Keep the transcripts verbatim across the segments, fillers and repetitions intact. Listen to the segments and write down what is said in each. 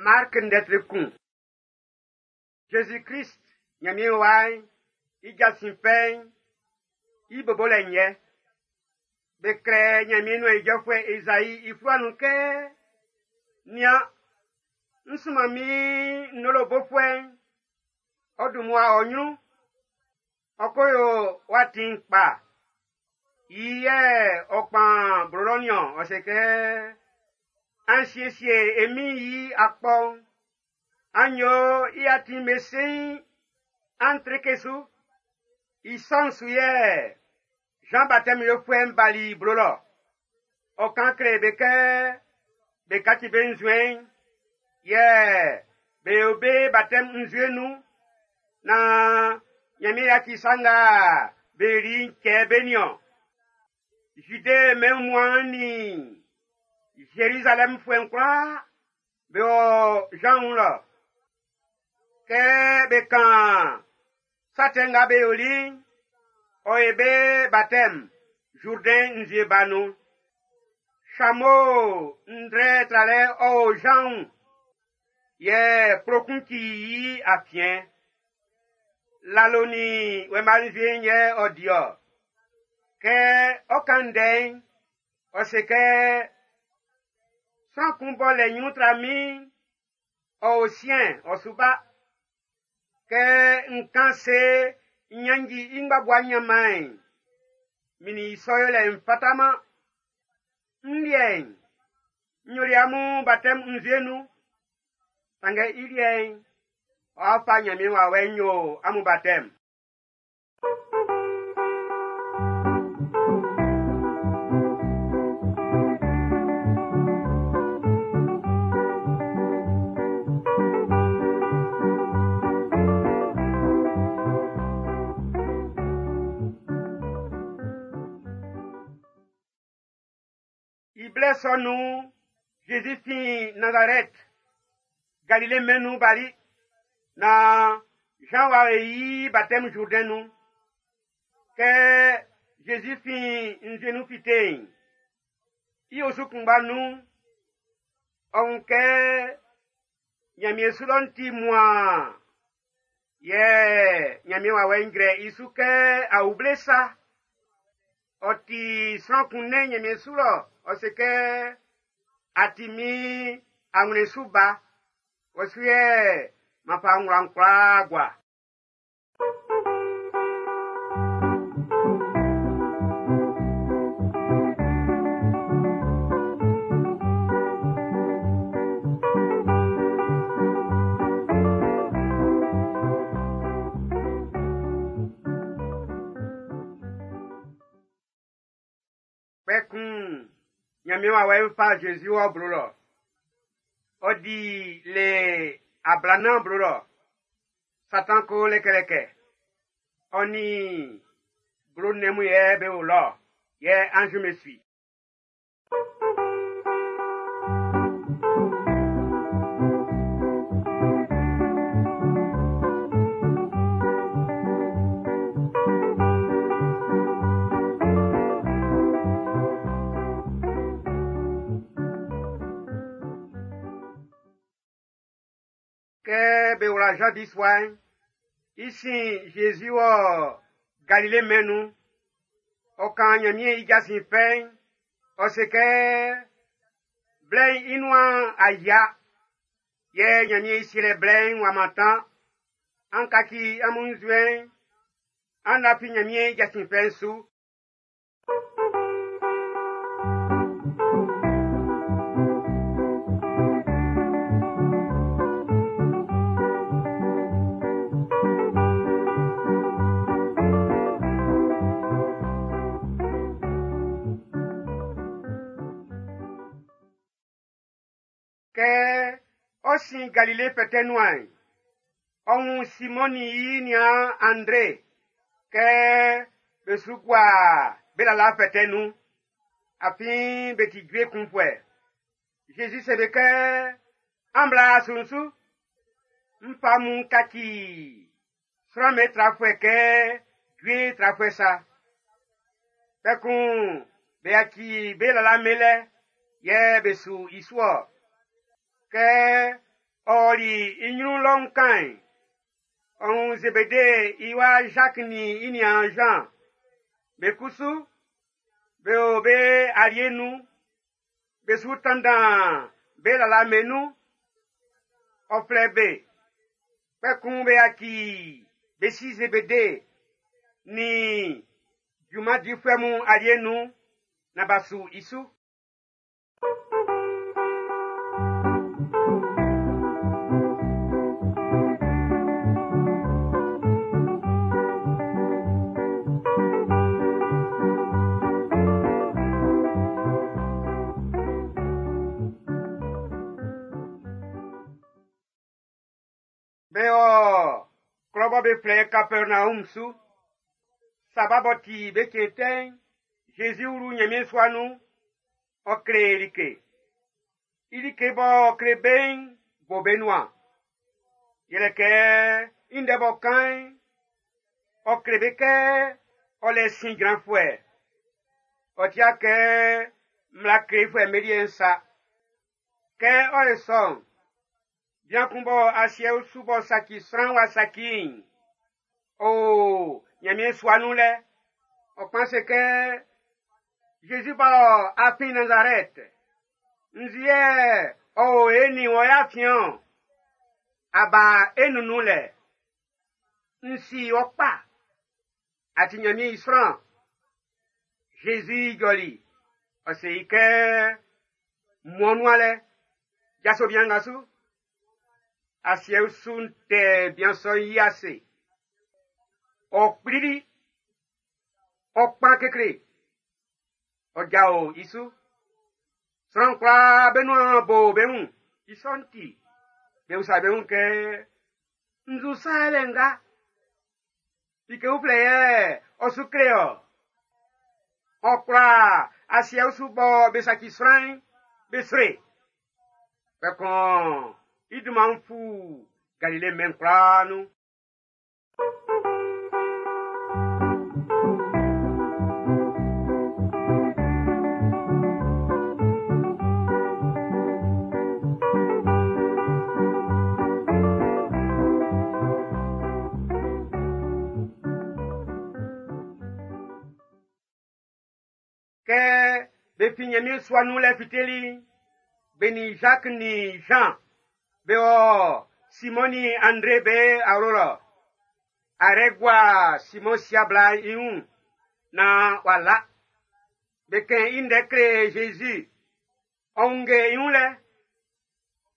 Mark ndɛtri kun. Jésus-Christ, Ɲanmiɛn wa'n, i jasin fɛ'n, i bobolɛ'n yɛ. Be klɛ Ɲanmiɛn nuan ijɔfuɛ Ezai i fluwa nun kɛ, Nian, n sunman min ndolo bofuɛ'n, ɔ dun mmua ɔ ɲrun, ɔ ko yo wɔ atin'n kpa. I yɛ ɔ kpan blo lɔ niɔn, ɔ se kɛ, An siesie e Min'n i akpɔ'n, an yo i atin'n be seiin, an treke su. I sɔ'n su yɛ Jean Baptiste yofuɛ'n bali blo lɔ. Ɔ kan kle be kɛ be kaci be nzuɛn'n, yɛ be yo be baptême nzue nun, naan Ɲanmiɛn yaci sa nga be yoli'n cɛ be niɔn. Jude mɛn wunmuan'n nin Zerizalɛmfuɛ'n kwlaa be wɔ Jean wun lɔ. Kɛ be kan sa tɛ nga be yoli'n, ɔ ye be baptême Jourdain nzue ba nun. Chameau ndrɛ tralɛ ɔ o Jean wun, yɛ kplokun ci i afiɛn. Lalo nin wɛma nzue'n yɛ ɔ di-ɔ. Kɛ ɔ kan ndɛ'n, ɔ se kɛ, Sran kun b'ɔ lɛ ɲrun tra min'n, ɔ o siɛn ɔ su ba. Kɛ n kan se n ɲannji i ngbabua ɲanman'n, min nin i sɔ yolɛ'n fataman. N liɛ'n, n yoli amun baptême nzue nun. Sanngɛ i liɛ'n, ɔ'a fa Ɲanmiɛn wawɛ'n yo amun baptême. I blɛ sɔ nun'n, Zezi fin Nazarɛt, Galile mɛn'n nun bali, naan Jean w'a yi i baptême Jourdain nun. Kɛ Zezi fin nzue nun fite'n, i osu kunngba nun'n, ɔ wun kɛ Ɲanmiɛn su lɔ'n ti muaan, yɛ Ɲanmiɛn wawɛ'n jrɛ i su kɛ awuble sa. Ɔ ti sran kun nɛn Ɲanmiɛn su lɔ, ɔ se kɛ, A ti min awlɛn su ba, wɔ su yɛ m'an fa n wla'n kwlaa gua. Kpɛkun Ɲanmiɛn wawɛ'n fa Zezi wɔ blo lɔ. Ɔ di le ablanan blo lɔ. Satan ko lɛkɛlɛkɛ. Ɔ nin blo nnɛn mun yɛ be o lɔ, yɛ anz'm be su i. Kɛ be wla Jean bisua'n, i sin Zezi wɔ Galile mɛn'n nun. Ɔ kan Ɲanmiɛn i jasin fɛ'n, ɔ se kɛ, Blɛ'n i nuan a yia, yɛ Ɲanmiɛn i sielɛ blɛ'n w'a mantan. An kaci amun nzuɛn'n, an lafi Ɲanmiɛn i jasin fɛ'n su. Kɛ ɔ sin Galile fɛtɛ nuan'n, ɔ wun Simɔn nin i niaan Andre kɛ be su gua be lala fɛtɛ nun, afin be ti jue kunfuɛ. Zezi se be kɛ, An bla su'n su, n fa amun kaci sran'm be trafuɛ kɛ jue trafuɛ sa. Kpɛkun be yaci be lala melɛ, yɛ be su i su-ɔ. Kɛ ɔli i ɲrun lɔ'n kan'n, ɔ wun Zebede i wa Zak nin i niaan Jean. Be kusu, be o be alie nun, be su tanndan be lala'm be nun. Ɔ flɛ be, kpɛkun be yaci be si Zebede nin junman difuɛ mun alie nun naan b'a su i su. Be ɔ klɔ bɔ be flɛ Kapɛrnaɔm su. Saba b'ɔ ti be cɛn tɛ'n, Jésus wlu Nyanmiɛn sua nun, ɔ kle like. I like b'ɔ kle be'n bo be nuan. Yɛlɛ kɛ i ndɛ b'ɔ kan'n, ɔ kle be kɛ ɔ lɛ sin jranfuɛ. Ɔ tia kɛ mmla klefuɛ'm be liɛ'n sa. Kɛ ɔ ye sɔ'n, bian kun bɔ asiɛ usu b'ɔ saci sran wa saci'n, ɔ o Nyanmiɛn sua nun lɛ. Ɔ kpan se kɛ, Jésus bɔ a fin Nazarɛt, nzu yɛ ɔ o e nin wɔ y'a afiɛn-ɔn? A ba e nunnun lɛ. N si wɔ kpa. A ti Nyanmiɛn i sran. Jésus jɔli. Ɔ se i kɛ, Muan nuan lɛ. Jaso bian nga su. Asiɛ usu'n tɛ bian sɔ'n i ase. Ɔ kplili. Ɔ kpan kekle. Ɔ jao i su. Sran kwlaa be nuan bo be wun. I sɔ'n ti, be usa be wun kɛ, nzu sa yɛlɛ nga? Like uflɛ yɛ ɔ su kle ɔ. Ɔ kwla asiɛ usu bɔ be saci sran'n, be sre. Kpɛkun i dunman'n fu Galile mɛn kwlaa nun. Kɛ be fin Nyanmiɛn sua nun lɛ fiteli, be nin Jacques nin Jean be wɔ Simon nin André be awlo lɔ. Arɛ gua Simon sia bla'n i wun naan w'a la. Be kɛn i ndɛ kle Jésus. Ɔ wunnge i wun lɛ.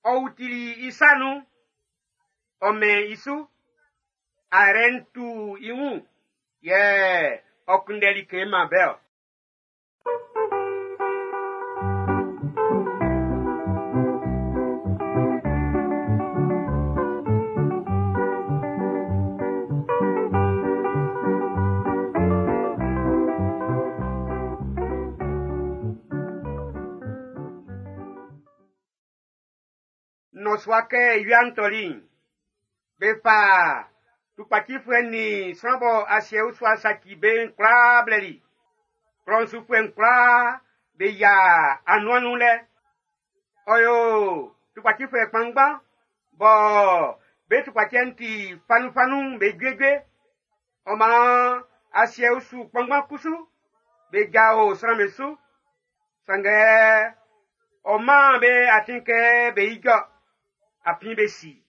Ɔ wutili i sa nun. Ɔ mɛn i su. Arɛ'n tu i wun yɛ ɔ kunndɛ like man be-ɔ. Nnɔsua kɛ wia'n tɔli'n, be fa tukpacifuɛ nin sran bɔ asiɛ usu a saci be'n kwlaa blɛli. Klɔ'n sufuɛ'n kwlaa be yia anuan nun lɛ. Ɔ yo tukpacifuɛ kpanngban bɔ be tukpacɛ'n ti fanunfanun be juejue. Ɔ maan asiɛ usu kpanngban kusu be jao sran'm be su. Sanngɛ ɔ maan be atin kɛ be ijɔ, afin be si.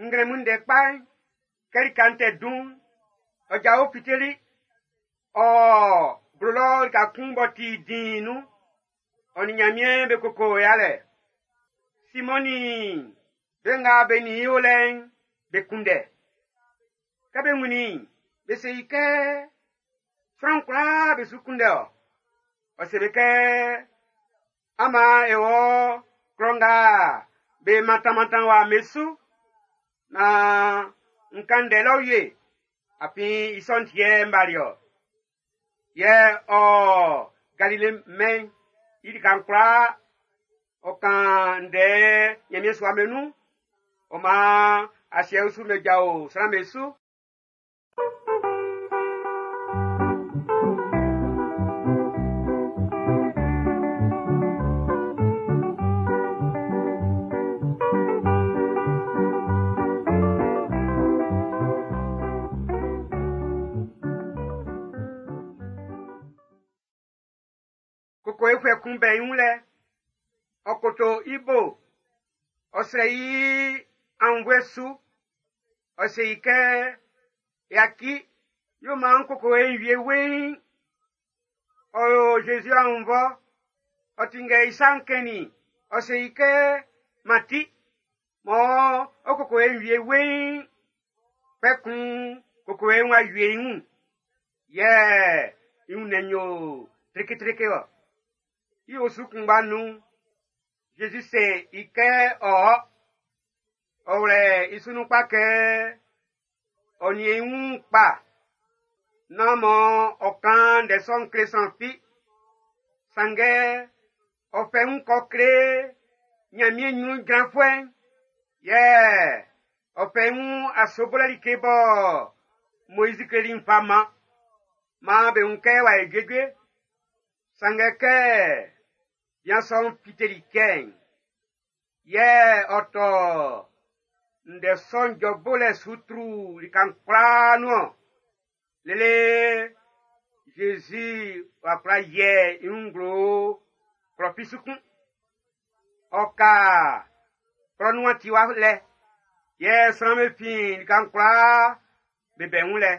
Nglɛmun ndɛ kpa'n, kɛ lika'n tɛ dun'n, ɔ jao fiteli. Ɔ blo lɔ lika kun b'ɔ ti diin nun. Ɔ nin Nyanmiɛn be koko yalɛ. Simɔn nin be nga be nin i o lɛ'n, be kunndɛ. Kɛ be wunnin i'n, be se i kɛ, sran kwlaa be su kunndɛ ɔ. Ɔ se be kɛ, an maan e wɔ klɔ nga be mantanmantan wa me su, naan n kan ndɛ lɔ wie, afin i sɔ'n ti yɛ n bali ɔ. Yɛ ɔ Galile mɛn'n i lika'n kwlaa. Ɔ kan ndɛ Ɲanmiɛn sua'm be nun. Ɔ maan asiɛ usu'm be jao sran'm be su. Kokowefuɛ kun bɛ i wun lɛ, ɔ koto i bo, ɔ srɛ i aunnvuɛ su, ɔ se i kɛ, yaci, yo maan kokowe'n wie weiin. Ɔ yo Zezi aunnvɔ, ɔ tinngɛ i sa'n kɛn i, ɔ se i kɛ, Mati, mɔ ɔ kokowe'n wie weiin. Kpɛkun kokowe'n w'a wie i wun, yɛ i wunnɛn'n yo treketreke ɔ. I osu kunngba nun'n, Zezi se i kɛ ɔ ɔ. Ɔ wlɛ i su nun kpa kɛ ɔ niɛn i wun kpa nán mɔ ɔ kan ndɛ sɔ'n kle sran fi. Sanngɛ ɔ fɛ wun kɔ kle Ɲanmiɛn ɲrun jranfuɛ'n, yɛ ɔ fɛ wun asobolɛ like bɔ Moizi kleli'n fa man. Maan be wun kɛ w'a yo juejue. Sanngɛ kɛ bian sɔ'n fiteli cɛ'n, yɛ ɔ tɔ ndɛ sɔ'n jɔ bolɛ su tru lika'n kwlaa nun ɔn. Lele Zezi w'a kwla yiɛ i wun nglo klɔ fi su kun. Ɔ ka klɔ nuan tiwa lɛ, yɛ sran'm be fin lika'n kwlaa be bɛ wun lɛ.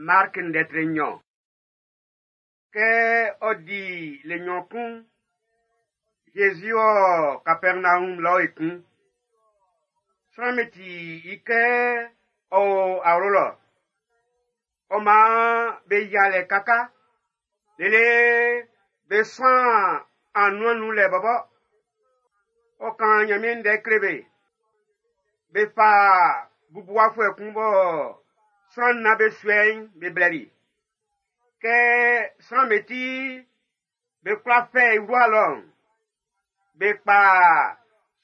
Mark ndɛtre nɲɔn. Kɛ ɔ di le nɲɔn kun'n, Zezi wɔ Kapɛrnaum lɔ ekun. Sran'm be ti i kɛ ɔ o awlo lɔ. Ɔ maan be yia lɛ kaka, lele be suan anuan'n nun lɛ bɔbɔ. Ɔ kan Ɲanmiɛn ndɛ kle be. Be fa bubuwafuɛ kun bɔ sran nnan be suɛ i'n be blɛli. Kɛ sran'm be ti be kwla fɛ i wla lɔ'n, be kpa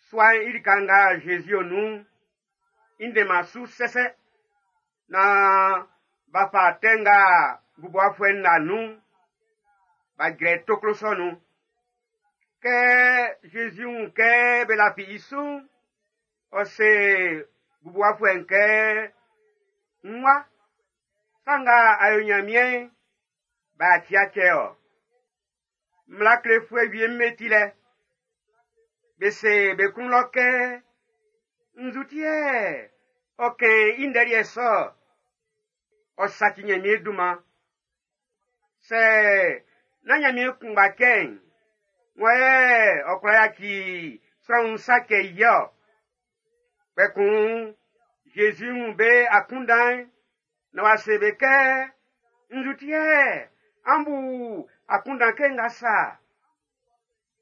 sua'n i lika nga Zezi o nun'n, i ndɛnman su sɛsɛ, naan b'a fa tɛ nga bubuwafuɛ'n la nun'n, b'a jrɛ toklo sɔ'n nun. Kɛ Zezi wun kɛ be lafi i su'n, ɔ se bubuwafuɛ'n kɛ, N wa, sa nga a yo Ɲanmiɛn'n, b'a ti a cɛ ɔ. Mmla klefuɛ wie'm be ti lɛ. Be se be klun lɔ kɛ, nzu ti yɛ ɔ kɛn i ndɛ liɛ sɔ. Ɔ saci Ɲanmiɛn dunman. Sɛ nán Ɲanmiɛn kunngba cɛ'n, wan yɛ ɔ kwla yaci sran wun sa cɛ i ɔ? Kpɛkun Zezi wun be akunndan'n, na w'a se be kɛ, nzu ti yɛ an bu akunndan kɛ nga sa.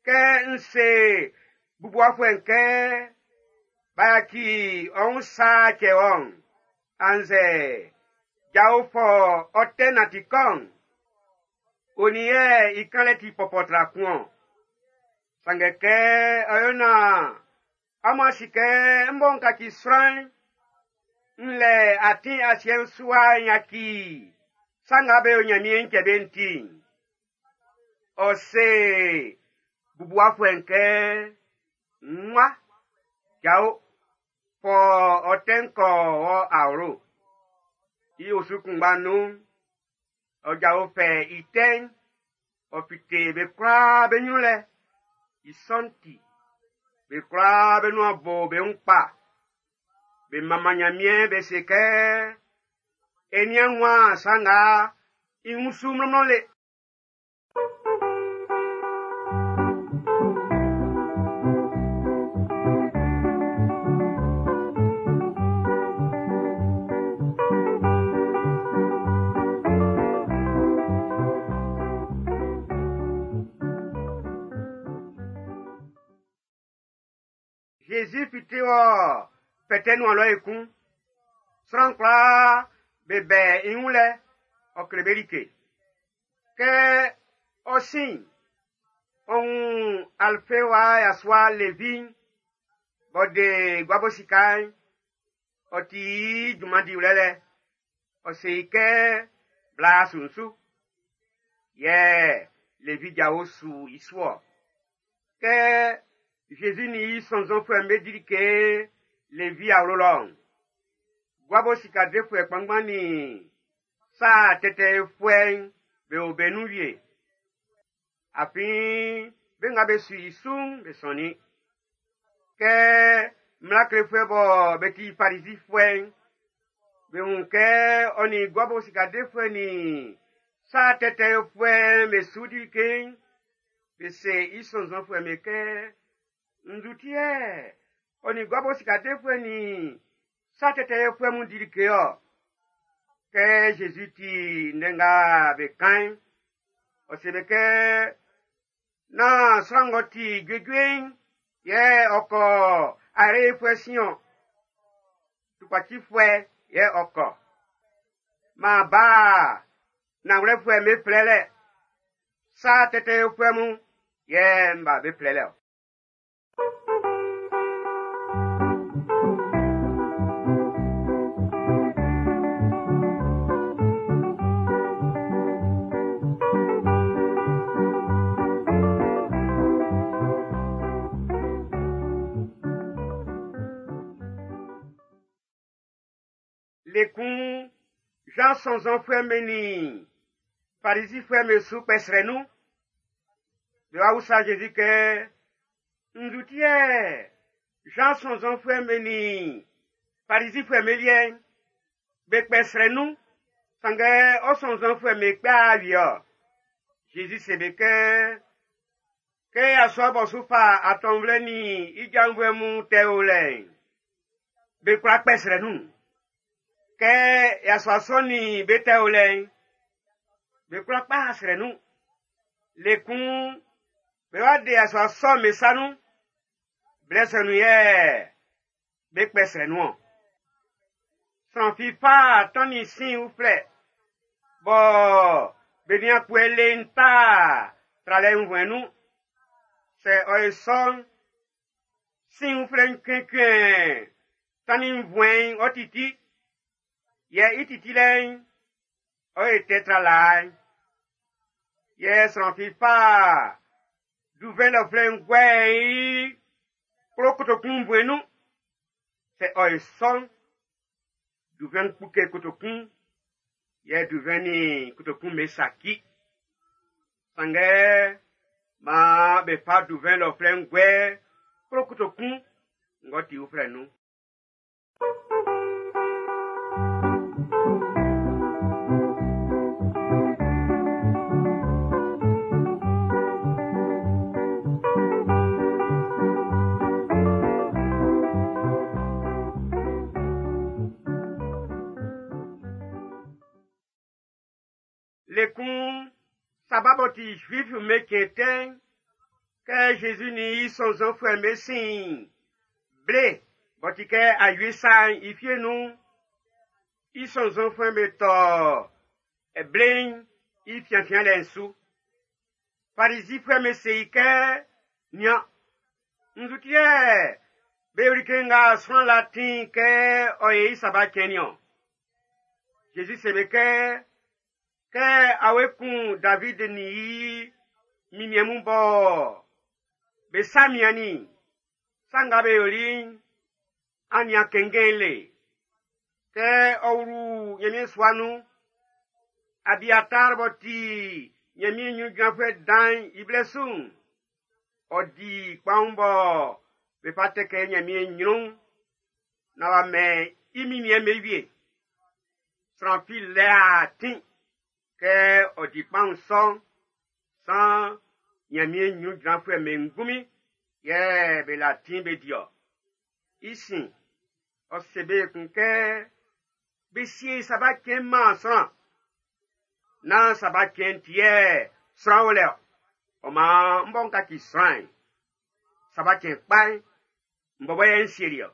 Kɛ n se bubuwafuɛ'n kɛ, b'a yaci ɔ wun sa cɛ wɔ'n, annzɛ jao fɔ ɔ tɛ nanti kɔ'n, onin yɛ i kanlɛ ti pɔpɔ tra kun ɔn. Sanngɛ kɛ ɔ yo naan amun a si kɛ n bɔ n kaci sran'n, n lɛ atin asiɛ'n su wa n yaci sa nga be yo Ɲanmiɛn cɛ be'n ti'n, ɔ se bubuwafuɛ'n kɛ, n wa, jao, fɔ ɔ tɛ'n kɔ wɔ awlo. I osu kunngba nun'n, ɔ jao fɛ i tɛ'n, ɔ fite be kwlaa be ɲrun lɛ. I sɔ'n ti, be kwlaa be nuan bo be wun kpa. Be manman Ɲanmiɛn be se kɛ, e nian wun sa nga i wun su mlɔnmlɔn le. Zezi fite wɔ fɛtɛ nuan lɔ ekun. Sran kwlaa be bɛ i wun lɛ, ɔ kle be like. Kɛ ɔ sin, ɔ wun Alfe wa yasua Levi'n, b'ɔ de guabo sika'n, ɔ ti i junman diwlɛ lɛ. Ɔ se i kɛ bla su'n su. Yɛ Levi jao su i su ɔ. Kɛ Zezi ni i sɔnnzɔnfuɛ'm be di like Levi awlo lɔ'n, guabo sika defuɛ kpanngban ni sa tɛtɛfuɛ'n be o be nun wie. Afin be nga be su i su'n be sɔnnin. Kɛ mmla klefuɛ bɔ be ti Farizifuɛ'n, be wun kɛ ɔ nin guabo sika defuɛ ni sa tɛtɛfuɛ'n be su di like'n, be se i sɔnnzɔnfuɛ'm be kɛ, nzu ti yɛ ɔ nin guabo sika defuɛ ni sa tɛtɛfuɛ mun di like ɔ? Kɛ Zezi ti ndɛ nga be kan'n, ɔ se be kɛ, nán sran ng'ɔ ti juejue'n yɛ ɔ kɔ arefuɛ sin-ɔn, tukpacifuɛ yɛ ɔ kɔ. Maa ba nanwlɛfuɛ'm be flɛlɛ, sa tɛtɛfuɛ mun yɛ n ba be flɛlɛ ɔ. Lekun Jean sɔnnzɔnfuɛ'm be nin Farizifuɛ'm be su kpɛ nun. Be wa usa Jésus kɛ, nzu ti yɛ Jean sɔnnzɔnfuɛ'm be nin Farizifuɛ'm be liɛ'n, be kpɛ srɛ nun, sanngɛ ɔ sɔnnzɔnfuɛ'm be kpɛ awie ɔ. Jésus se be kɛ, kɛ yasua bɔ su fa atɔnvlɛ nin i janvuɛ mun tɛ o lɛ'n, be kwla kpɛ srɛ nun. Kɛ yasua sɔ nin be tɛ o lɛ'n, be kwla kpa srɛ nun. Lekun, be wa de yasua sɔ'n be sa nun. Blɛ sɔ nun yɛ be kpɛ srɛ nun ɔ. Sran fi fa tannin sin uflɛ, bɔ be nian kpue le'n ta tralɛ nvuɛn nun. Sɛ ɔ ye sɔ'n, sin uflɛ'n kɛnkɛn tannin nvuɛn'n ɔ titi. Yɛ i titi lɛ'n, ɔ ye tɛ tra laa'n. Yɛ sran fi fa duvɛn lɔflɛ'n guɛ i kplo kotokun nvuɛn nun. Sɛ ɔ ye sɔ'n, duvɛn kpuke kotokun, yɛ duvɛn ni kotokun be saki. Sanngɛ, maan be fa duvɛn lɔflɛ'n guɛ kplo kotokun ng'ɔ ti uflɛ nun. Lekun sababɔ ti Juif me kɛntɛn, kɛ Jésus ni i sɔnnzɔnfuɛ'm be sin ble b'ɔ ti kɛ awie sa'n i fie nun, i sɔnnzɔnfuɛ'm be tɔ ble'n i fianfianlɛ'n su. Farizifuɛ'm be se i kɛ, nian, nzu ti yɛ be yo like nga sran la ti'n kɛ ɔ ye i saba cɛn niɔn? Jésus se be kɛ, kɛ awe kun David ni i miniɛn mun bɔ be sa miannin, sa nga be yoli'n, an nian kɛnkɛn le. Kɛ ɔ wlu Ɲanmiɛn sua nun, Abiatar b'ɔ ti Ɲanmiɛn ɲrun jranfuɛ dan'n i blɛ su'n, ɔ di kpaun bɔ be fa tɛ kɛ Ɲanmiɛn ɲrun, na w'a mɛn i miniɛn'm be wie. Sran fi lɛ atin kɛ ɔ di kpaun sɔ'n, san Ɲanmiɛn ɲrun jranfuɛ'm be ngunmin yɛ be la tin be di ɔ. I sin, ɔ se be kun kɛ be sie saba cɛn maan sran. Nán saba cɛn ti yɛ sran o lɛ ɔ. Ɔ maan n bɔ n kaci sran'n, saba cɛn kpa'n, N bɔbɔ yɛ n sieli ɔ.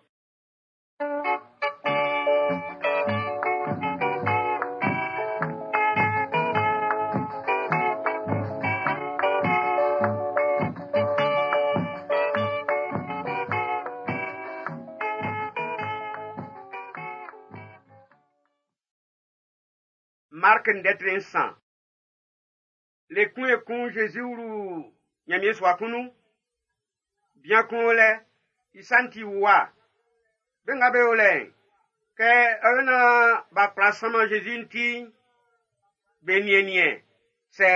Mark ndɛtre nsan. Le kun ekun Jésus wlu Ɲanmiɛn sua kun nun. Bian kun o lɛ, i sa'n ti wuwa. Be nga be o lɛ'n, kɛ ɔ yo naan b'a kwla sanman Jésus ti'n, be niɛnniɛn sɛ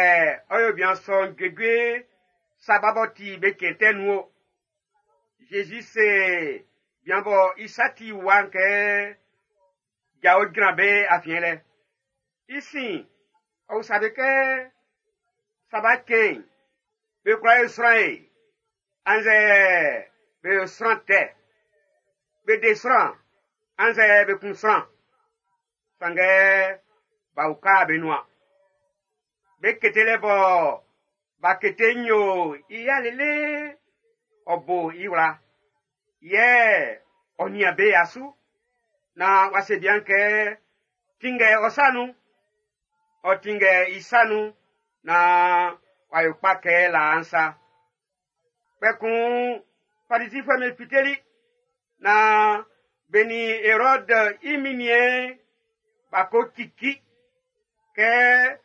ɔ yo bian sɔ'n juejue saba b'ɔ ti be cɛn tɛ nun o. Jésus se bian bɔ i sa ti wuwa'n kɛ jao jran be afiɛn lɛ. I sin, ɔ usa be kɛ saba cɛn'n, be kwla yo sran ye, annzɛ be yo sran tɛ, be de sran, annzɛ be kun sran. Sanngɛ b'a uka be nuan. Be kete lɛ bɔ b'a kete nyo i ya lele ɔ bo i wla. Yɛ ɔ nian be asu na wa se bian kɛ tinngɛ ɔ sa nun. Ɔ tinngɛ i sa nun na wa yo kpa kɛ laa'n sa. Kpɛkun Farisifuɛ'm be fiteli na be nin Erɔd i minniɛn b'a ko cici kɛ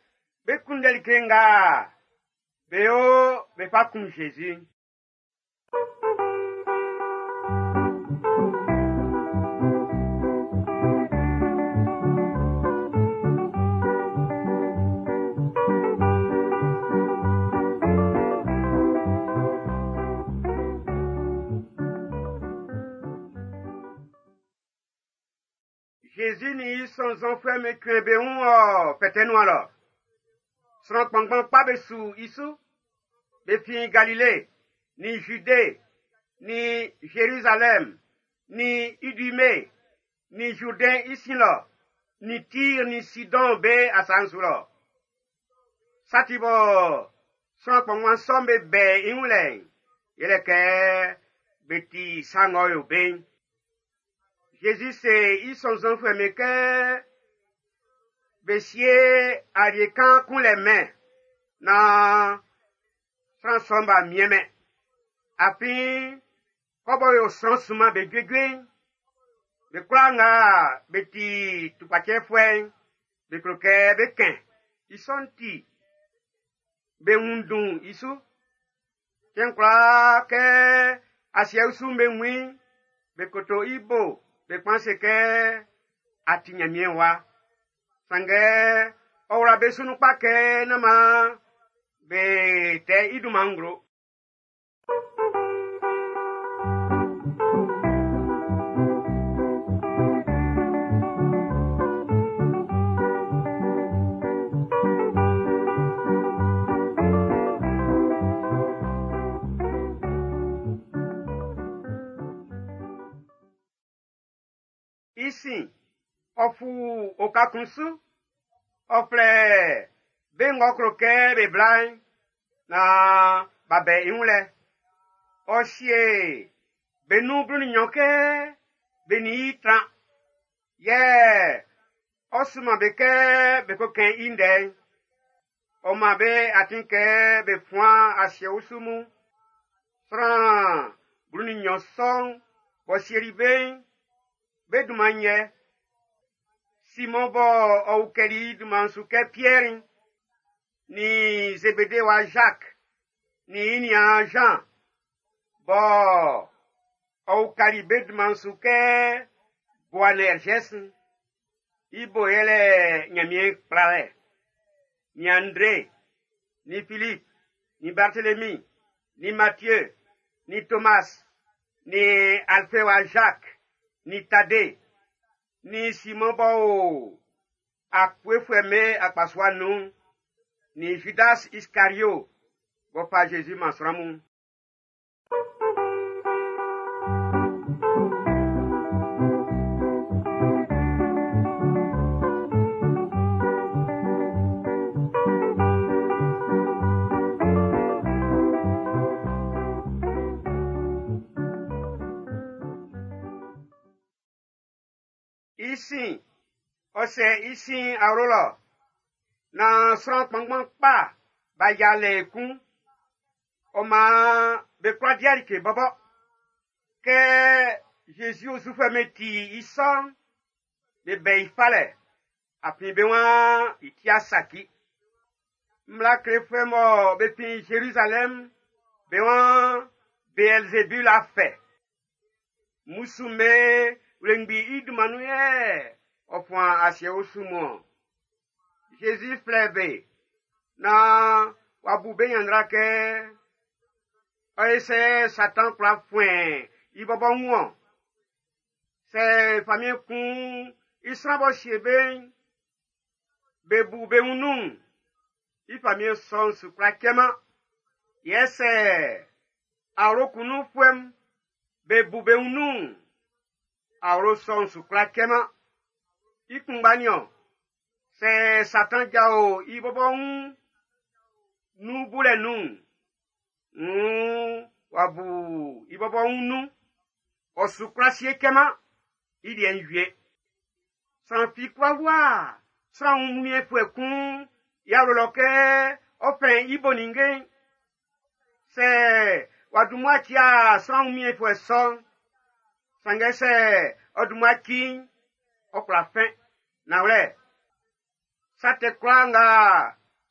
be kunndɛ like nga be yo be fa kun Jésus. Jésus ni i sɔnnzɔnfuɛ'm be kle be wun ɔ fɛtɛ nuan lɔ. Sran kpanngban kpa be su i su. Be fin Galile, ni Jude, ni Jérusalem, ni Idume, ni Jourdain i sin lɔ, ni Tyr, ni Sidon be asa'n su lɔ. Sa ti bɔ sran kpanngban sɔ'm be bɛ i wun lɛ'n, yɛlɛ kɛ be ti sa ng'ɔ yo be'n. Jésus se i sɔnnzɔnfuɛ'm be kɛ be sie alie kan kun lɛ mɛn na sran sɔ'm b'a miɛnmɛn. Afin kɔbɔ yo sran sunman be juejue'n, be kwlaa nga be ti tukpacɛfuɛ'n, be klo kɛ be kɛn i sɔ'n ti be wun dun i su. Cɛn kwlaa kɛ asiɛ usu'n be wun i'n, be koto i bo, be kpan se kɛ a ti Ɲanmiɛn wa. Sanngɛ ɔ wla be su nun kpa kɛ nán maan be tɛ i dunman nglo. I sin, ɔ fu oka kun su, ɔ flɛ be ng'ɔ klo kɛ be bla'n na b'a bɛ i wun lɛ. Ɔ sie be nun blu nin nnyɔn kɛ be nin i tran. Yɛ ɔ sunman be kɛ be ko kɛn i ndɛ'n. Ɔ man be atin kɛ be fuan asiɛ usu mun. Sran blu nin nnyɔn sɔ'n b'ɔ sieli be'n, be dunman yɛ. Simɔn bɔ ɔ ukɛli i dunman su kɛ Piɛri, ni Zebede wa Jacques, ni i niaan Jean, bɔ ɔ ukali be dunman su kɛ Boanerges, i bo yɛlɛ Ɲanmiɛn kplalɛ, ni André, ni Philippe, ni Barthélemy, ni Matthieu, ni Thomas, ni Alphée wa Jacques, ni Thaddée, ni Simon bɔ o akpuefuɛ'm be akpasua nun, ni Judas Iscariot b'ɔ fa Jésus man sran mun. ɔ sɛ i sin awlo lɔ, naan sran kpanngban kpa b'a yia lɛ ekun. Ɔ maan be kwla di like bɔbɔ. Kɛ Zezi osufuɛ'm be ti i sɔ'n, be bɛ i falɛ, afin be waan i ti saci. Mmla klefuɛ mɔ be fin Zerizalɛm, be waan Beelzebul a fɛ. Mmusu'm be wlengbi i dunman nun yɛ ɔ fuan asiɛ usu mun-ɔn. Zezi flɛ be naan w'a bu be ɲanndra kɛ ɔ ye sɛ Satan kwla fuɛn i bɔbɔ wun-ɔn. Sɛ famiɛn kun i sran b'ɔ sie be'n, be bu be wun nun'n, i famiɛn sɔ'n su kwla cɛman. Yɛ sɛ awlo kun nunfuɛ'm be bu be wun nun'n, awlo sɔ'n su kwla cɛman. I kunngba niɔn, sɛ Satan jao i bɔbɔ wun nun bulɛ nun'n, wuun w'a bu i bɔbɔ wun nun, ɔ su kwla sie cɛman, i liɛ'n wie. Sran fi kwla wua sran wunmiɛnfuɛ kun i awlo lɔ kɛ ɔ fɛ i bo ninnge'n. Sɛ w'a dun mmua cia sran wunmiɛnfuɛ sɔ'n, sanngɛ sɛ ɔ dun mmua ci'n, ɔ kwla fɛn. Nanwlɛ, sa tɛ kwlaa nga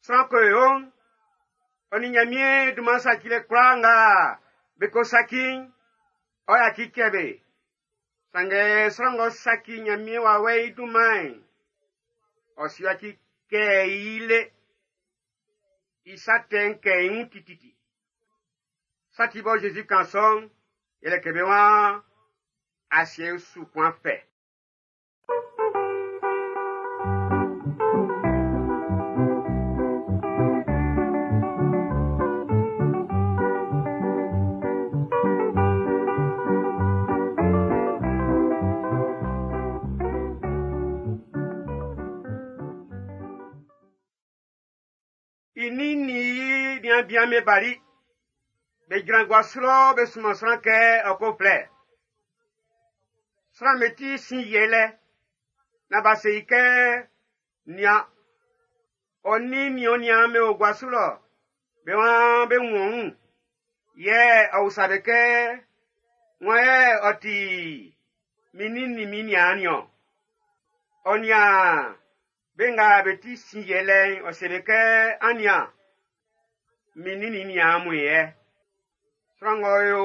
sran ko yo'n, ɔ nin Ɲanmiɛn dunman sacilɛ kwlaa nga be ko saci'n, ɔ yaci cɛ be. Sanngɛ sran ng'ɔ saci Ɲanmiɛn wawɛ'n i dunman'n, ɔ su yaci kɛ i le. I sa tɛ'n kɛ i wun tititi. Sa ti bɔ Zezi kan sɔ'n, yɛlɛ kɛ be waan asiɛ su kwan fɛ. I nin nin i niaan bian be bali. Be jran gua su lɔ be sunman sran kɛ ɔ ko flɛ. Sran'm be ti sin yɛlɛ. Na b'a se i kɛ nian, ɔ nin nin ɔ niaan be o gua su lɔ. Be waan be wun ɔ wun. Yɛ ɔ usa be kɛ, wan yɛ ɔ ti min nin nin min niaan niɔn? Ɔ nian be nga be ti sin yɛlɛ'n, ɔ se be kɛ, an nian, min nin nin niaan mun yɛ. Sran ng'ɔ yo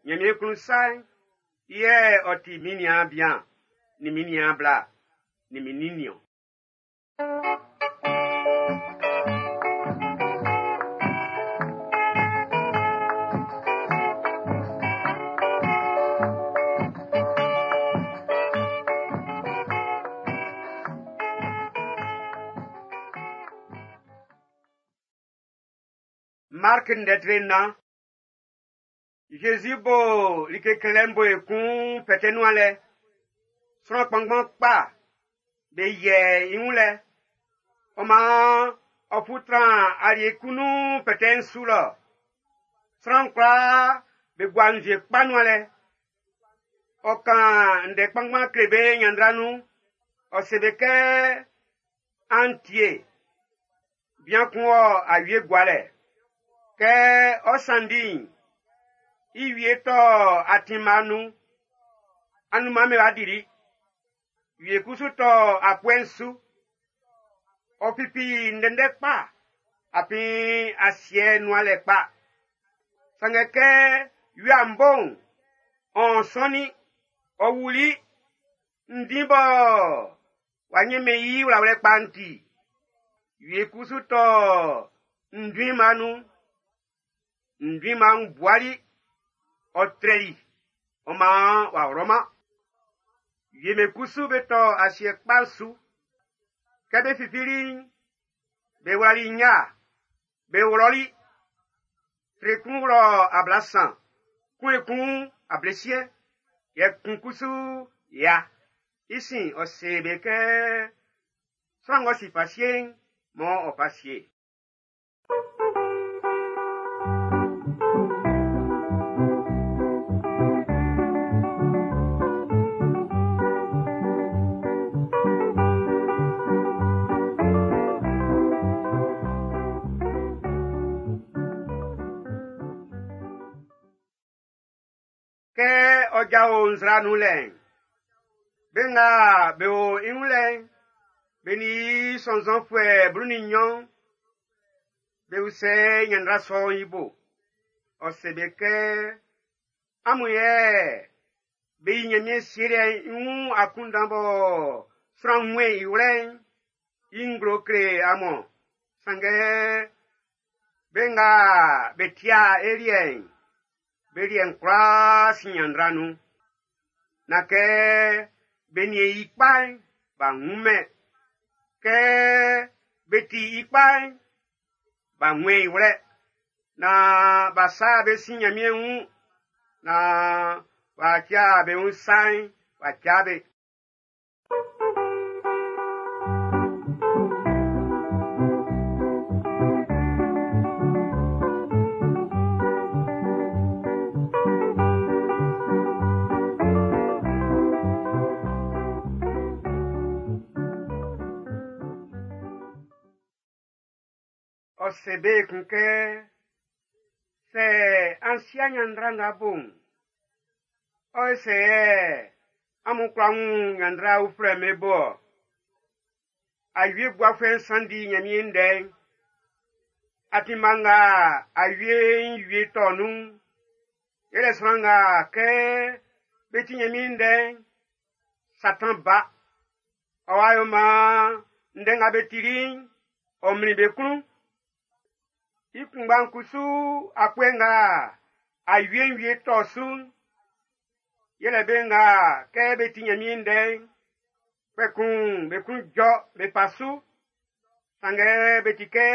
Ɲanmiɛn klun sa'n, i yɛ ɔ ti min niaan bian, nin min niaan bla, nin min nin niɔn. Mark ndɛtre nnan. Jésus bo like klelɛ'n bo ekun fɛtɛ nuan lɛ. Sran kpanngban kpa be yɛ i wun lɛ. Ɔ maan ɔ fu tran alie kun nun fɛtɛ'n su lɔ. Sran kwlaa be gua nzue kpa nuan lɛ. Ɔ kan ndɛ kpanngban kle be ɲanndra nun. Ɔ se be kɛ an tie. Bian kun wɔ awie gualɛ. Kɛ ɔ sanndi'n, i wie tɔ atinma nun. Anunman be wa dili. Wie kusu tɔ apuɛ'n su. Ɔ fifi ndɛndɛ kpa, afin asiɛ nuan lɛ kpa. Sanngɛ kɛ wia'n bo'n, ɔ sɔnnin, ɔ wuli, ndin bɔ w'a ɲɛnmɛn i wlawlɛ kpa'n ti. Wie kusu tɔ nduinma nun. Nduinma'n buali, ɔ trɛli, ɔ maan w'a wlɔman. Wie me kusu be tɔ asiɛ kpa'n su. Kɛ be fifili'n, be wlali nya, be wlɔli. Tre kun wlɔ ablasan, kun ekun ablesiɛn, yɛ kun kusu ya. I sin ɔ se be kɛ sran ng'ɔ si fa sie'n, mɔ ɔ fa sie. ɔ jao nzra nun lɛ'n, be nga be o i wun lɛ'n, be nin i sɔnnzɔnfuɛ blu nin nnyɔn, be usɛ ɲanndra sɔ'n i bo. Ɔ se be kɛ, amun yɛ be yi Ɲanmiɛn Sielɛ'n i wun akunndan bɔ sran wunmɛn i wlɛ'n i nglo kle amun. Sanngɛ be nga be tia e liɛ'n, be liɛ'n kwlaa sin ɲanndra nun. Na kɛ be niɛn i kpa'n, b'a wunmɛn. Kɛ be ti i kpa'n, b'a wunmɛn i wlɛ. Na b'a sa be sin Ɲanmiɛn wun, na b'a tia be wun sa'n, b'a tia be. Ɔ se be ekun kɛ, sɛ an sia ɲanndra nga bo'n, ɔ se yɛ amun kwla wun ɲanndra uflɛ'm be bo-ɔ. Awie guafuɛ'n sanndi Ɲanmiɛn ndɛ'n. Atin mma nga awie'n wie tɔ nun'n, yɛlɛ sran nga kɛ be ti Ɲanmiɛn ndɛ'n, Satan ba. Ɔ wa yo maan ndɛ nga be tili'n, ɔ mlin be klun. I kunngba'n kusu akpue nga awie'n wie tɔ su'n, yɛlɛ be nga kɛ be ti Ɲanmiɛn ndɛ'n, kpɛkun be klun jɔ be fa su. Sanngɛ be ti kɛ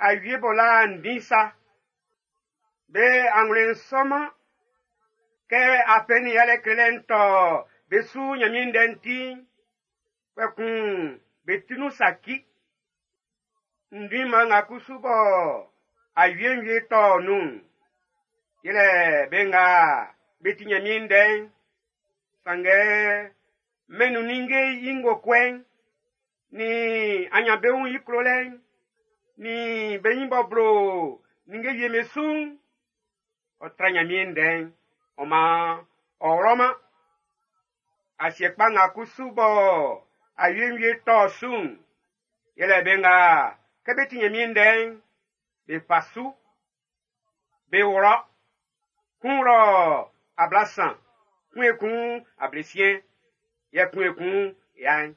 awie b'ɔ la ndin sa. Be anwlɛn'n sɔman. Kɛ afɛ nin yalɛ klelɛ'n tɔ be su Ɲanmiɛn ndɛ'n ti'n, kpɛkun be ti nun saci. Ndin mma nga kusu bɔ awie'n wie tɔ nun'n, yɛlɛ be nga be ti Ɲanmiɛn ndɛ'n. Sanngɛ mɛn'n nun ninnge i ngokɔɛ'n, nin anyanbeun'n i klolɛ'n, nin be nyin b'ɔ blo ninnge wie'm be su'n, ɔ tra Ɲanmiɛn ndɛ'n, ɔ maan ɔ wlɔman. Asiɛ kpa nga kusu bɔ awie'n wie tɔ su'n, yɛlɛ be nga kɛ be ti Ɲanmiɛn ndɛ'n, be fa su, be wlɔ. Kun wlɔ ablasan, kun ekun ablesiɛn, yɛ kun ekun ya'n.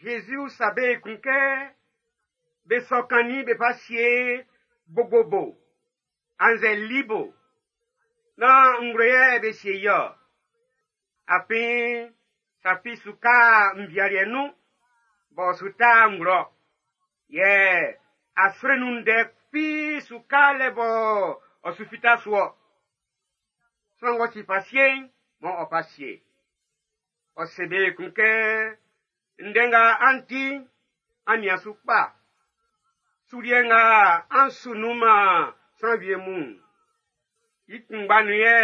Jésus usa be ekun kɛ be sɔ kannin be fa sie gbogbo bo annzɛ li bo. Na ngue yɛ be sie i-ɔ? Afin sa fi su ka nvialiɛ nun b'ɔ su ta nglo. Yɛ aswre nun ndɛ fi su ka lɛ bɔ ɔ su fita su-ɔ. Sran ng'ɔ si fa sie'n, mɔ ɔ fa sie. Ɔ se be ekun kɛ, ndɛ nga an ti'n, an nian su kpa. Suliɛ nga an su nun man sran wie mun'n, i kunngba nun yɛ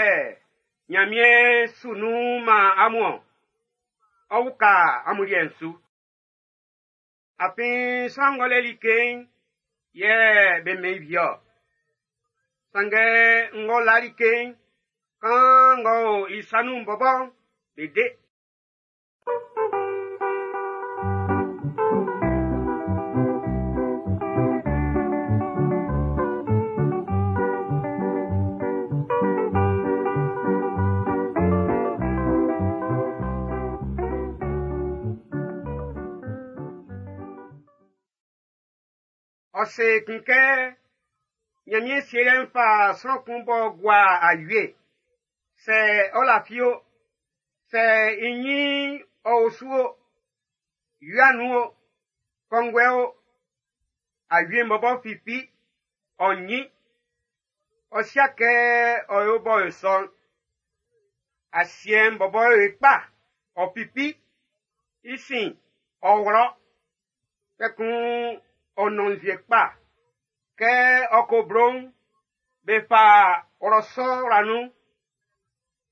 Ɲanmiɛn su nun man amun-ɔn. Ɔ uka amun liɛ'n su. Afin sran ng'ɔ lɛ like'n, yɛ be mɛn i wie-ɔ. Sanngɛ ng'ɔ la like'n, kan ng'ɔ o i sa nun bɔbɔ'n, be de. Ɔ se ekun kɛ, Ɲanmiɛn Sielɛ'n fa sran kun b'ɔ gua awie. Sɛ ɔ lafi o, sɛ i nyin ɔ o su o, wia nun o, kɔnguɛ o, awie'n bɔbɔ fifi, ɔ nyin. Ɔ sia kɛ ɔ yo bɔ e sɔ'n. Asiɛ'n bɔbɔ yo e kpa, ɔ fifi. I sin, ɔ wlɔ. Kpɛkun ɔ nɔn nzue kpa. Kɛ Kɛ ɔ ko blo'n, be fa wlɔsɔ wla nun,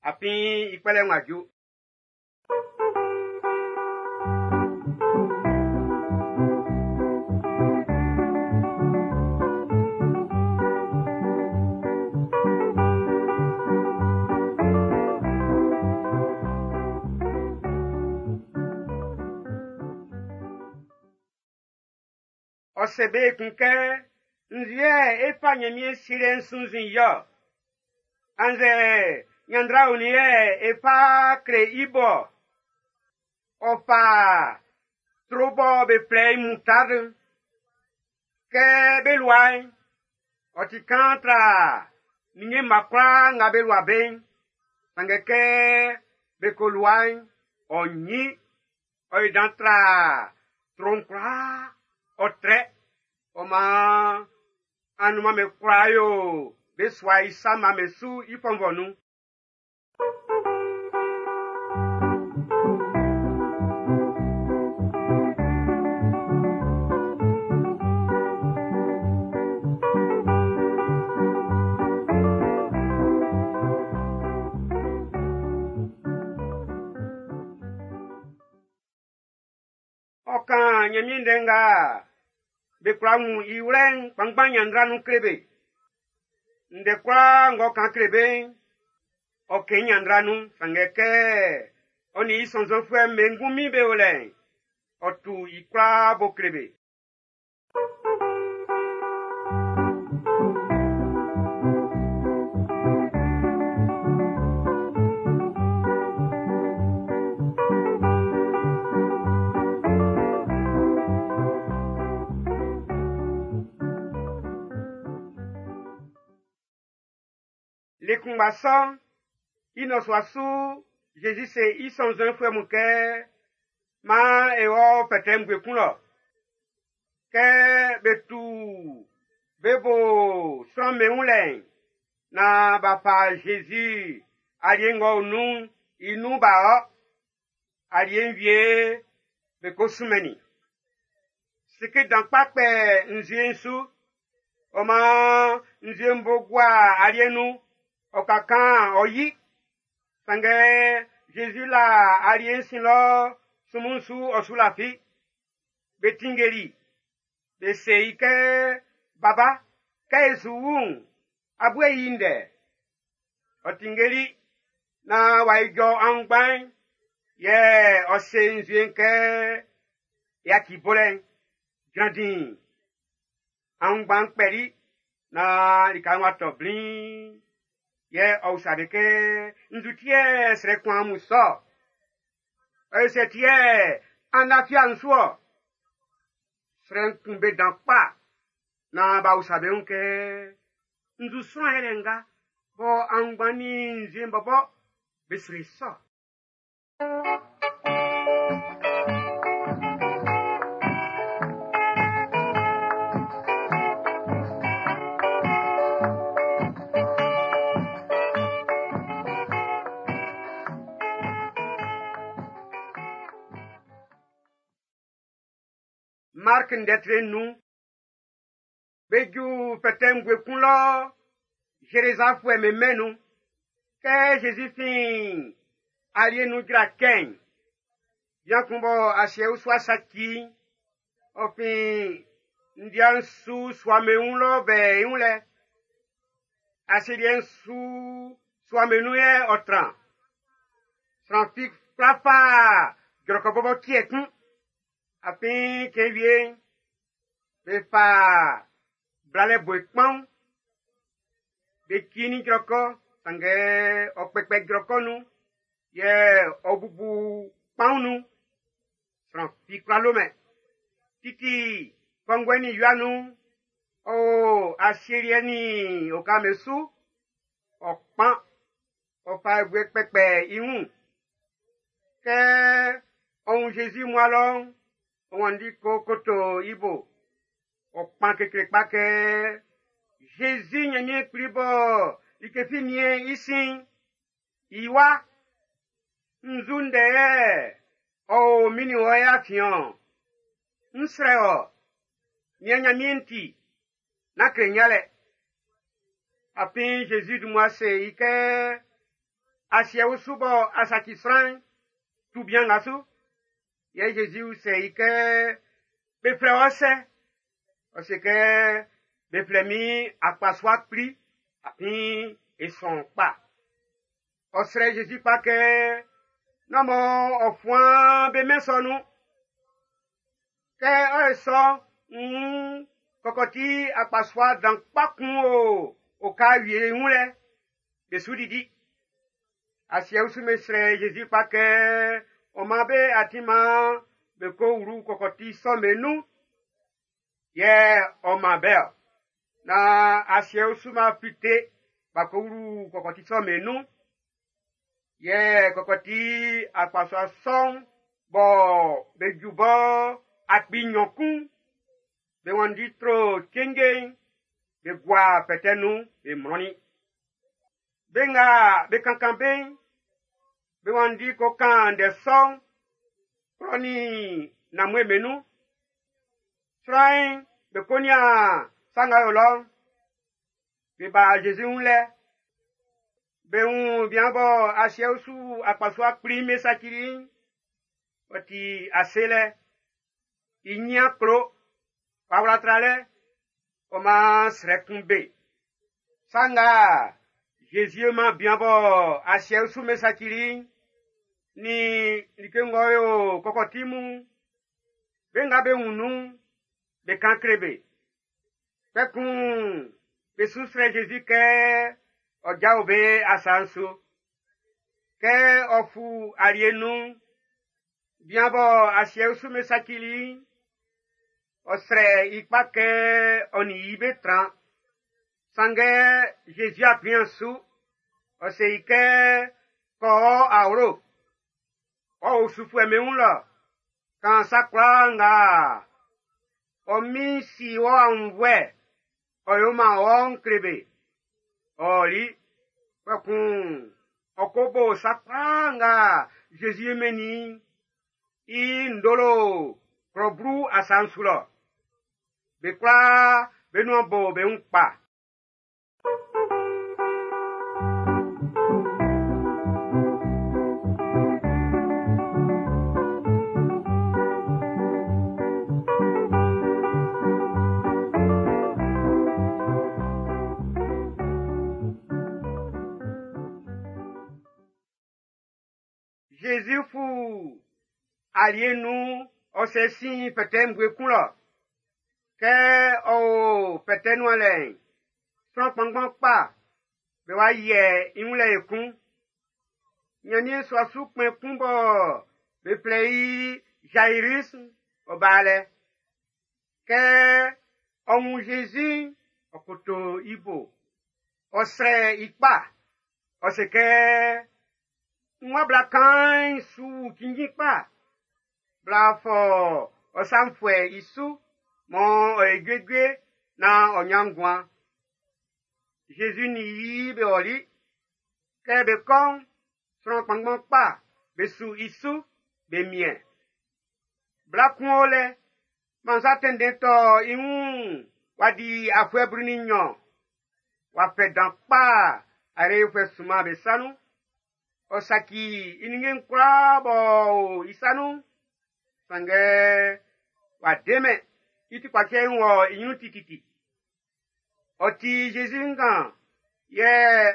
afin i kpɛlɛ'n w'a ju. Ɔ se be ekun kɛ, nzue e fa Ɲanmiɛn Sielɛ'n sunnzun i ɔ? Annzɛ ɲanndra onin yɛ e fa kle i bo ɔ? Ɔ fa tro bɔ be flɛ i moutarde. Kɛ be lua'n, ɔ ti kaan tra ninnge mma kwlaa nga be lua be'n. Sanngɛ kɛ be ko lua'n, ɔ nyin, ɔ yi dan tra tro'n kwlaa, ɔ trɛ. Ɔ maan anunman be kwla yo be sua i sama be su i fɔnvɔ nun. Ɔ kan Ɲanmiɛn ndɛ nga be kwla wun i wlɛ'n kpanngban ɲanndra nun kle be. Ndɛ kwlaa ng'ɔ kan kle be'n, ɔ kɛn i ɲanndra nun, sanngɛ kɛ ɔ nin i sɔnnzɔnfuɛ'm be ngunmin be o lɛ'n, ɔ tu i kwlaa bo kle be. Le kunngba sɔ'n, i nnɔsua su Zezi se i sɔnnzɔnfuɛ mun kɛ, maan e wɔ fɛtɛ'n bue kun lɔ. Kɛ be tu be bo sran'm be wun lɛ'n, naan b'a fa Zezi alie ng'ɔ o nun'n i nun b'a ɔ. Alie'n wie be ko sunmɛnnin i. Seke dan kpa kpɛ nzue'n su. Ɔ maan nzue'n bo gua alie'n nun, ɔ ka kan ɔ yi. Sanngɛ Zezi la alie'n sin lɔ sunmun'n su ɔ su lafi. Be tinngeli, be se i kɛ, Baba, kɛ e su wu'n, a bu e i ndɛ. Ɔ tinngeli naan w'a ijɔ aunngban'n, yɛ ɔ se nzue'n kɛ, yaci bolɛ'n, jran diin. Aunngban'n kpɛli naan lika'n w'a tɔ bliin. Yɛ ɔ usa be kɛ, nzu ti yɛ srɛ kun amun sɔ? Ɔ yo sɛ ti yɛ an lafi an su ɔ? Srɛ'n kun be dan kpa naan b'a usa be wun kɛ, nzu sran yɛlɛ nga bɔ aunngban nin nzue'n bɔbɔ be sro i sɔ? Mark ndɛtre nun, be ju fɛtɛ'n bue kun lɔ Zerezafuɛ mɛnmɛn nun. Kɛ Zezi fin alie nun jra kɛ'n, bian kun bɔ asiɛ usua saci'n, ɔ fin ndia'n su suame wun lɔ bɛ i wun lɛ. Asieliɛ'n su suame nun yɛ ɔ tran. Sran fi kwla fa jrɔkɔ bɔbɔ tiɛ kun. Afin cɛn wie'n, be fa blalɛ bue kpaun, be ci ni jrɔkɔ, sanngɛ ɔ kpɛkpɛ jrɔkɔ nun, yɛ ɔ bubu kpaun nun. Sran fi kwla lomɛn. Titi kɔnguɛ ni wia nun, ɔ o asieliɛ ni oka'm su, ɔ kpan, ɔ fa ebue kpɛkpɛ i wun. Kɛ ɔ wun Zezi mua lɔ'n, ɔ wanndi ko koto i bo. Ɔ kpan kekle kpa kɛ, Zezi Ɲanmiɛn Kpli bɔ like fi nien i sin, i wa, nzu ndɛ yɛ ɔ o min nin wɔ e afiɛn-ɔn. N srɛ wɔ, nian Ɲanmiɛn ti, Nán kle n yalɛ. Afin Jésus dun mmua se i kɛ asiɛ usu bɔ a saci sran'n, tu bian nga su. Yɛ Jésus se i kɛ be flɛ wɔ sɛ? Ɔ se kɛ be flɛ min akpasua kpli, afin e sɔn kpa. Ɔ srɛ Jésus kpa kɛ nán mɔ ɔ fuan be mɛn sɔ nun. Kɛ ɔ ye sɔ, mm, kɔkɔti akpasua dan kpa kun o oka wie wun lɛ, be su didi. Asiɛ usu me srɛ Jésus kpa kɛ ɔ man be atin man be ko wlu kɔkɔti sɔ'n be nun. Yɛ ɔ man be-ɔ. Na asiɛ usu ma fite ba ko wlu kɔkɔti sɔ'n be nun. Yɛ kɔkɔti akpasua sɔ'n bɔ be ju bɔ akpi nnyɔn kun, be wanndi tro cenje'n, be gua fɛtɛ nun, be mlɔnnin. Be nga be kankan be'n, be wanndi ko kan ndɛ sɔ'n, klɔ nin nanmue be nun. Sran'n be ko nian sa nga o lɔ'n. Be ba Jésus wun lɛ. Be wun bian bɔ asiɛ usu akpasua kpli me sacili'n, ɔ ti ase lɛ. I nyin klo, w'a wla tralɛ, ɔ man srɛ kun be. Sa nga Jésus man bian bɔ asiɛ usu me sacili'n, ni like ng'ɔ yo kɔkɔti mun, be nga be wun nun'n, be kan kle be. Kpɛkun be su srɛ Jésus kɛ ɔ jao be asa'n su. Kɛ ɔ fu alie nun'n, bian bɔ asiɛ usu me sacili'n, ɔ srɛ i kpa kɛ ɔ nin i be tran. Sanngɛ Jésus a kplian su, ɔ se i kɛ kɔ awlo, ɔ osufuɛ me wun lɔ, kan sa kwlaa nga ɔ min si wɔ aunnvuɛ, ɔ yo man ɔ kle be. Ɔ ɔli, kpɛkun ɔ ko bo sa kwlaa nga Jésus mɛnnin i ndolo klɔ blu asa'n su lɔ. Be kwlaa be nuan bo be wun kpa. Jésus fu alie nun ɔ sɛ sin fɛtɛ ngue kun lɔ. Kɛ ɔ o fɛtɛ nuan lɛ'n, sran kpanngban kpa be wa yɛ i wun lɛ ekun. Nyanmiɛn sua su kpɛn kun bɔ be flɛ i Jairus ɔ ba lɛ. Kɛ ɔ wun Jésus, ɔ koto i bo. Ɔ srɛ i kpa. Ɔ se kɛ, n wa bla kan'n su cinnjin kpa. Bla fɔ ɔ sanfuɛ i su, mɔ ɔ e juejue na ɔ nyan nguan. Jésus ni i be ɔli. Kɛ be kɔ'n, sran kpanngban kpa be su i su, be miɛn. Bla kun o lɛ, mansa tɛntɛn tɔ i wun wa di afuɛ blu nin nnyɔn. Wa fɛ dan kpa arefuɛ sunman be sa nun. Ɔ saci i ninnge'n kwlaa b'ɔ o i sa nun. Sanngɛ wa demɛ i ti kpacɛ'n wɔ i ɲrun tititi. Ɔ ti Jésus ngan yɛ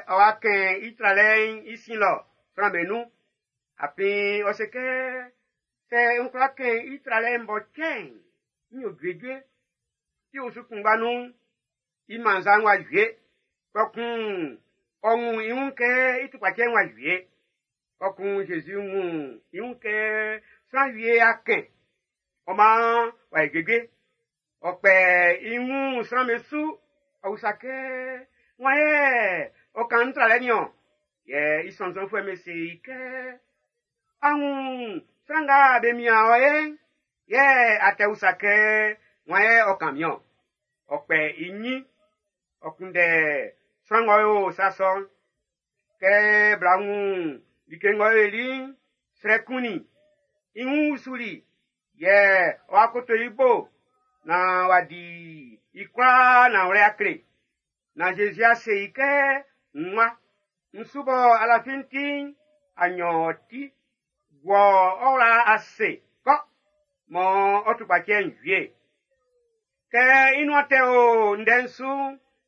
ɔ wa kɛn i tralɛ'n i sin lɔ sran be nun. Afin ɔ se kɛ sɛ n kwla kɛn i tralɛ'n bɔ cɛ'n, n yo juejue. I osu kunngba nun'n, i mansa'n wa wie. Kpɛkun ɔ wun i wun kɛ i tukpacɛ'n wa wie. Kpɛkun Jésus wun i wun kɛ sran wie a kɛn. Ɔ maan wa ye juejue. Ɔ kpɛ i wun sran be su. Ɔ usa kɛ, wan yɛ ɔ kan n tralɛ niɔn? Yɛ i sɔnnzɔnfuɛ'm be se i kɛ, a wun sran nga be mian ɔ ye? Yɛ a tɛ usa kɛ, wan yɛ ɔ kan miɔn? Ɔ kpɛ i ɲin, ɔ kunndɛ sran ng'ɔ yo sa sɔ'n. Kɛ bla wun like ng'ɔ yoli'n, srɛ kunnin i wun usuli, yɛ ɔ wa koto i bo, na wa di I kwlaa nanwlɛ a kle. Na Zezi a se i kɛ nwa. N su bɔ alafin ti'n, a nyan ɔ ti. Wɔ ɔ wla ase kɔ, mɔ ɔ tukpacɛ'n wie. Kɛ i nuan tɛ o ndɛ'n su,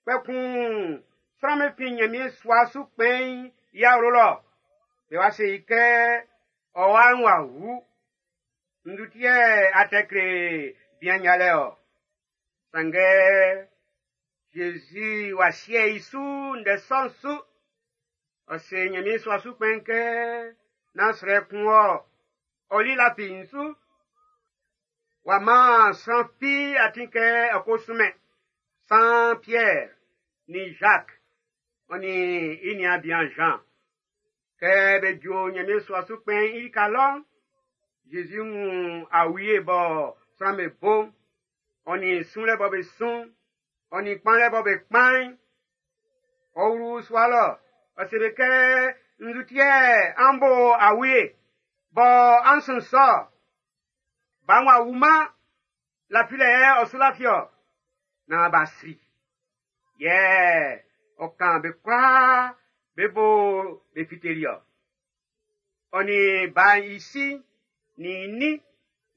kpɛkun sran'm be fin Ɲanmiɛn sua su kpɛn'n i awlo lɔ. Be wa se i kɛ ɔ wa'n w'a wu. Nzu ti yɛ a tɛ kle bian yalɛ ɔ. Sanngɛ Zezi w'a sie i su ndɛ sɔ'n su. Ɔ se Ɲanmiɛn sua su kpɛn'n kɛ nán srɛ kun wɔ, ɔ li lafi n su. W'a man sran fi atin kɛ ɔ ko sunmɛn. San Pierre ni Jacques, ɔ nin i niaan bian Jean. Kɛ be ju Ɲanmiɛn sua su kpɛn'n i lika lɔ'n, Zezi wun awie bɔ sran'm be bo'n, ɔ nin sunlɛ bɔ be sun, ɔ nin kpanlɛ bɔ be kpan'n. Ɔ wlu sua lɔ, ɔ se be kɛ nzu ti yɛ an bo awie bɔ an sun sɔ. Ba'n w'a wuman, lafilɛ yɛ ɔ su lafi ɔ. Naan b'a sri. Yɛ ɔ kan be kwlaa be bo be fiteli ɔ. Ɔ nin ba'n i si nin i nin,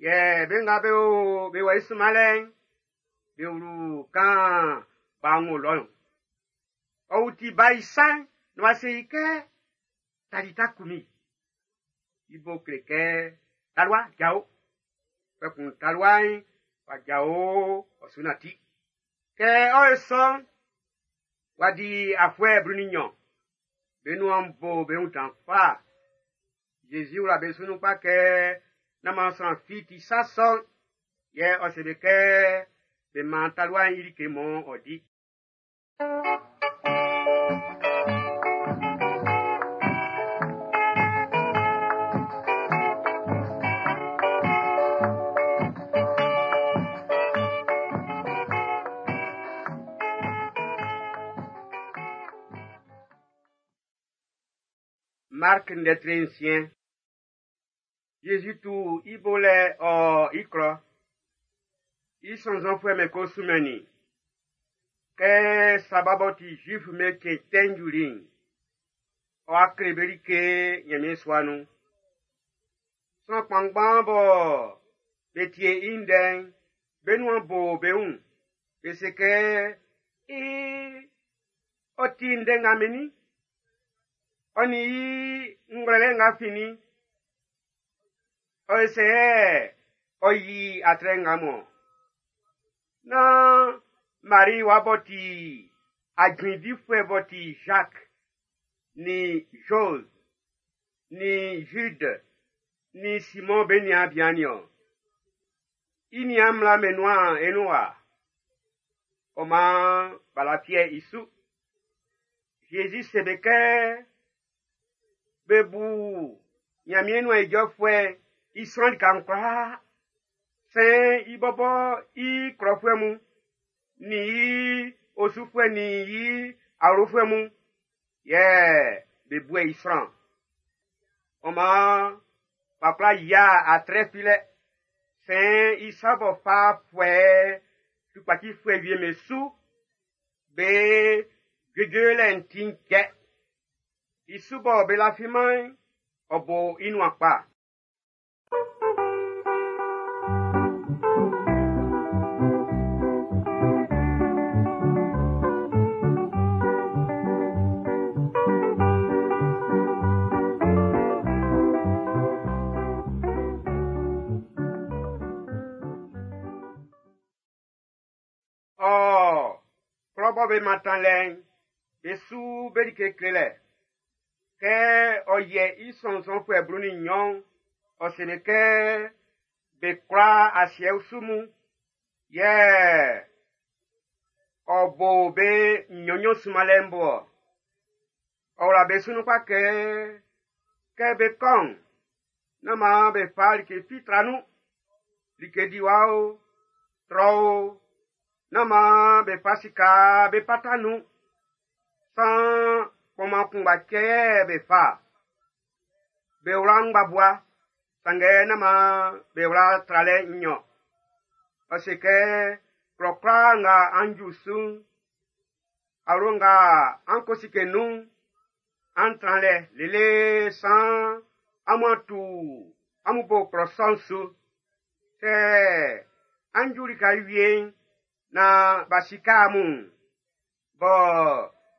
yɛ be nga be o be wɔ i sunmanlɛ'n, be wlu kan ba'n wo lɔ'n. Ɔ wuti ba i sa'n, na w'a se i kɛ talita kumi. I bo kle kɛ talua jao. Kpɛkun talua'n w'a jao ɔ su nanti. Kɛ ɔ ye sɔ'n, w'a di afuɛ blu nin nnyɔn. Be nuan bo be wun dan kpa. Zezi wla be su nun kpa kɛ nán maan sran fi ti sa sɔ'n. Yɛ ɔ se be kɛ be man talua'n i like mɔ ɔ di. Mark ndɛ tre nsiɛn. Jésus tu i bo lɛ ɔ i klɔ. I sɔnnzɔnfuɛ'm be ko sunmɛnnin i. Kɛ Saba b'ɔ ti Zuif'm be cɛn tɛ'n juli'n, ɔ'a kle be like Ɲanmiɛn sua nun. Sran kpanngban bɔ be tie i ndɛ'n, be nuan bo be wun. Be se kɛ, ee, ɔ ti ndɛ nga mennin? Ɔ nin i ngwlɛlɛ nga finnin? Ɔ se ɔ yi atrɛ nga mɔ. Nan Marie wa bɔ ti ajuindifuɛ bɔ ti Jacques, ni Jose, ni Jude, ni Simon be niaan bian niɔn. I niaan mmla be nuan enun wa. Ɔ maan b'a lafiɛ i su. Jésus se be kɛ be bu Ɲanmiɛn nuan ijɔfuɛ i sran lika'n kwlaa. Sɛn i bɔbɔ i klɔfuɛ mun, nin i osufuɛ nin i awlofuɛ mun, yɛ be bu i sran. Ɔ maan b'a kwla yia atrɛ filɛ. Sɛn i sa bɔ fa fuɛ tukpacifuɛ wie me su, be juejuelɛ'n ti kɛ. I su bɔ be lafiman'n, ɔ bo i nuan kpa. Ɔ, klɔ bɔ be mantan lɛ'n, be su be like klelɛ. Kɛ ɔ yɛ i sɔnnzɔnfuɛ blu nin nnyɔn'n, ɔ se be kɛ be kwla asiɛ usu mun, yɛ ɔ bo be nnyɔnnyɔn sunmanlɛ'n bo ɔ. Ɔ wla be su nun kpa kɛ, kɛ be kɔ'n, nán maan be fa like fi tra nun. Like diwa o, trɔ o, nán maan be fa sika be pata nun. San kpɔnman kunngba cɛ yɛ be fa. Be wla ngbabua, sanngɛ nán maan be wla tralɛ nnyɔn. Ɔ se kɛ Klɔ kwlaa nga an ju su'n, awlo nga an ko sike nun'n, an tran lɛ lele saan amun a tu amun bo klɔ sɔ'n su. Sɛ an ju lika wie'n naan b'a sike amun'n, bɔ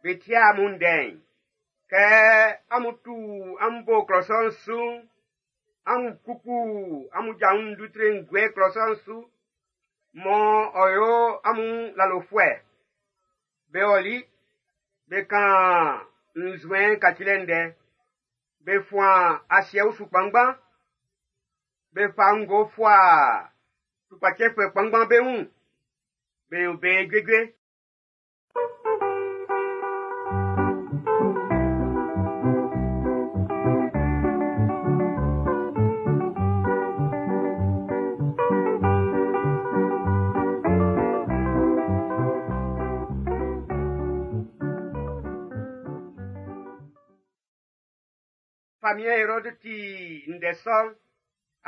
be tie amun ndɛ'n, kɛ amun tu amun bo klɔ sɔ'n su'n, amun kpukpu amun ja wun ndutre'n guɛ klɔ sɔ'n su, mɔ ɔ yo amun lalofuɛ. Be ɔli, be kan nzuɛn kacilɛ ndɛ, be fuan asiɛ usu kpanngban, be fa ngo fua tukpacɛfuɛ kpanngban be wun, be yo be juejue. Famiɛn Erɔdu ti ndɛ sɔ'n,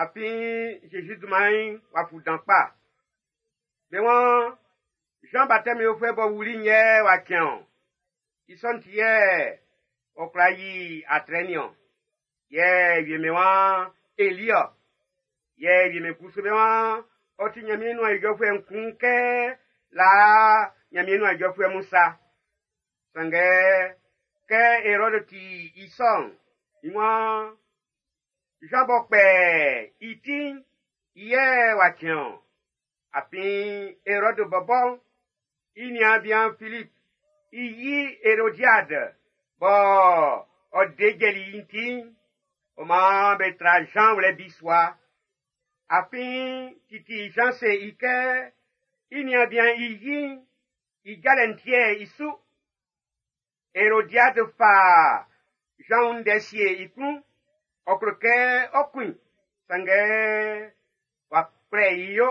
afin Zezi dunman'n w'a fu dan kpa. Be waan Jean Baptiste yofuɛ b'ɔ wuli'n yɛ w'a cɛn-ɔn. I sɔ'n ti yɛ ɔ kwla yi atrɛ nin-ɔn. Yɛ wie'm be waan Eli-ɔ. Yɛ wie'm be kusu be waan ɔ ti Ɲanmiɛn nuan ijɔfuɛ'n kun kɛ laa Ɲanmiɛn nuan ijɔfuɛ mun sa. Sanngɛ kɛ Erɔdu ti i sɔ'n, i waan Jean b'ɔ kpɛ i ti'n, i yɛ w'a cɛn-ɔn. Afin Erɔdu bɔbɔ'n, i niaan bian Filip, i yi Erodiade bɔ ɔ de jɛli i'n ti'n, ɔ maan be tra Jean wlɛ bisua. Afin titi Jean se i kɛ i niaan bian i yi'n i jalɛ'n tiɛ i su. Erodiade fa Jean wun ndɛ sie i klun, ɔ klo kɛ ɔ kun i, sanngɛ w'a kwlɛ i yo.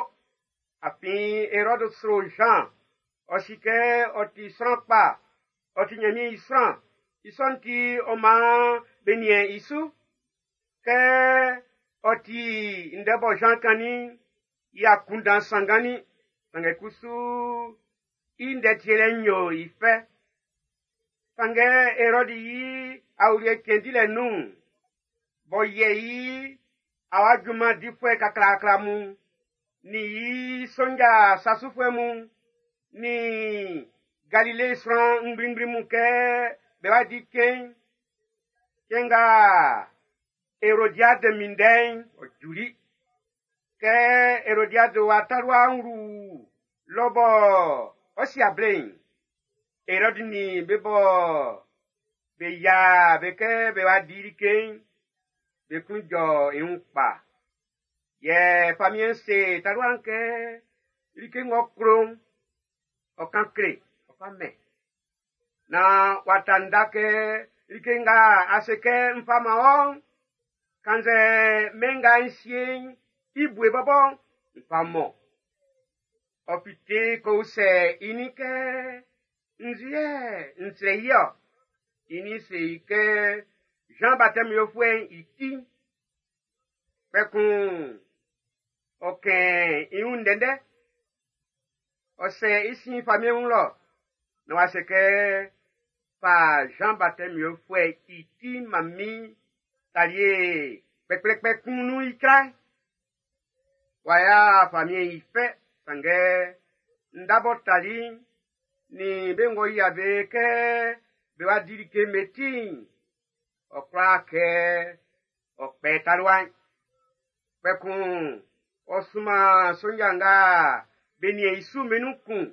Afin Erɔdu sro Jean, ɔ si kɛ ɔ ti sran kpa, ɔ ti Ɲanmiɛn i sran. I sɔ'n ti ɔ maan be niɛn i su. Kɛ ɔ ti ndɛ bɔ Jean kannin'n, i akunndan sanngannin, sanngɛ kusu i ndɛ tielɛ'n yo i fɛ. Sanngɛ Erɔdu i awuliɛ cɛn dilɛ nun'n, b'ɔ yɛ i awa junman difuɛ kaklaakla mun, nin i sonja sasufuɛ mun, nin Galile sran ngblingbli mun kɛ be wa di cɛn'n. Cɛn nga Erodiade minndɛ'n, ɔ juli. Kɛ Erodiade wa talua'n wlu lɔ bɔ ɔ si able'n, Erɔdu nin be bɔ be yia be kɛ be wa di like'n, be klun jɔ i wun kpa. Yɛ famiɛn'n se talua'n kɛ like ng'ɔ klo'n, ɔ kan kle, ɔ fa mɛn. Naan w'a ta nda kɛ like nga a se kɛ n fa man wɔ'n, kannzɛ mɛn nga n sie'n i bue bɔbɔ'n, n fa mɔ. Ɔ fite ko usɛ i nin kɛ, nzu yɛ n srɛ i-ɔ? I nin se i kɛ Jean Baptiste yofuɛ'n i ti'n. Kpɛkun ɔ kɛn i wun ndɛndɛ. Ɔ sɛ i sin famiɛn wun lɔ, na w'a se kɛ fa Jean Baptiste yofuɛ'n i ti man min talie kpɛkplɛkpɛ kun nun icra. W'a ya famiɛn i fɛ, sanngɛ nda b'ɔ tali'n, nin be ng'ɔ yia be kɛ be wa di like meti'n, ɔ kwla kɛ ɔ kpɛ talua'n. Kpɛkun ɔ sunman sonja nga be niɛn i su be nun kun.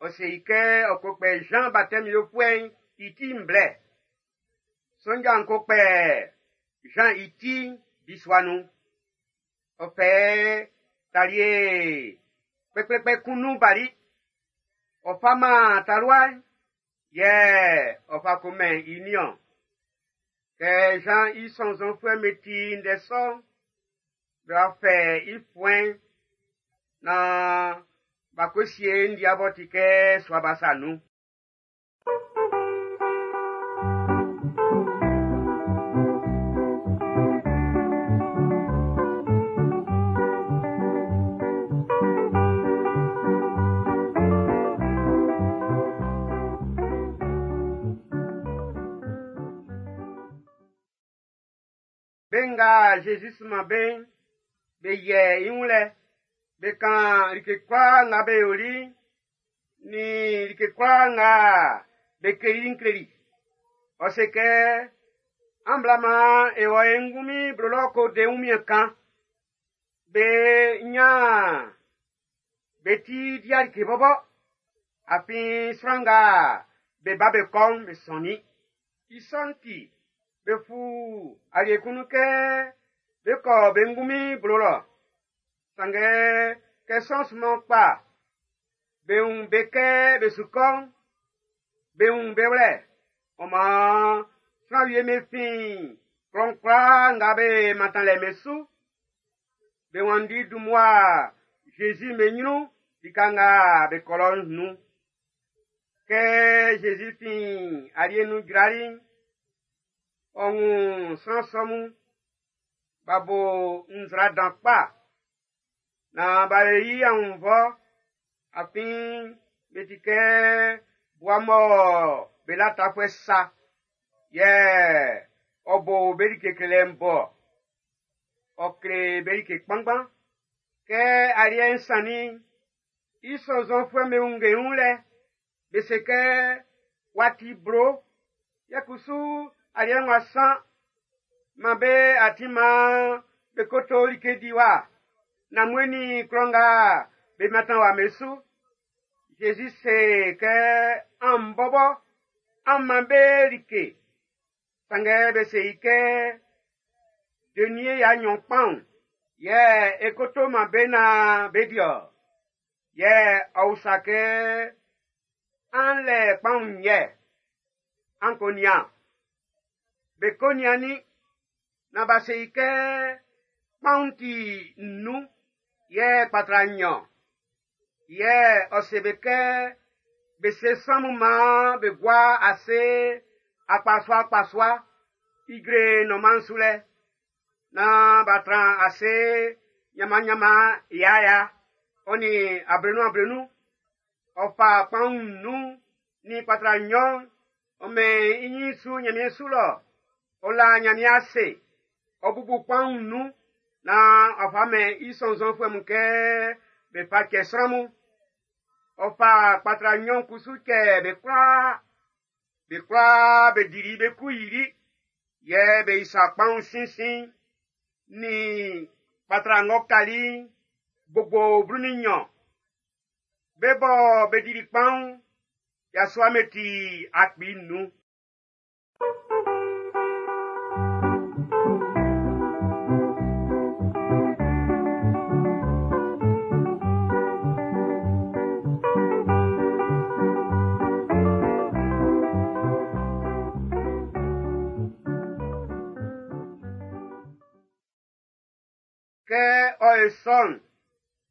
Ɔ se i kɛ ɔ ko kpɛ Jean Baptiste yofuɛ'n i ti'n blɛ. Sonja'n ko kpɛ Jean i ti'n bisua nun. Ɔ fɛ talie kpɛkplɛkpɛ kun nun bali. Ɔ fa man talua'n, yɛ ɔ fa ko mɛn i nin-ɔn. Kɛ Jean i sɔnnzɔnfuɛ'm be ti ndɛ sɔ'n, be wa fɛ i fuɛn'n naan b'a ko sie ndia b'ɔ ti kɛ sua ba sa nun. nga Zezi sunman be'n, be yiɛ i wun lɛ, be kan like kwlaa nga be yoli'n, nin like kwlaa nga be kleli'n kleli. Ɔ se kɛ, an bla maan e wɔ e ngunmin blo lɔ ko de wunmiɛn kan. Be nyan be ti di like bɔbɔ. Afin sran nga be ba be kɔ'n be sɔnnin. I sɔ'n ti, be fu alie kun nun kɛ be kɔ be ngunmin blo lɔ. Sanngɛ kɛ sran sunman kpa, be wun be kɛ be su kɔ'n, be wun be wlɛ. Ɔ maan sran wie be fin klɔ'n kwlaa nga be mantan lɛ be su. Be wanndi dun mmua Zezi be ɲrun lika nga be kɔ lɔ'n nun. Kɛ Zezi fin alie nun jrali'n, ɔ wun sran sɔ mun, b'a bo nzra dan kpa, naan b'a yi aunnvɔ, afin be ti kɛ bua mɔ be la tafuɛ sa, yɛ ɔ bo be like klelɛ'n bɔ. Ɔ kle be like kpanngban. Kɛ aliɛ'n sannin'n, i sɔnnzɔnfuɛ'm be wunnge i wun lɛ, be se kɛ, wa ti blo, yɛ kusu aliɛ'n wa san, man be atin maan be koto like diwa. Nanmue nin klɔ nga be mantan wa be su. Zezi se kɛ, an bɔbɔ, an man be like. Sanngɛ be se i kɛ, denie ya nnyɔn kpaun, yɛ e koto man be naan be di-ɔ. Yɛ ɔ usa kɛ, an lɛ kpaun yɛ, an ko nian. Be ko niannin, na ba se i kɛ, kpaun ti nnun, yɛ kpatra nnyɔn. Yɛ ɔ se be kɛ, be se sran mun maan be gua ase akpasua akpasua, ijre nɔnman'n su lɛ, naan b'a tran ase ɲanmanɲanman yaya, ɔ nin ablenun ablenun. Ɔ fa kpaun nnun nin kpatra nnyɔn, ɔ mɛn i ɲin su Ɲanmiɛn su lɔ, ɔ la Ɲanmiɛn ase, ɔ bubu kpaun nnun, naan ɔ fa mɛn i sɔnnzɔnfuɛ mun kɛ be fa cɛ sran mun. Ɔ fa kpatra nnyɔn kusu cɛ be kwlaa. Be kwlaa be dili be ku yili, yɛ be isa kpaun sinsin nin kpatra ng'ɔ kali'n gbogbo blu nin nnyɔn. Be bɔ be dili kpaun, yasua me ti akpi nnun. Kɛ ɔ ye sɔ'n,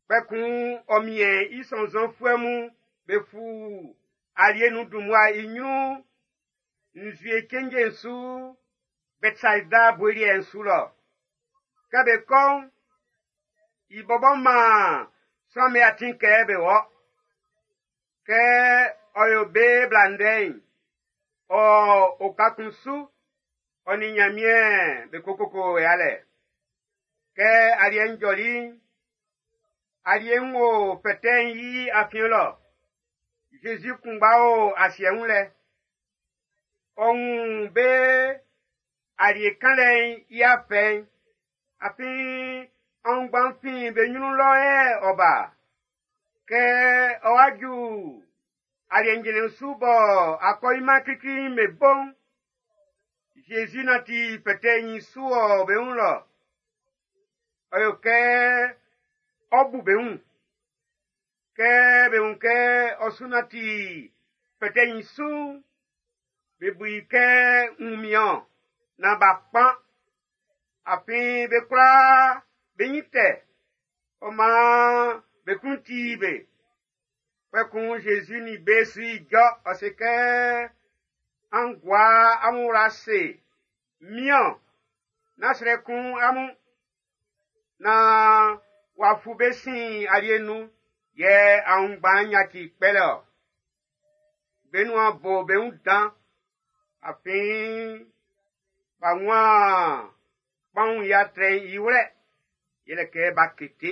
kpɛkun ɔ miɛn i sɔnnzɔnfuɛ mun be fu alie nun dun mmua i ɲrun nzue cenje'n su Bɛtsaida bue liɛ'n su lɔ. Kɛ be kɔ'n, i bɔbɔ maan sran'm be atin kɛ be wɔ. Kɛ ɔ yo be bla ndɛ'n, ɔ oka kun su, ɔ nin Ɲanmiɛn be kokoko yalɛ. Kɛ aliɛ'n jɔli'n, alie'n wo fɛtɛ'n i afiɛn lɔ. Zezi kunngba o asiɛ wun lɛ. Ɔ wun be alie kanlɛ'n i afɛ'n, afin aunngban fin be ɲrun lɔ yɛ ɔ ba. Kɛ ɔ wa ju aliɛ njɛnɛ'n su bɔ akɔɲinman klikli'n be bo'n, Zezi nanti fɛtɛ'n i su ɔ be wun lɔ. Ɔ yo kɛ ɔ bu be wun. Kɛ be wun kɛ ɔ su nanti fɛtɛ'n i su'n, be bu i kɛ wunmiɛn naan b'a kpan. Afin be kwlaa be nyin tɛ, ɔ maan be klun ti be. Kpɛkun Zezi nin be su ijɔ, ɔ se kɛ, an gua amun wla ase, miɔn, nán srɛ kun amun. Naan w'a fu be sin alie nun, yɛ aunngban'n yaci kpɛlɛ-ɔ. Be nuan bo be wun dan, afin b'a wun Kpanwun i atrɛ'n i wlɛ, yɛlɛ kɛ b'a kete.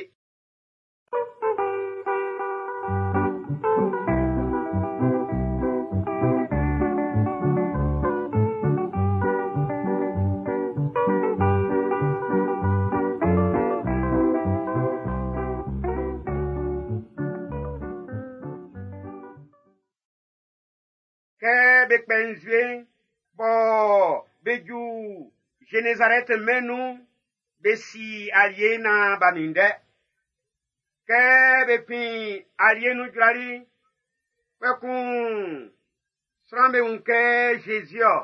Kɛ be kpɛ nzue'n bɔ be ju Zenezarɛt mɛn'n nun'n, be si alie naan b'a minndɛ. Kɛ be fin alie nun jrali'n, kpɛkun sran'm be wun kɛ Zezi-ɔ.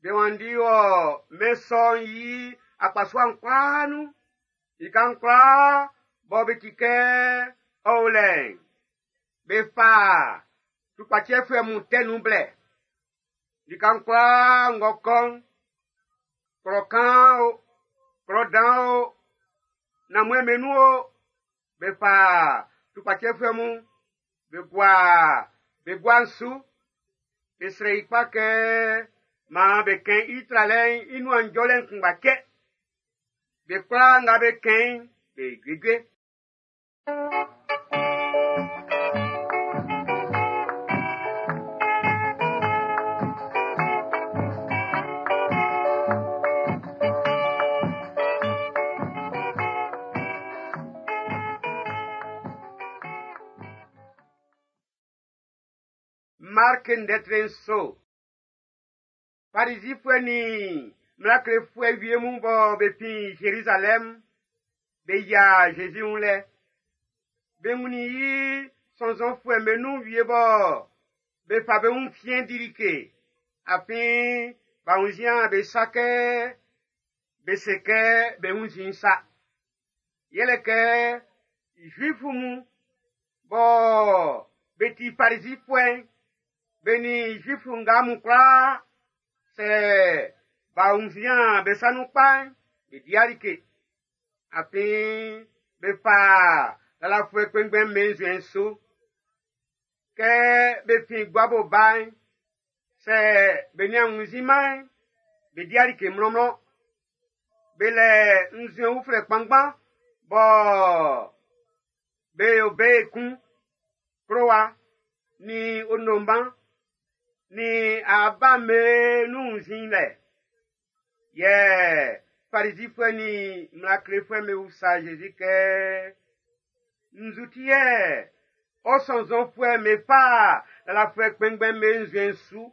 Be wanndi wɔ mɛn sɔ'n i akpasua'n kwlaa nun. Lika'n kwlaa bɔ be ti kɛ ɔ o lɛ'n, be fa tukpacɛfuɛ mun tɛ nun blɛ. Lika'n kwlaa ng'ɔ kɔ'n, klɔ kaan o, klɔ dan o, nanmue'm be nun o, be fa tukpacɛfuɛ mun be gua be gua'n su. Be srɛ i kpa kɛ maan be kɛn i tralɛ'n i nuan njɔlɛ'n kunngba cɛ. Be kwlaa nga be kɛn i'n, be juejue. Mark ndɛ nso. Farizifuɛ nin mmla klefuɛ wie mun bɔ be fin Zerizalɛm be yia Zezi wun lɛ. Be wunnin i sɔnnzɔnfuɛ'm be nun wie bɔ be fa be wun fiɛn di like, afin b'a wunnzin be sa kɛ be se kɛ be wunnzin sa. Yɛlɛ kɛ Zuifu mun bɔ be ti Farizifuɛ'n, be nin Zuifu nga mun kwlaa, sɛ b'a wunnzin be sa nun kpa'n, be di like. Afin be fa lalafuɛ kpɛnngbɛn'm be nzuɛn'n su. Kɛ be fin guabo ba'n, sɛ be nian wunnzinman'n, be di like mlɔnmlɔn. Be lɛ nzuɛn uflɛ kpanngban bɔ be yo be ekun. Klowa nin onomban nin aba'm be nun wunnzinlɛ. Yɛ Farizifuɛ nin mmla klefuɛ'm be usa Zezi kɛ, nzu ti yɛ ɔ sɔnnzɔnfuɛ'm be fa lalafuɛ kpɛnngbɛn'm be nzuɛn'n su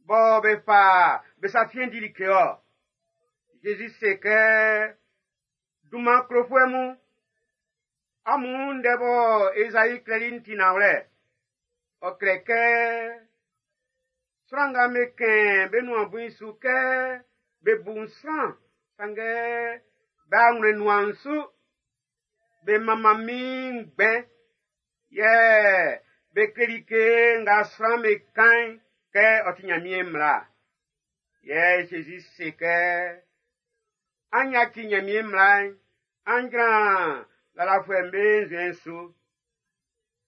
bɔ be fa be sa fiɛn di like-ɔ? Zezi se kɛ, dunman klofuɛ mun, amun ndɛ bɔ Ezayi klɛli'n ti nanwlɛ. Ɔ klɛ kɛ, sran nga be kɛn be nuan bui'n su kɛ be bu sran, sanngɛ b'a wlɛ nuan'n su. Be manman min ngbɛn, yɛ be kle like nga sran be kan'n kɛ ɔ ti Nyanmiɛn mmla. Yɛ Zezi se kɛ, an yaci Nyanmiɛn mmla'n, an jran lalafuɛ'm be nzuɛn'n su.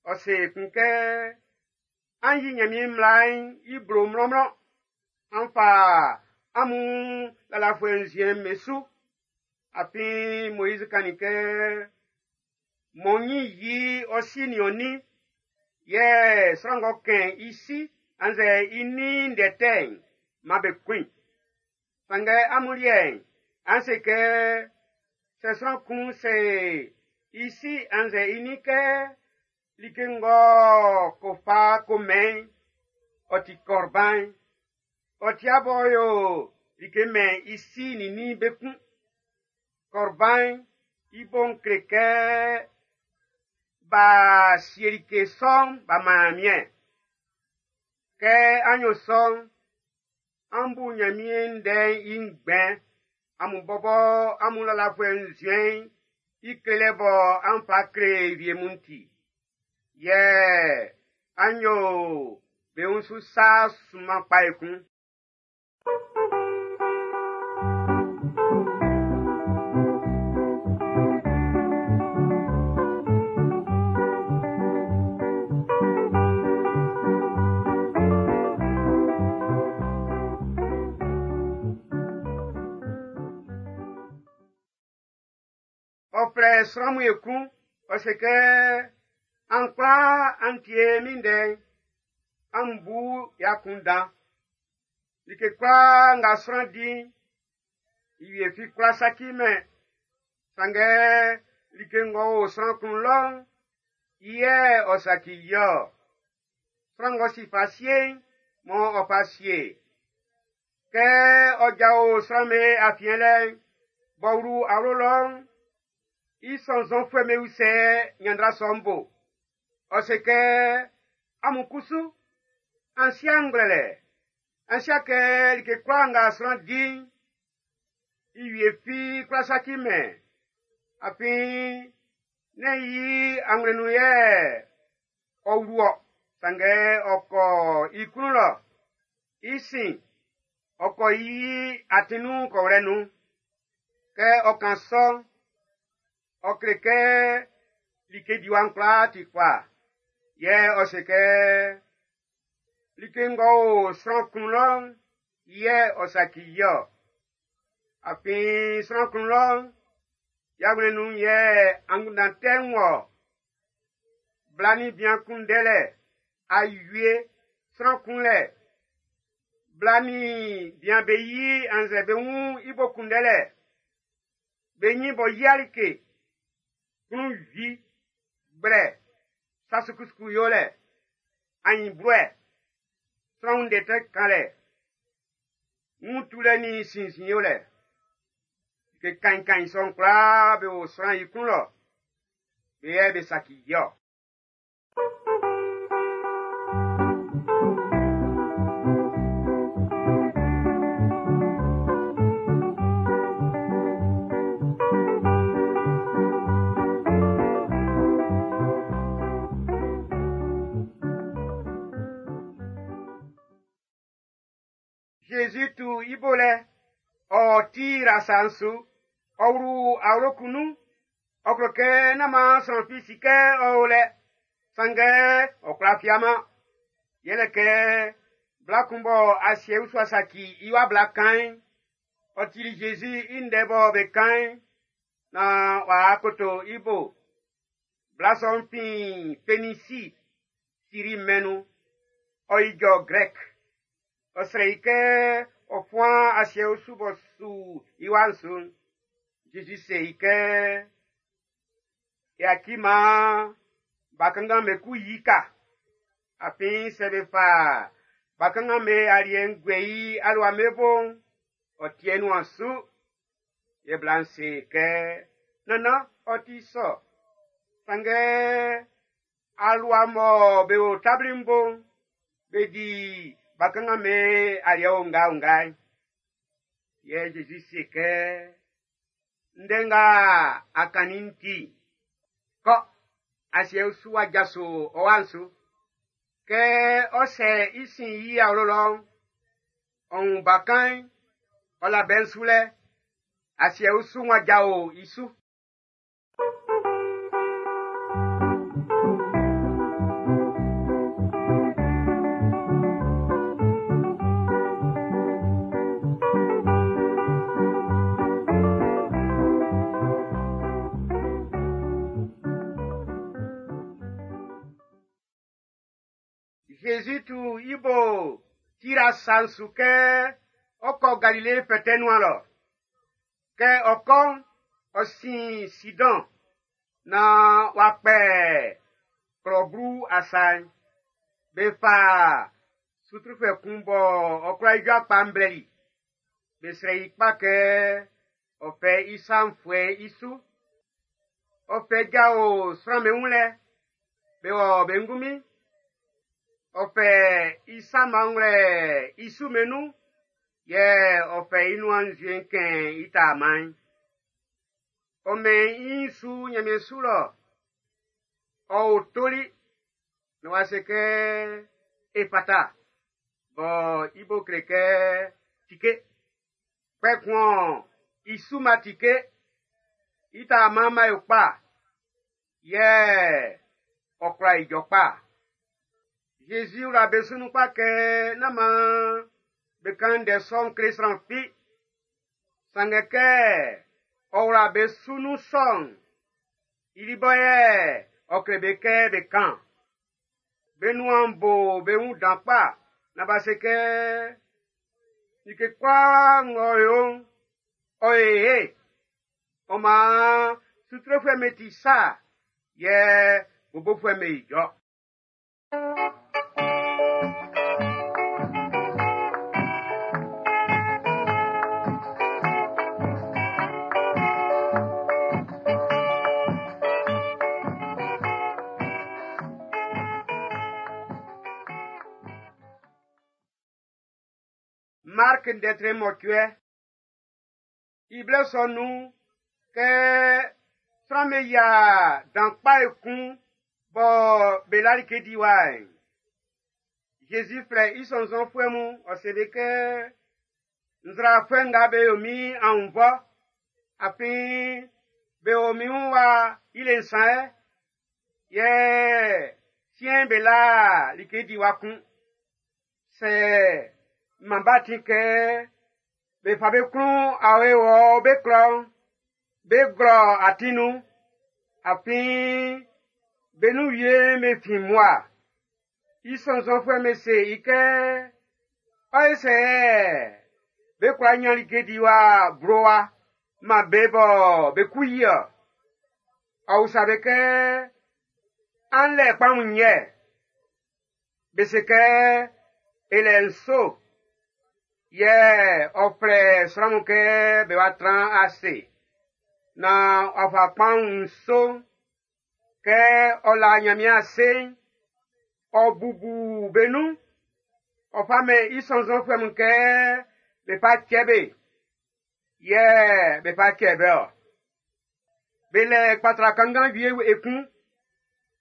Ɔ se ekun kɛ, an yi Nyanmiɛn mmla'n i blo mlɔnmlɔn, an fa amun lalafuɛ nzuɛn'n be su. Afin Moiz kannin kɛ, mɔ nyin yi ɔ si nin ɔ nin, yɛ sran ng'ɔ kɛn i si annzɛ i nin ndɛ tɛ'n, man be kun i. Sanngɛ amun liɛ'n, an se kɛ, sɛ sran kun se i si annzɛ i nin kɛ, like ng'ɔ ko fa ko mɛn, ɔ ti kɔrban'n, ɔ ti abɔ yo like mɛn i si nin nin be kun. Kɔrban'n i bo'n kle kɛ b'a sie like sɔ'n b'a man Nyanmiɛn. Kɛ an yo sɔ'n, an bu Nyanmiɛn ndɛ'n i ngbɛn, amun bɔbɔ amun lalafuɛ nzuɛn'n i klelɛ bɔ an fa kle wie mun ti. Yɛ an yo be wun su sa sunman kpa ekun. Ɔ flɛ sran mun ekun, ɔ se kɛ, an kwlaa an tie min ndɛ'n, an bu i akunndan. Like kwlaa nga sran di'n, i wie fi kwla saci mɛn. Sanngɛ like ng'ɔ o sran klun lɔ'n, i yɛ ɔ saci i-ɔ. Sran ng'ɔ si fa sie'n, mɔ ɔ fa sie. Kɛ ɔ jao sran'm be afiɛn lɛ'n, b'ɔ wlu awlo lɔ'n, i sɔnnzɔnfuɛ'm be usɛ ɲanndra sɔ'n bo. Ɔ se kɛ, amun kusu, an si'a ngwlɛlɛ, an si'a kɛ like kwlaa nga sran di'n, i wie fi kwla saci mɛn. Afin, nɛ́n i anwlɛn nun yɛ ɔ wlu-ɔ, sanngɛ ɔ kɔ i klun lɔ. I sin, ɔ kɔ i atin nun kɔwlɛ nun. Kɛ ɔ kan sɔ'n, ɔ kle kɛ like diwa'n kwlaa ti kpa. Yɛ ɔ se kɛ, like ng'ɔ o sran klun lɔ'n, yɛ ɔ saci i-ɔ. Afin sran klun lɔ'n, i awlɛn nun yɛ angunndan tɛ'n wɔ. Bla nin bian kunndɛlɛ, awie, sran kunlɛ, bla nin bian be yi annzɛ be wun i bo kunndɛlɛ, be nyin bɔ yia like, klunwi, gblɛ, sa sukusuku yolɛ, anyinbluɛ, sran wun ndɛ tɛ kanlɛ, wun tulɛ nin sinnzin yolɛ. Like kainkain sɔ'n kwlaa be o sran i klun lɔ, be yɛ be saci i-ɔ. Jésus tu i bo lɛ, ɔ ti asa'n su, ɔ wlu awlo kun nun, ɔ klo kɛ nán maan sran fi si kɛ ɔ o lɛ, sanngɛ ɔ kwla fiaman. Yɛlɛ kɛ bla kun bɔ asiɛ usu a saci i wa bla kan'n, ɔ tili Jésus i ndɛ bɔ be kan'n, naan w'a koto i bo. Bla sɔ'n fin Fenisi, Siri mɛn'n nun. Ɔ ijɔ Grɛk. Ɔ srɛ i kɛ ɔ fuan asiɛ usu b'ɔ su i wa'n su'n. Jésus se i kɛ, yaci maan bakanngan'm be ku yi ka. Afin sɛ be fa bakanngan'm be aliɛ'n guɛ i alua'm be bo'n, ɔ ti'ɛ nuan su. Yɛ bla'n se kɛ, nannan, ɔ ti sɔ. Sanngɛ alua mɔ be o tabli'n bo'n, be di bakanngan'm be aliɛ onga-onga'n. Yɛ Jésus se kɛ, ndɛ nga a kannin'n ti, kɔ, asiɛ usu wa jaso ɔ wa'n su. Kɛ ɔ sɛ i sin i awlo lɔ'n, ɔ wun bakan'n, ɔ la bɛ'n su lɛ, asiɛ usu wa jao i su. Jésus tu i bo Tir asa'n su kɛ ɔ kɔ Galile fɛtɛ nuan lɔ. Kɛ ɔ kɔ'n, ɔ sin Sidɔn naan w'a kpɛ klɔblu asa'n. Be fa sutrufuɛ kun bɔ ɔ kwla ijɔ kpa'n blɛli. Be srɛ i kpa kɛ ɔ fɛ i sa'n fuɛ i su. Ɔ fɛ jao sran'm be wun lɛ, be wɔ be ngunmin. Ɔ fɛ i sama wlɛ i su mɛn nun, yɛ ɔ fɛ i nuan nzue'n kɛn i taaman'n. Ɔ mɛn i su Ɲanmiɛn su lɔ. Ɔ o toli, na w'a se kɛ Efata, bɔ i bo kle kɛ tike. Kpɛkun i su ma tike, i taaman'n ma yo kpa, yɛ ɔ kwla ijɔ kpa. Jésus wla be su nun kpa kɛ nán maan be kan ndɛ sɔ'n kle sran fi. Sanngɛ kɛ ɔ wla be su nun sɔ'n, I li bɔ yɛ ɔ kle be kɛ be kan. Be nuan bo be wun dan kpa na b'a se kɛ like kwlaa ng'ɔ yo'n, ɔ yo ye. Ɔ maan sutrefuɛ'm be ti sa, yɛ bobofuɛ'm be ijɔ. Mark ndɛtre mɔcuɛ. I blɛ sɔ nun'n, kɛ sran'm be yia dan kpa ekun bɔ be la like diwa'n, Zezi flɛ i sɔnnzɔnfuɛ mun, ɔ se be kɛ, nzrafuɛ nga be yo min annvɔ, afin be o min wun wa i le nsan yɛ, yɛ siɛn'n be la like diwa kun. Sɛ man b'a ti kɛ be fa be klun awe wɔ be klɔ'n, be glɔ atin nun, afin be nun wie be fin mmua. I sɔnnzɔnfuɛ'm be se i kɛ, ɔ ye sɛ be kwla nyan like diwa blowa man be bɔ be ku yi-ɔ. Ɔ usa be kɛ, an lɛ kpanwun yɛ? Be se kɛ, e lɛ nso. Yɛ ɔ flɛ sran mun kɛ be wa tran ase. Na ɔ fa kpanwun nso kɛ ɔ la Nyanmiɛn ase'n, ɔ bubu be nun. Ɔ fa mɛn i sɔnnzɔnfuɛ mun kɛ be fa cɛ be. Yɛ be fa cɛ be-ɔ. Be lɛ kpatra kanngan wie ekun.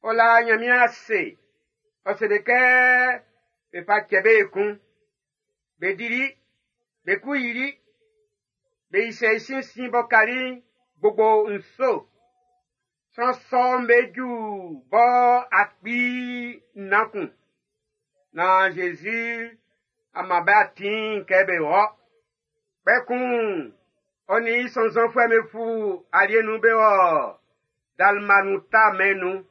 Ɔ la Nyanmiɛn ase. Ɔ se be kɛ be fa cɛ be ekun. Be dili, be ku yili, be isɛ i sinsin bɔ kali gbogbo nso. Sran sɔ'n be ju bɔ akpi nnan kun. Na Zezi ama be atin kɛ be wɔ. Kpɛkun ɔ nin i sɔnnzɔnfuɛ'm be fu alie nun be wɔ Dalmanuta mɛn'n nun.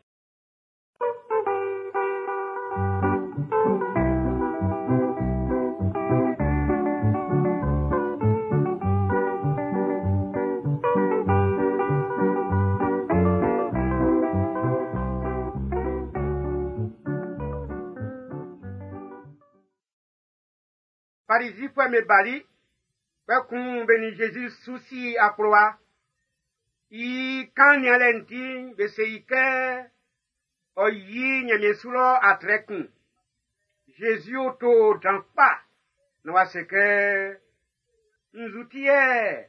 Farizifuɛ'm be bali, kpɛkun be nin Zezi su si akplowa. I kan nianlɛ'n ti'n, be se i kɛ ɔ yi Nyanmiɛn su lɔ atrɛ kun. Zezi o to dan kpa na w'a se kɛ, nzu ti yɛ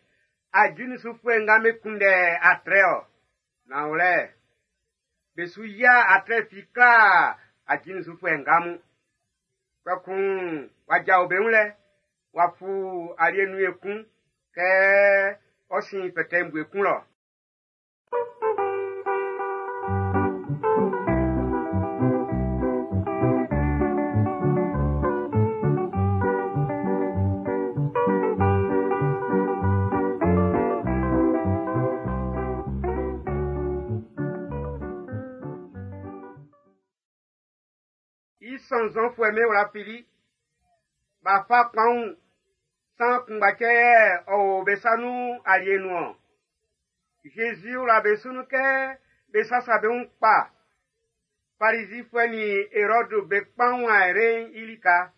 ajulisufuɛ nga be kunndɛ atrɛ-ɔ? Nanwlɛ, be su yia atrɛ fi kla ajulisufuɛ nga mun. Kpɛkun w'a jao be wun lɛ, w'a fu alie nun ekun kɛ ɔ sin fɛtɛ bue kun lɔ. I sɔnnzɔnfuɛ'm be wla fili, b'a fa kpanwun san kunngba cɛ yɛ ɔ o be sa nun alie nun-ɔn. Zezi wla be su nun kɛ be sasa be wun kpa. Farizifuɛ nin Erɔdu be kpanwun ayre'n i lika.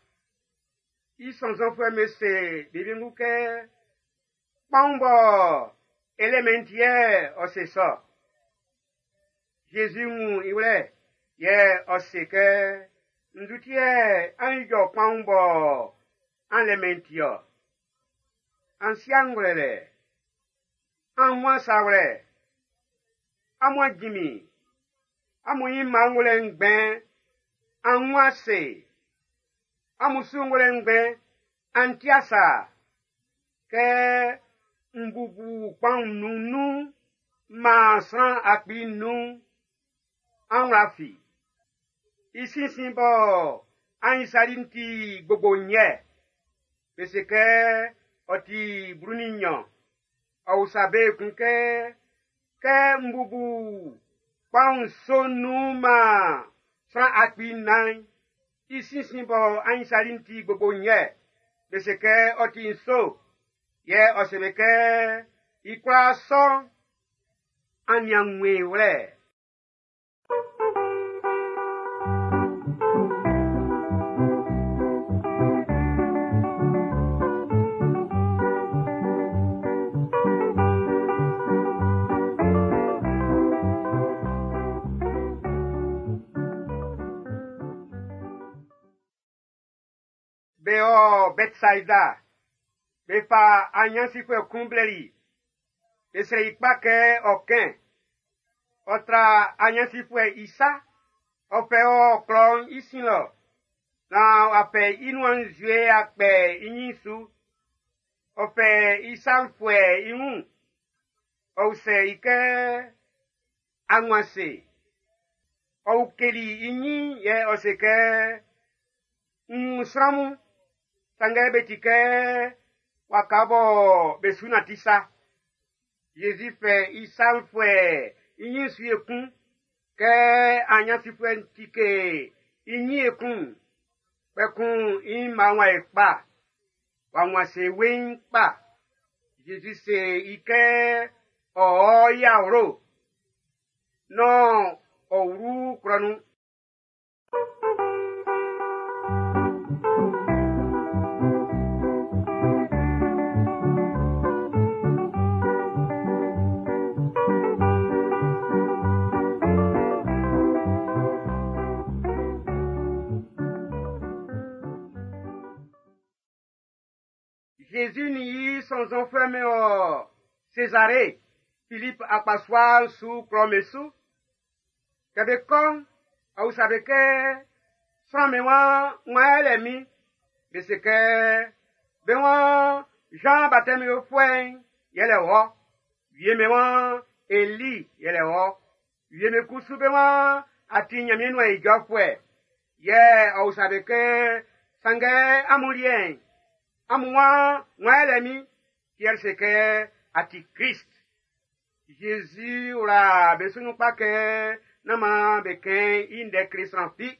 I sɔnnzɔnfuɛ'm be se be wiengu kɛ, kpanwun bɔ e lemɛn ti yɛ ɔ se sɔ. Zezi wun i wlɛ yɛ ɔ se kɛ, nzu ti yɛ an ijɔ kpanwun bɔ an lemɛn ti-ɔ? An si ngwlɛlɛ, an wun sa wlɛ, amun ajimi, amun yi mma ngwlɛ ngbɛn, an wun ase, amun su ngwlɛ ngbɛn, an ti asa. Kɛ n bubu kpanwun nun nun, maan sran akpi nnun, an wla fi. I sinsin bɔ an isali'n ti gbogbo nyɛ. Be se kɛ ɔ ti blu nin nnyɔn. Ɔ usa be ekun kɛ, kɛ n bubu Kpaun nso nun man sran akpi nnan, i sinsin bɔ anyinsali'n ti gbogbo nnyɛ, be se kɛ ɔ ti nso, yɛ ɔ se be kɛ i kwlaa sɔ'n, an nian wun i wlɛ. Be ɔ Bɛtsaida, be fa anyansifuɛ kun blɛli. Be srɛ i kpa kɛ ɔ kɛn. Ɔ tra anyansifuɛ i sa, ɔ fɛ ɔ klɔ'n i sin lɔ, naan w'a fɛ i nuan nzue a kpɛ i nyin su. Ɔ fɛ i sa'n fuɛ i wun. Ɔ usɛ i kɛ, a wun ase. Ɔ ukeli i nyin yɛ ɔ se kɛ, n wun sran mun, sanngɛ be ti kɛ waka bɔ be su nanti sa. Jésus fɛ i sa'n fuɛ i nyin su ekun, kɛ anyansifuɛ'n tike i nyin ekun, kpɛkun i mma wa e kpa, wa wun ase weiin kpa. Jésus se i kɛ ɔ ɔ i awlo, naan ɔ wlu klɔ nun. Jésus ni i sɔnnzɔnfuɛ mun ɔ Césarée, Philippe akpasua'n su klɔ'n be su. Kɛ be kɔ'n, ɔ usa be kɛ, sran min wan wan yɛlɛ min? Be se kɛ, be wan Jean baptême yofuɛ'n yɛlɛ wɔ. Wie be wan Eli yɛlɛ wɔ. Wie be kusu be wan a ti Nyanmiɛn nuan ijɔfuɛ. Yɛ ɔ usa be kɛ, sanngɛ amun liɛ'n, amun wan wan yɛlɛ min? Pierre se kɛ, a ti Christ. Jésus wla be su nun kpa kɛ nán maan be kɛn i ndɛ kle sran fi.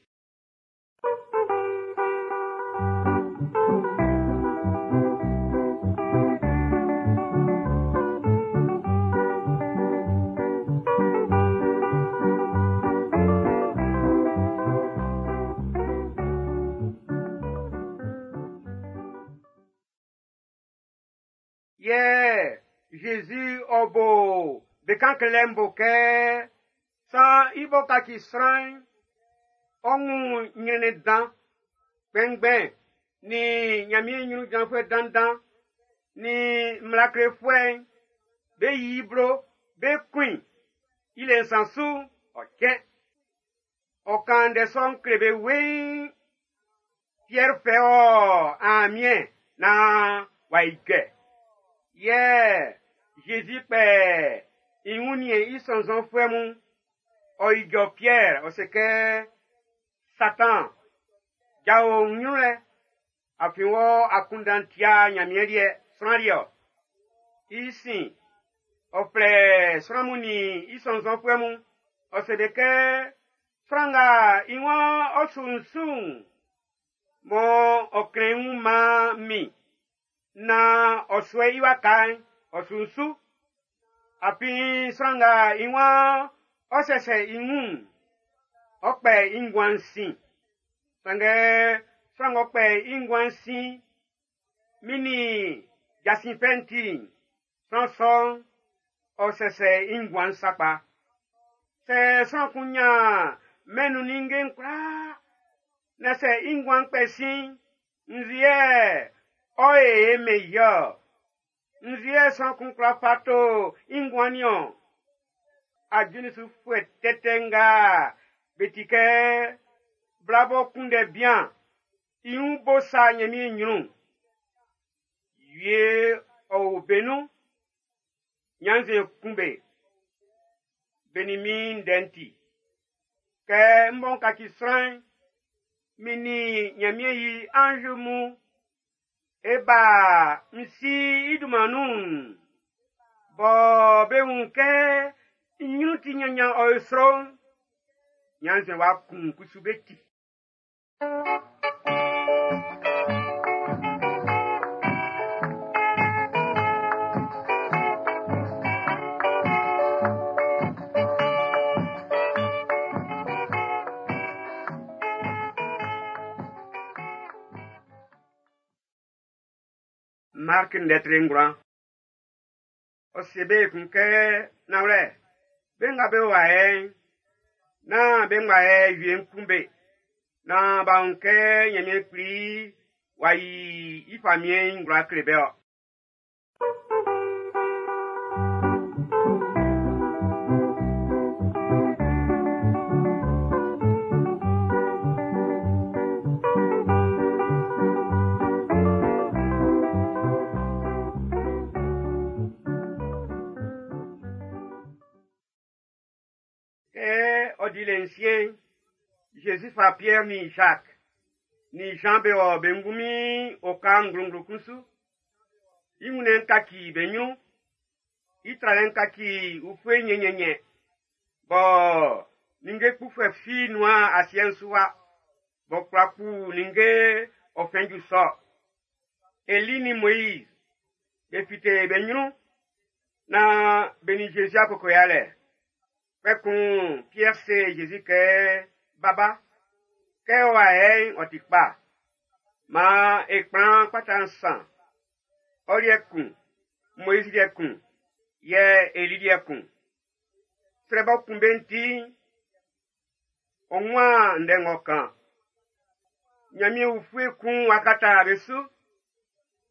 Yɛ Jésus ɔ bo be kan klɛ bo kɛ san i bɔ kaci sran'n, ɔ wun nyrɛnnɛn dan, kpɛnngbɛn ni Nyanmiɛn nyrun jranfuɛ dandan ni mmla klefuɛ'n, be yi i blo, be kun i, i le nsan su, ɔ cɛn. Ɔ kan ndɛ sɔ'n kle be weiin. Pierre fɛ ɔ amiɛn naan w'a ijɔ. Yɛ Jésus kpɛ i wun nin i sɔnnzɔnfuɛ mun. Ɔ ijɔ Pierre, ɔ se kɛ, Satan, jao n nyrun lɛ, afin wɔ akunndan tia Nyanmiɛn liɛ, sran liɛ-ɔ. I sin, ɔ flɛ sran mun nin i sɔnnzɔnfuɛ mun. Ɔ se be kɛ, sran nga i waan ɔ su n su'n, mɔ ɔ klɛn i wun man min, naan ɔ suɛ i waka'n, ɔ su n su. Afin sran nga i waan ɔ sɛsɛ i wun'n, ɔ kpɛ i nguan'n sin. Sanngɛ sran ng'ɔ kpɛ i nguan'n sin, min nin jasin fɛ'n ti'n, sran sɔ'n, ɔ sɛsɛ i nguan'n sakpa. Sɛ sran kun nyan mɛn'n nun ninnge'n kwlaa, na sɛ i nguan'n kpɛ sin, nzueɛ ɔ e mɛn i-ɔ. Nzueɛ sran kun kwla fa to i nguan niɔn. Ajulisufuɛ tɛtɛ nga be ti kɛ bla b'ɔ kunndɛ bian, i wun bo sa Nyanmiɛn nyrun. Wie ɔ o be nun, nyanze kun be. Be nin min ndɛ'n ti. Kɛ m bɔ n kaci sran'n, min nin Nyanmiɛn yi anzu mun, e ba n si i dunman nun'n, bɔ be wun kɛ I ɲrun ti ɲanɲan ɔ e sro'n, ɲannzuɛn w'a kun kusu be ti. Mark ndɛtre ngwlan. Ɔ se be kun kɛ nanwlɛ, be nga be wa yɛ'n, nán be ngba yɛ wie'n kun be, naan b'a wun kɛ Ɲanmiɛn Kpli w'a yi i famiɛn'n i ngwlan kle be ɔ. Kɛ ɔ di le nsiɛn'n, Jésus fa Pierre ni Jacques ni Jean be wɔ be ngunmin oka nglonglo kun su. I wunnɛn'n kaci be ɲrun, i tralɛ'n kaci ufue nyɛnyɛnyɛ, bɔ ninnge kpufuɛ fi nuan asiɛ'n su wa, b'ɔ kwla kpu ninnge ɔ fɛn ju sɔ. Eli ni Moïse be fite be ɲrun naan be ni Jésus akoko yalɛ. Kpɛkun Pierre se Jésus kɛ, Baba, kɛ ɔ wa yɛ'n ɔ ti kpa. Maan e kplan kpata nsan. Ɔ liɛ kun, Moïse liɛ kun, yɛ Eli liɛ kun. Srɛ b'ɔ kun be'n ti'n, ɔ nwan ndɛ ng'ɔ kan. Ɲanmiɛn ufue kun w'a kata be su.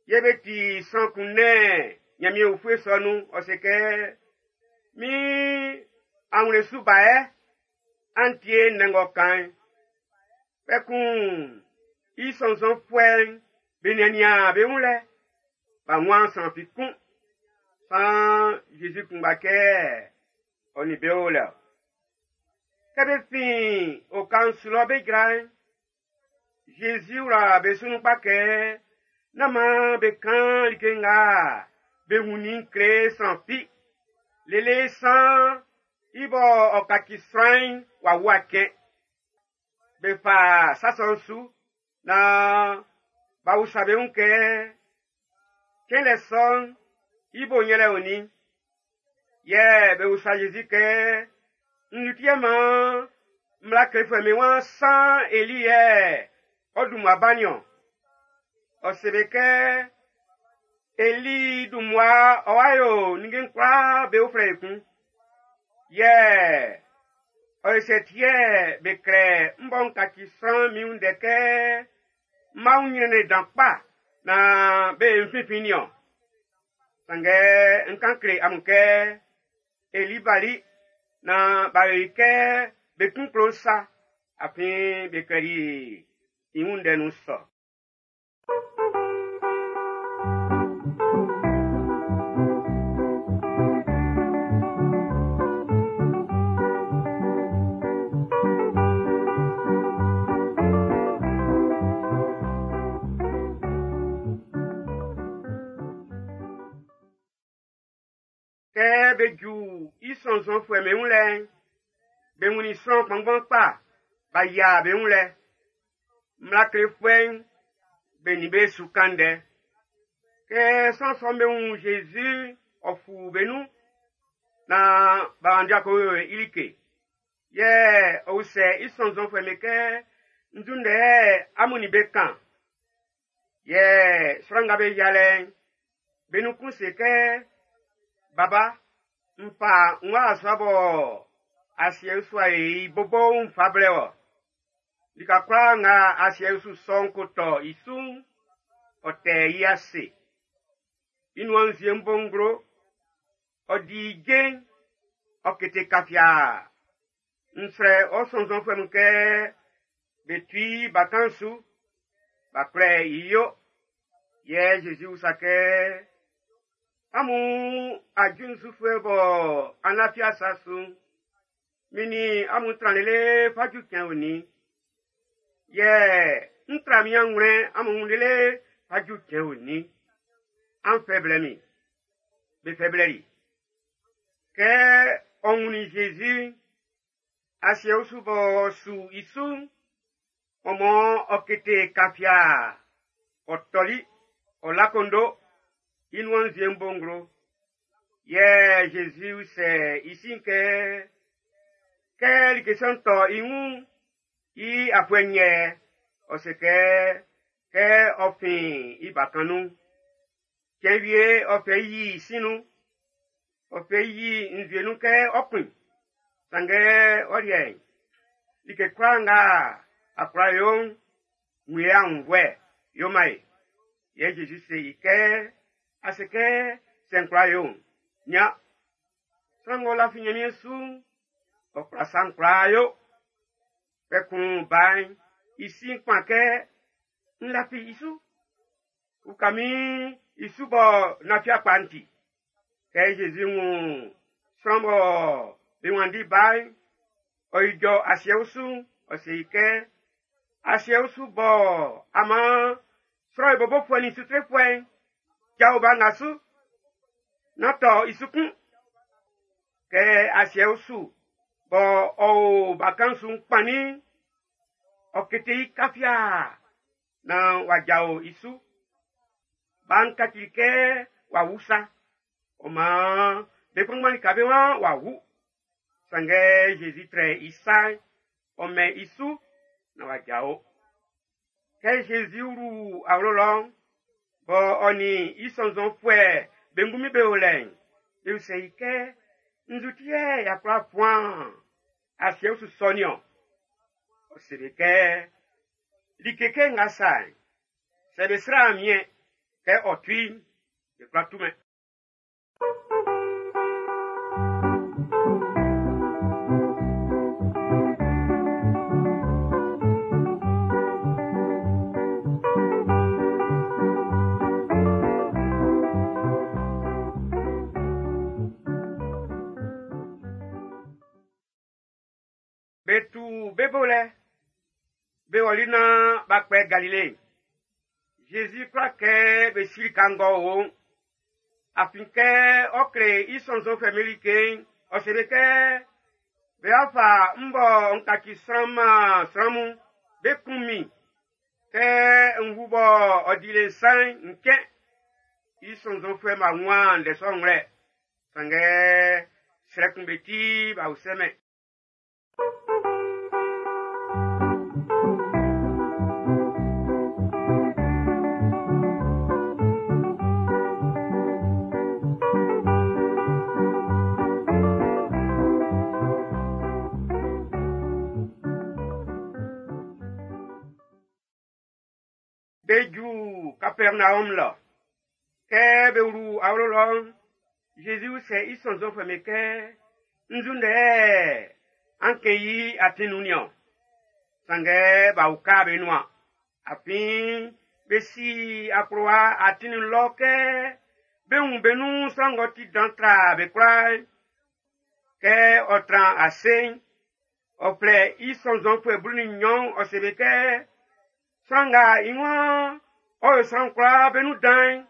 Yɛ be ti sran kun nɛn Ɲanmiɛn ufue sɔ nun, ɔ se kɛ, min anwlɛn su ba yɛ, an tie ndɛ ng'ɔ kan'n. Kpɛkun i sɔnnzɔnfuɛ'n be niannian be wun lɛ, b'a nwan sran fi kun. San Jésus kunngba kɛ ɔ nin be o lɛ. Kɛ be fin oka'n su lɔ be jra'n, Jésus wla be su nun kpa kɛ nán maan be kan like nga be wunnin kle sran fi. Lele san i bɔ ɔ kaci sran'n w'a wu akɛn. Be fa sa sɔ'n su naan b'a usa be wun kɛ cɛnlɛ sɔ'n i bo yɛlɛ onin. Yɛ be usa Jésus kɛ, nzu ti yɛ maan mmla klefuɛ'm be waan san Eli yɛ ɔ dun mmua ba nin-ɔn. Ɔ se be kɛ Eli dun mmua ɔ wa yo ninnge'n kwlaa be uflɛ ekun. Yɛ ɔ se ti yɛ be klɛ n bɔ n kaci sran min wun ndɛ kɛ n ma wun ɲrɛnnɛn dan kpa naan be nfinfin nin-ɔn. Sanngɛ n kan kle amun kɛ Eli bali naan b'a yo i kɛ be kun klo sa, afin be klɛli i wun ndɛ nun sɔ. Kɛ be ju i sɔnnzɔnfuɛ'm be wun lɛ'n, be wunnin sran kpanngban kpa b'a yia be wun lɛ. Mmla klefuɛ'n be nin be su kan ndɛ. Kɛ sran sɔ'm be wun Jésus ɔ fu be nun naan b'a wanndi ko yo i like. Yɛ ɔ usɛ i sɔnnzɔnfuɛ'm be kɛ, nzu ndɛ amun nin be kan? Yɛ sran nga be yia lɛ'n, be nun kun se kɛ, Baba, n fa n wa sɔ bɔ asiɛ'n su a i bobo n fa blɛ wɔ. Lika kwlaa nga asiɛ'n su sɔ'n ko tɔ i su'n, ɔ tɛ i ase. I nuan nzue'n bo nglo, ɔ di i je'n, ɔ kete kafia. N srɛ ɔ sɔnnzɔnfuɛ mun kɛ be tu i bakan'n su, b'a kwlɛ i yo. Yɛ Jésus usa kɛ, amun ajuinsufuɛ bɔ an lafi asa su'n, min nin amun tran lele fa ju cɛn onin? Yɛ n tra min anwlɛn amun wun lele fa ju cɛn onin? An fɛ blɛ min. Be fɛ blɛ li. Kɛ ɔ ɔ wunnin Zezi, asiɛ usu b'ɔ su i su'n, ɔ mɔ ɔ kete kafia, ɔ tɔli, ɔ la kondo, i nuan nzue'n bo nglo. Yɛ Zezi usɛ i sin kɛ, kɛ like sɔ'n tɔ i wun, i afuɛ nyɛ, ɔ se kɛ, kɛ ɔ fin i bakan nun. Cɛn wie ɔ fɛ i yi i sin nun, ɔ fɛ i yi nzue nun kɛ ɔ kun. Sanngɛ ɔ liɛ'n, like kwlaa nga a kwla yo'n, wun ye aunnvuɛ, yo man e. Yɛ Zezi se i kɛ, a se kɛ, sɛ n kwla yo'n, nian. Sran ng'ɔ lafi Nyanmiɛn su'n, ɔ kwla sa'n kwlaa yo. Kpɛkun ba'n i si'n kpan kɛ, n lafi i su. Uka min i su bɔ nafia kpa'n ti. Kɛ Zezi wun sran bɔ be wanndi ba'n, ɔ ijɔ asiɛ usu'n, ɔ se i kɛ, asiɛ usu bɔ ama sran i bobofuɛ nin sutrefuɛ'n, jao ba nga su, na tɔ i su kun. Kɛ asiɛ usu bɔ ɔ o bakan su'n kpannin, ɔ kete i kafia na wa jao i su. Ba'n kacili kɛ wa wu sa. Ɔ maan be kpanngban lika be waan wa wu. Sanngɛ Zezi trɛ i sa'n, ɔ mɛn i su na wa jao. Kɛ Zezi wlu awlo lɔ'n, bɔ ɔ nin i sɔnnzɔnfuɛ be ngunmin be o lɛ'n, be usɛ i kɛ, nzu ti yɛ y'a kwla fuan asiɛ usu sɔ nin-ɔn? Ɔ se be kɛ, like kɛ nga sa'n, sɛ be sran miɛn kɛ ɔ tui'n, be kwla tumɛn. Be tu be bo lɛ, be wɔli na b'a kpɛ Galile. Zezi kwla kɛ be sili kan ngɔ o'n. Afin kɛ ɔ kle i sɔnnzɔnfuɛ be like'n, ɔ se be kɛ, be afa m bɔ n kaci sran ma sran mun, be kun min. Kɛ n wu bɔ ɔ di le nsan'n, n kɛn. I sɔnnzɔnfuɛ ma wan ndɛ sɔ'n wlɛ. Sanngɛ srɛ kun be ti b'a usɛmɛn. Be ju Kapernaum lɔ. Kɛ be wlu awlo lɔ'n, Zezi usɛ i sɔnnzɔnfuɛ be kɛ, nzu ndɛ an kɛn i atin nun niɔn? Sanngɛ b'a uka be nuan. Afin be si akplowa atin nun lɔ kɛ be wun be nun sran ng'ɔ ti dan tra be kwlaa'n. Kɛ ɔ tran ase'n, ɔ flɛ i sɔnnzɔnfuɛ blu nin nnyɔn, ɔ se be kɛ, sran nga i waan ɔ yo sran kwlaa be nun dan'n,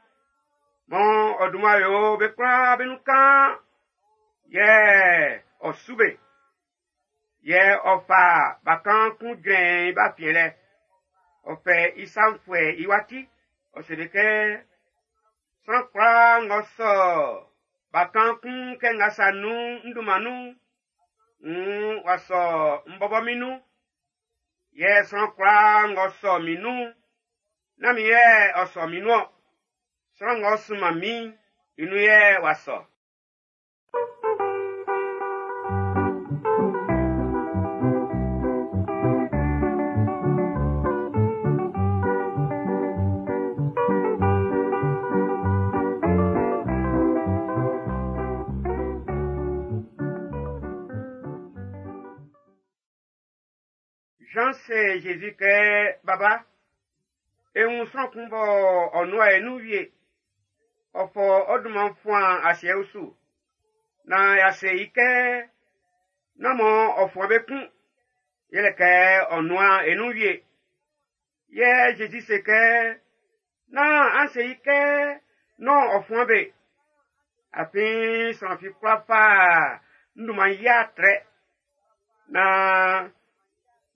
mɔ ɔ dunman yo be kwlaa be nun kaan, yɛ ɔ su be. Yɛ ɔ fa bakan kun jrɛn i ba fiɛn lɛ. Ɔ fɛ i sanfuɛ i wati, ɔ se be kɛ, sran kwlaa ng'ɔ sɔ bakan kun kɛ nga sa nun n dunman nun, n wa sɔ n bɔbɔ min nun. Yɛ sran kwlaa ng'ɔ sɔ min nun, nán min yɛ ɔ sɔ min nun-ɔn. Sran ng'ɔ sunman min'n, i nun yɛ w'a sɔ. Jean se Jésus kɛ, Baba, e wun sran kun bɔ ɔ nua e nun wie. Ɔ fɔ ɔ dunman fuan asiɛ usu. Na ya se i kɛ, nán mɔ ɔ fuan be kun, yɛlɛ kɛ ɔ nua e nun wie. Yɛ Jésus se kɛ, nán an se i kɛ, nán ɔ fuan be. Afin sran fi kwla fa Nduman ya trɛ na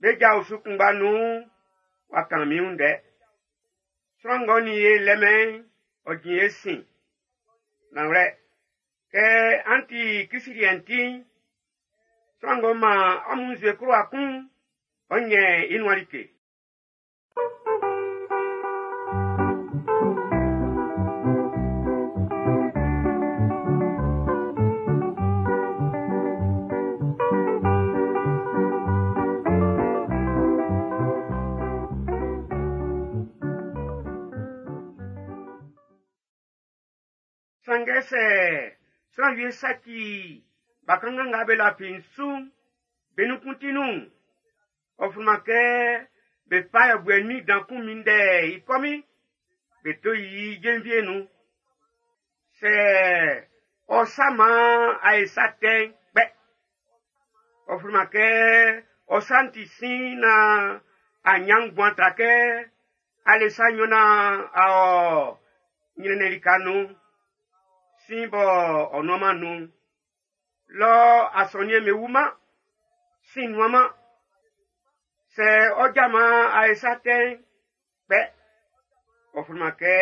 be ja osu kunngba nun wa kan min wun ndɛ. Sran ng'ɔ nin e lɛmɛn ɔ jin e sin. Nanwlɛ, kɛ an ti Krist liɛ'n ti'n, sran ng'ɔ man amun nzue klowa kun'n, ɔ nyɛn i nuan like. Sanngɛ sɛ sran wie saci bakanngan nga be lafi su'n, be nun kun ti nun. Ɔ flunman kɛ be fa yɛbuɛ nin dan kun minndɛ i kɔmin, be to i jenvie nun. Sɛ ɔ saman a ye sa tɛ'n kpɛ. Ɔ flunman kɛ ɔ sa'n ti sin na a nyan nguan tra kɛ ale sa nnyɔn na a ɔ nyrɛnnɛn lika nun. Sin bɔ ɔ nuanman nun. Lɔ asɔnniɛn me wuman, sin nuanman. Sɛ ɔ jaman a ye sa tɛ'n kpɛ. Ɔ flunman kɛ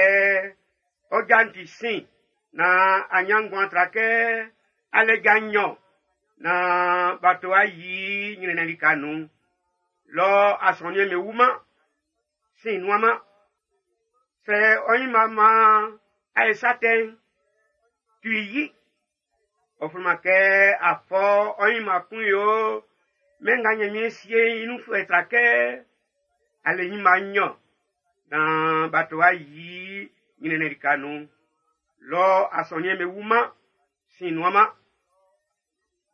ɔ ja'n ti sin na a nyan nguan tra kɛ ale ja nnyɔn na b'a to a yi nyrɛnnɛn lika nun. Lɔ asɔnniɛn me wuman, sin nuanman. Sɛ ɔ nyinma man a ye sa tɛ'n, tu i yi. Ɔ flunman kɛ a fɔ ɔ nyinma kun yo mɛn nga Nyanmiɛn sie i nunfuɛ tra kɛ ale nyinma nnyɔn na b'a to a yi nyrɛnnɛn lika nun. Lɔ asɔnniɛn me wuman, sin nuanman.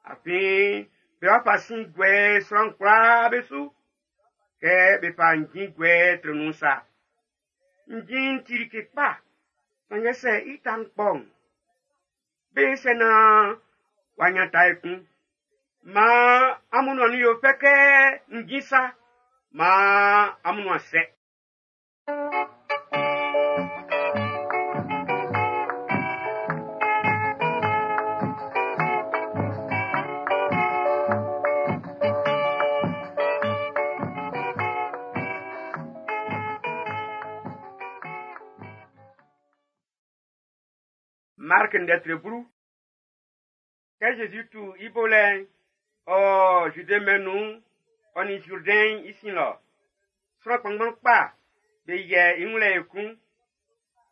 Afin be wa fa sin guɛ sran kwlaa be su kɛ be fa njin guɛ trɛ nun sa. Njin'n ti like kpa, sanngɛ sɛ i ta'n kpɔ'n, be sɛ na wa nyan ta ekun. Maan amun nuan yo fɛ kɛ njin sa, maan amun nuan sɛ. Mark ndɛtre blu. Kɛ Jésus tu i bo lɛ'n, ɔ Jude mɛn'n nun, ɔ nin Jourdain i sin lɔ. Sran kpanngban kpa be yɛ i wun lɛ ekun.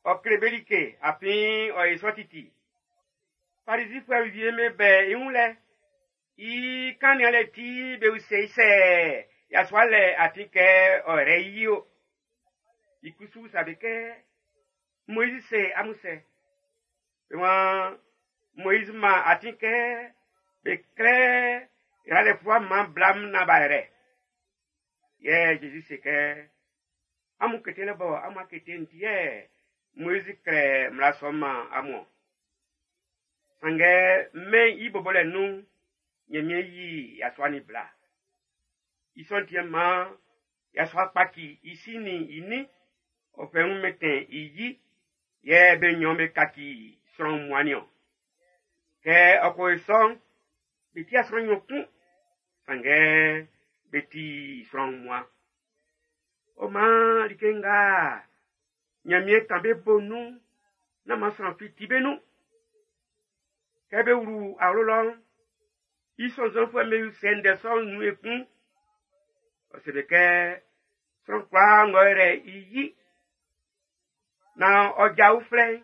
Ɔ kle be like afin ɔ ye sɔ titi. Farisifuɛ wie be bɛ i wun lɛ. I kannian lɛ ti be usɛ i sɛ yasua lɛ atin kɛ ɔ rɛ i yi o. I kusu sa be kɛ Moïse se amun sɛ. Be waan Moïse ma atin kɛ be klɛ yralɛfua man blam na ba rɛ. Yɛ Jésus se kɛ amun kete lɛ bɔ amun kete nti yɛ Moïse klɛ mmla sɔ'n man amun. Sanngɛ mɛn i bɔbɔlɛ nun Nyanmiɛn yi yasua ni bla. I sɔ'n ti maan yasua kpaki i si nin i nin, ɔ fɛ wun mɛntɛn i yi, yɛ be nnyɔn be kaci sran wunmuan niɔn. Kɛ ɔ ko yo sɔ'n, be ti sran nnyɔn kun, sanngɛ be ti sran wunmuan. Ɔ maan like nga Nyanmiɛn kan be bo nun, nán man sran fi ti be nun. Kɛ be wlu awlo lɔ'n, i sɔnnzɔnfuɛ'm be usɛ ndɛ sɔ'n nun ekun. Ɔ se be kɛ sran kwlaa ng'ɔ rɛ i yi, na ɔ ja uflɛ'n,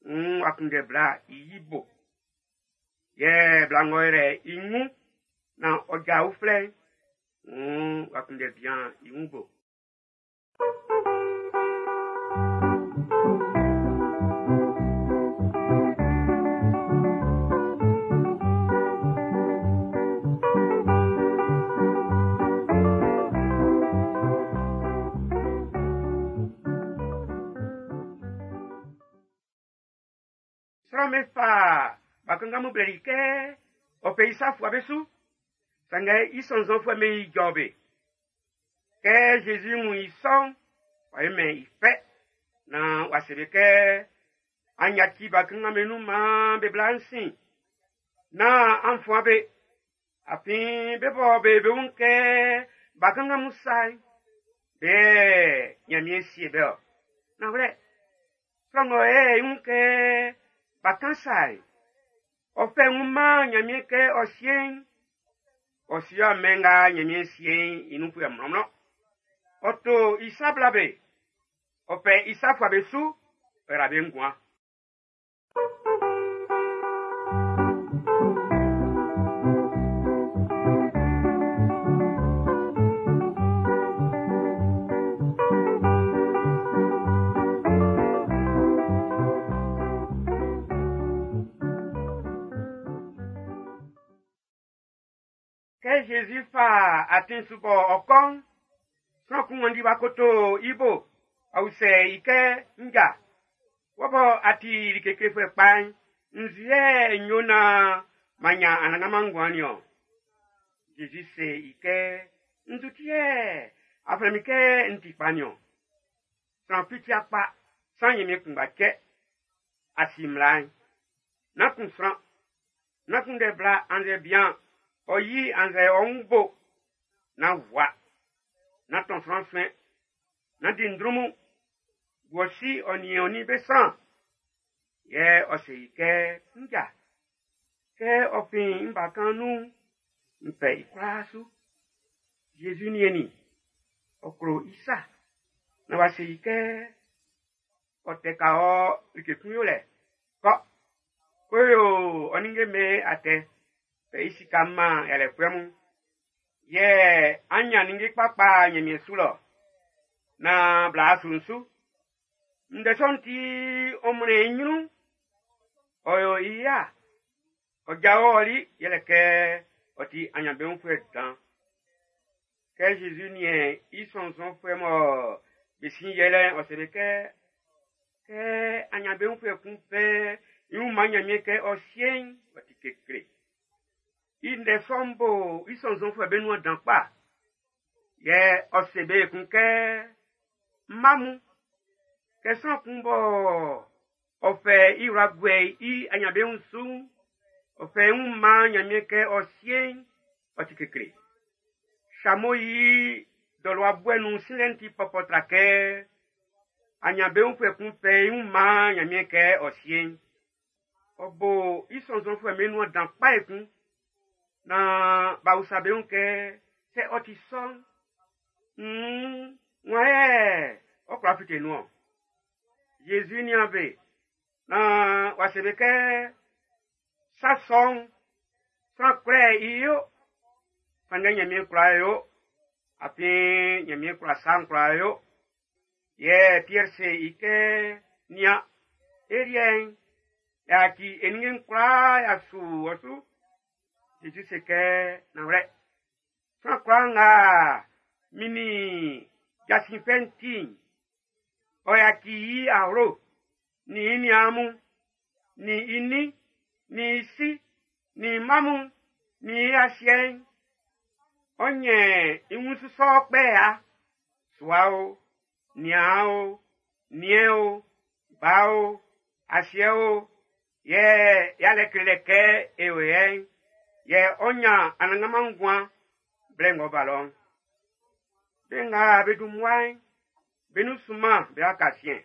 wuun w'a kunndɛ bla i yi bo. Yɛ bla ng'ɔ rɛ i wun, na ɔ ja uflɛ'n, wuun w'a kunndɛ bian i wun bo. Sran me fa bakanngan mun blɛli kɛ ɔ fɛ i sa fua be su, sanngɛ i sɔnnzɔnfuɛ'm be ijɔ be. Kɛ Jésus wun i sɔ'n, ɔ yemɛn i fɛ, na w'a se be kɛ, an yaci bakanngan be nun maan be bla n sin. Nán an fuan be, afin be bɔ be be wun kɛ bakanngan mun sa'n, be yɛ Nyanmiɛn sie be-ɔ. Nanwlɛ, sran ng'ɔ yɛ i wun kɛ bakan sa'n, ɔ fɛ i wun man Nyanmiɛn kɛ ɔ sie'n, ɔ sie mɛn nga Nyanmiɛn sie'n i nunfuɛ mlɔnmlɔn. Ɔ to i sa bla be, ɔ fɛ i sa fua be su, ɔ yra be nguan. Kɛ Jésus fa atin su bɔ ɔ kɔ'n, sran kun wanndi wa koto i bo, ɔ usɛ i kɛ, nja, wɔ bɔ a ti like klefuɛ kpa'n, nzu yɛ n yo naan m'an nyan Anannganman nguan nin-ɔn? Jésus se i kɛ, nzu ti yɛ a flɛ min kɛ n ti kpa nin-ɔn? Sran fi ti'a kpa, san Nyanmiɛn kunngba cɛ. A si mmla'n. Nán kun sran, nán kunndɛ bla annzɛ bian, ɔ yi annzɛ ɔ wun bo, nán wua, nán tɔn sran suɛn, nán di ndrunmun, bu ɔ si ɔ nin ɔ nin be sran. Yɛ ɔ se i kɛ, nja, kɛ ɔ fin n bakan nun'n, n fɛ i kwlaa su. Jésus niɛn i, ɔ klo i sa. Na wa se i kɛ, ɔ tɛ ka ɔ like kun yolɛ. Kɔ, ko yo ɔ ninnge mɛn atɛ, fɛ i sika man yalɛfuɛ mun. Yɛ an nyan ninnge kpakpa Nyanmiɛn su lɔ, na bla su su. Ndɛ sɔ'n ti ɔ mlɛn i nyrun, ɔ yo i ya. Ɔ jao ɔli yɛlɛ kɛ ɔ ti anyanbeunfuɛ dan. Kɛ Jésus niɛn i sɔnnzɔnfuɛ mɔ be sin yɛlɛ'n, ɔ se be kɛ, kɛ anyanbeunfuɛ kun fɛ i wun man Nyanmiɛn kɛ ɔ sie'n, ɔ ti kekle. I ndɛ sɔ'n bo i sɔnnzɔnfuɛ be nuan dan kpa. Yɛ ɔ se be ekun kɛ, mma mun, kɛ sran kun bɔ ɔ fɛ i wla guɛ i anyanbeun su'n, ɔ fɛ i wun man Nyanmiɛn kɛ ɔ sie'n, ɔ ti kekle. Samo yi dɔlɔwa buɛ nun silɛ'n ti pɔpɔ tra kɛ anyanbeunfuɛ kun fɛ i wun man Nyanmiɛn kɛ ɔ sie'n. Ɔ bo i sɔnnzɔnfuɛ be nuan dan kpa ekun. Na b'a usa be wun kɛ, sɛ ɔ ti sɔ'n, nn wan yɛ ɔ kwla fite nun-ɔn? Jésus nian be, na w'a se be kɛ, sa sɔ'n, sran kwlɛ i yo, sanngɛ Nyanmiɛn kwla yo, afin Nyanmiɛn kwla sa'n kwla yo. Yɛ Pierre se i kɛ, nian, e liɛ'n, y'a ci e ninnge'n kwlaa y'a su ɔ su. Jésus se kɛ, nanwlɛ, sran kwlaa nga min nin jasin fɛ'n ti'n, ɔ yaci i awlo, nin i niaan mun, nin i nin, nin i si, nin i mma mun, nin i asiɛ'n, ɔ nyɛ i wun sɔ kpɛ ya. Sua o, niaan o, niɛn o, ba o, asiɛ o, yɛ yalɛ klelɛ kɛ e o yɛ'n, yɛ ɔ nyan Anannganman nguan blɛ ng'ɔ ba lɔ'n. Be nga be dun mmua'n, be nun sunman be wa ka siɛn.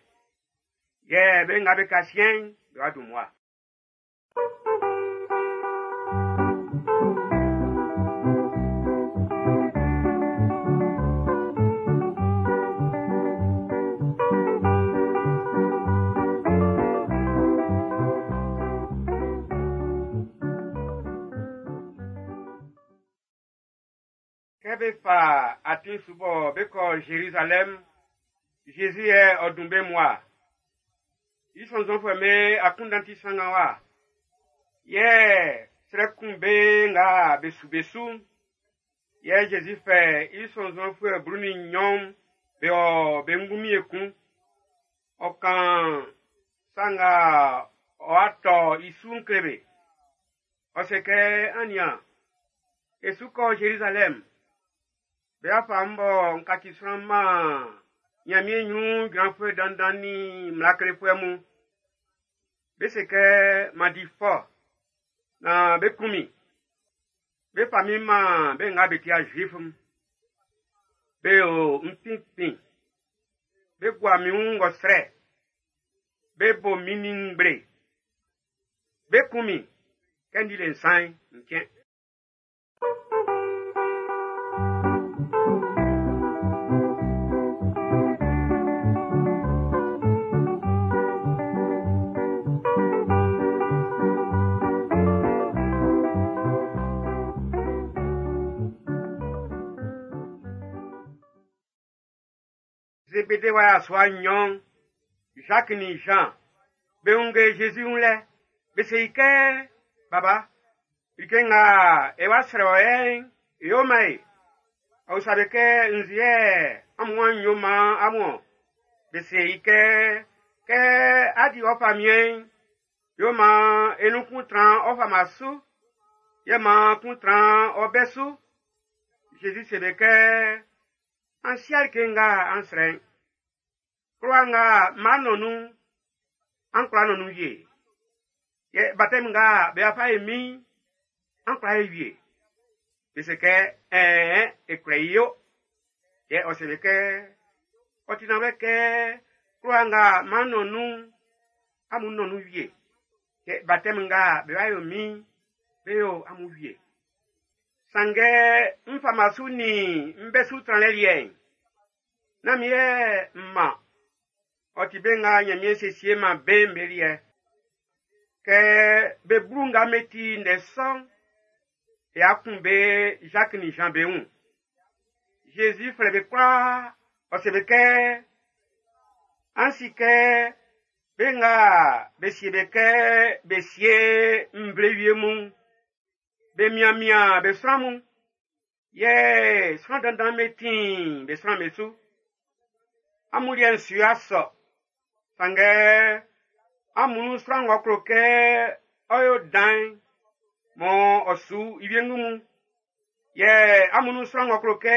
Yɛ be nga be ka siɛn'n, be wa dun mmua. Kɛ be fa atin su bɔ be kɔ Jérusalem, Jésus yɛ ɔ dun be mua. I sɔnnzɔnfuɛ'm be akunndan ti sanngan wa. Yɛ srɛ kun be nga be su be su'n. Yɛ Jésus fɛ i sɔnnzɔnfuɛ blu nin nnyɔn be ɔ be ngunmin ekun. Ɔ kan sa nga ɔ'a tɔ i su'n kle be. Ɔ se kɛ, an nian, e su kɔ Jérusalem. Be afa m bɔ n kaci sran man Nyanmiɛn nyrun jranfuɛ dandan nin mmla klefuɛ mun. Be se kɛ man di fɔ, Na be kun min. Be fa min man be nga be ti'a Juif'm. Be o n finfin. Be gua min wun ngɔsrɛ. Be bo min nin ngble. Be kun min. Kɛ n di le nsan'n, n cɛn. Zébédé wa yasua nnyɔn, Jacques ni Jean, be wunge Jésus wun lɛ, be se i kɛ, Baba, like nga e wa srɛ wɔ yɛ'n, yo man e. Ɔ usa be kɛ, nzu yɛ amun wan yo man amun ɔ? Be se i kɛ, kɛ a di ɔ famiɛn'n, yo man e nun kun tran ɔ fama su, yɛ man kun tran ɔ bɛ su. Jésus se be kɛ, an sia like nga an srɛ'n. Klowa nga m'an nɔn nun'n, an kwla nɔn nun wie. Yɛ baptême nga be fa ye min, an kwla ye wie. Be se kɛ, ɛɛ, e kwla yi yo. Yɛ ɔ se be kɛ, ɔ ti nanwlɛ kɛ klowa nga m'an nɔn nun'n, amun nɔn nun wie. Yɛ baptême nga be wa yo min, be yo amun wie. Sanngɛ n fama su nin n bɛ su tranlɛ liɛ'n, nán min yɛ m man, ɔ ti be nga Ɲanmiɛn siesie man be'n be liɛ. Kɛ be blu nga be ti ndɛ sɔ'n, ya kun be Jacques ni Jean be wun. Jésus flɛ be kwlaa, ɔ se be kɛ, an si kɛ be nga be sie be kɛ be sie nvle wie mun, be mianmian be sran mun, yɛ sran dandan be ti'n be sran be su. Amun liɛ'n su ya sɔ, sanngɛ amun sran ng'ɔ klo kɛ ɔ yo dan'n, mɔ ɔ su i wiengu mun. Yɛ amun sran ng'ɔ klo kɛ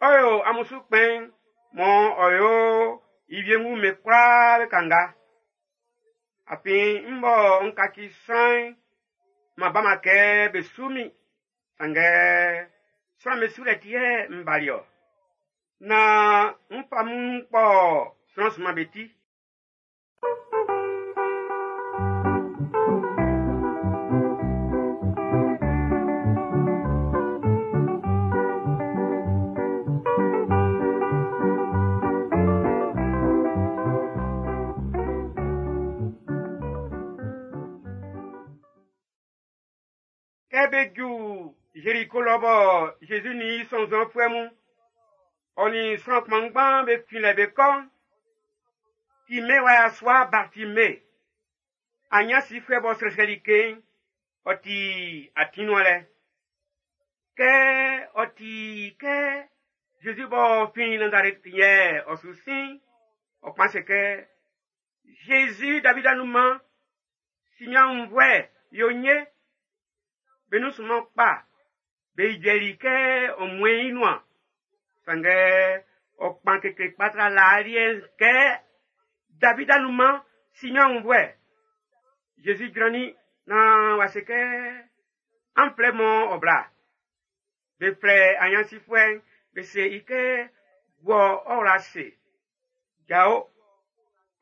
ɔ yo amun su kpɛn'n, mɔ ɔ yo i wiengu me kwlaa be kanga. Afin n bɔ n kaci sran'n, ma ba ma kɛ be su min, sanngɛ sran be sulɛ ti yɛ n bali ɔ. Na n fa mun kpɔ sran sunman be ti. Kɛ be ju Jéricho lɔ bɔ Jésus ni i sɔnnzɔnfuɛ mun, ɔ nin sran kpanngban be fin lɛ be kɔ'n, Timé wa yasua Bartimée, anyansifuɛ b'ɔ srɛsrɛ like'n, ɔ ti atin nuan lɛ. Kɛ ɔ ti kɛ Jésus b'ɔ fin Nazareth yɛ ɔ su sin, ɔ kpan se kɛ, Jésus David anunman, si min aunnvuɛ, yo nye. Be nun sunman kpa, be ijɔli kɛ ɔ muen i nuan. Sanngɛ ɔ kpan kekle kpa tra laa liɛ'n kɛ, David anunman, si min aunnvuɛ. Jésus jrannin naan w'a se kɛ, an flɛ mɔ ɔ bla. Be flɛ anyansifuɛ'n, be se i kɛ, wɔ ɔ wla se. Jao,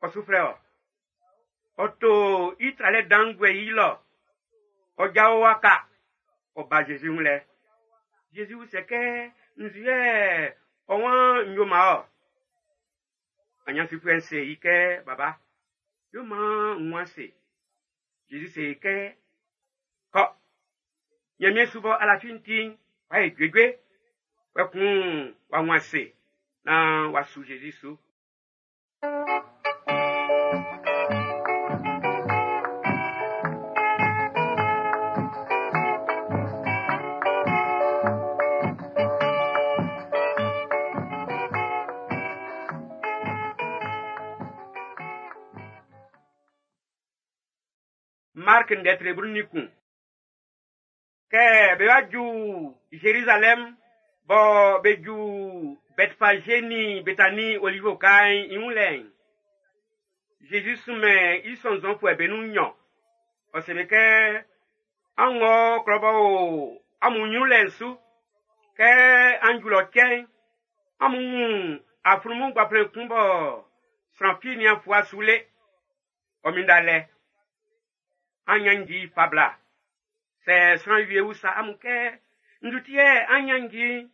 ɔ su flɛ ɔ. Ɔ to i tralɛ dan guɛ i lɔ. Ɔ jao waka, ɔ ba Jésus wun lɛ. Jésus se kɛ, nzu yɛ ɔ wan n yo ma ɔ. Anyansifuɛ'n se i kɛ, baba, yo man n wan se. Jésus se i kɛ, kɔ. Ɲanmiɛn su bɔ alafi'n ti'n, w'a ye juejue. Kpɛkun w'a wan se, naan w'a su Jésus su. Mark ndɛ tre blu ni kun. Kɛ be wa ju Jérusalem, bɔ be ju Bethphagé ni Bethanie Olive oka'n i wun lɛ'n, Jésus sunmɛn i sɔnnzɔnfuɛ be nun nnyɔn. Ɔ se be kɛ, An wɔ klɔ b'ɔ o amun nyrun lɛ'n su. Kɛ an ju lɔ cɛ'n, amun wun aflunmun gbanflɛn kun bɔ sran fi nian fua su le. Ɔ minnda lɛ. An nyannji fa bla. Sɛ sran wie usa amun kɛ, nzu ti yɛ an nyannji?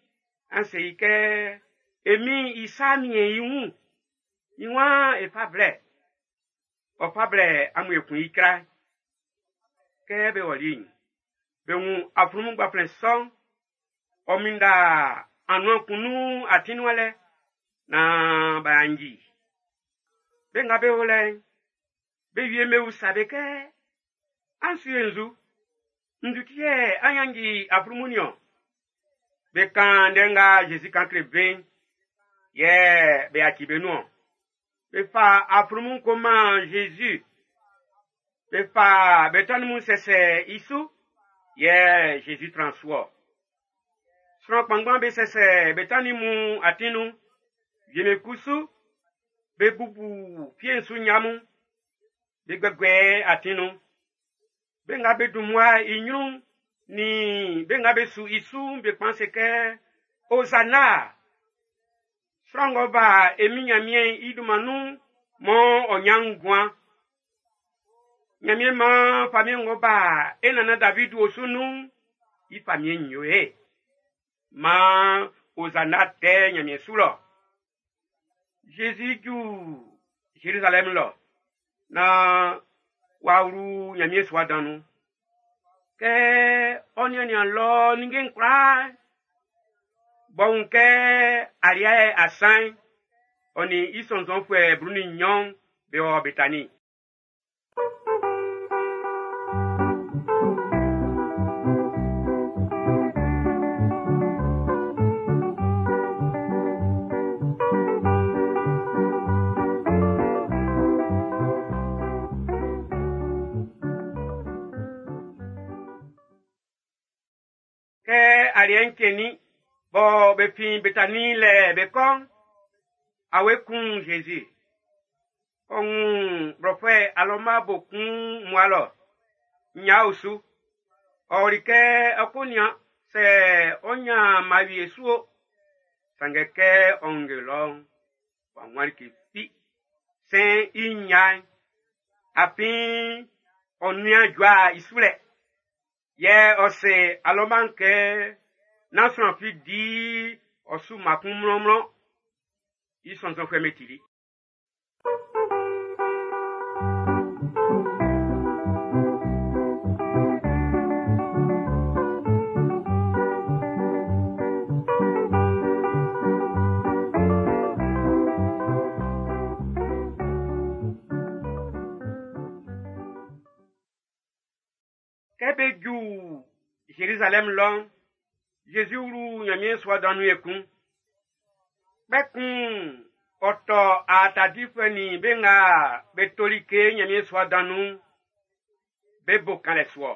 An se i kɛ, e Min'n i sa miɛn i wun. I waan e fa blɛ. Ɔ fa blɛ amun ekun icra. Kɛ be ɔli'n, be wun aflunmun gbanflɛn sɔ'n, ɔ minnda anuan kun nun atin nuan lɛ, naan b'a nyanji. Be nga be o lɛ'n, be wie be usa be kɛ, an su ye nzu? Nzu ti yɛ an nyanji aflunmun niɔn? Be kan ndɛ nga Zezi kan kle be'n, yɛ be yaci be nun-ɔn. Be fa aflunmun ko man Zezi. Be fa be tannin mun sɛsɛ i su, yɛ Zezi tran su-ɔ. Sran kpanngban be sɛsɛ be tannin mun atin nun. Wie'm be kusu, be bubu fie'n su nnya mun, be guɛguɛ atin nun. Be nga be dun mmua i nyrun'n, nin be nga be su i su'n be kpan se kɛ, Hosanna! Sran ng'ɔ ba e Min Nyanmiɛn'n i dunman nun mɔ ɔ nyan nguan. Nyanmiɛn man famiɛn ng'ɔ ba e nannan David osu nun'n, i famiɛn'n yo e. Man Hosanna tɛ Nyanmiɛn su lɔ. Jésus ju Jérusalem lɔ, na w'a wlu Nyanmiɛn sua dan nun. Kɛ ɔ nian-nian lɔ ninnge'n kwlaa, b'ɔ wun kɛ aliɛ asan'n, ɔ nin i sɔnnzɔnfuɛ blu nin nnyɔn be wɔ Betani. Kɛ aliɛ'n cɛnnin bɔ be fin Betani lɛ be kɔ'n, awe kun Jésus. Ɔ wun blɔfuɛ alɔma bo kun mmua lɔ, nnya o su. Ɔ ɔli kɛ ɔ ko nian sɛ ɔ nyan mma wie su o. Sanngɛ kɛ ɔ wunge lɔ'n, w'a wun like fi. Sɛn i nnya'n, afin ɔ nian jua i su lɛ. Yɛ ɔ se alɔma'n kɛ, nán sran fi di ɔ su mma kun mlɔnmlɔn. I sɔnnzɔnfuɛ'm be tili. Kɛ be ju Jérusalem lɔ'n, Jésus wlu Nyanmiɛn sua dan nun ekun. Kpɛkun ɔ tɔ aata difuɛ nin be nga be toli ke Nyanmiɛn sua dan nun'n, be bo kanlɛ su-ɔ.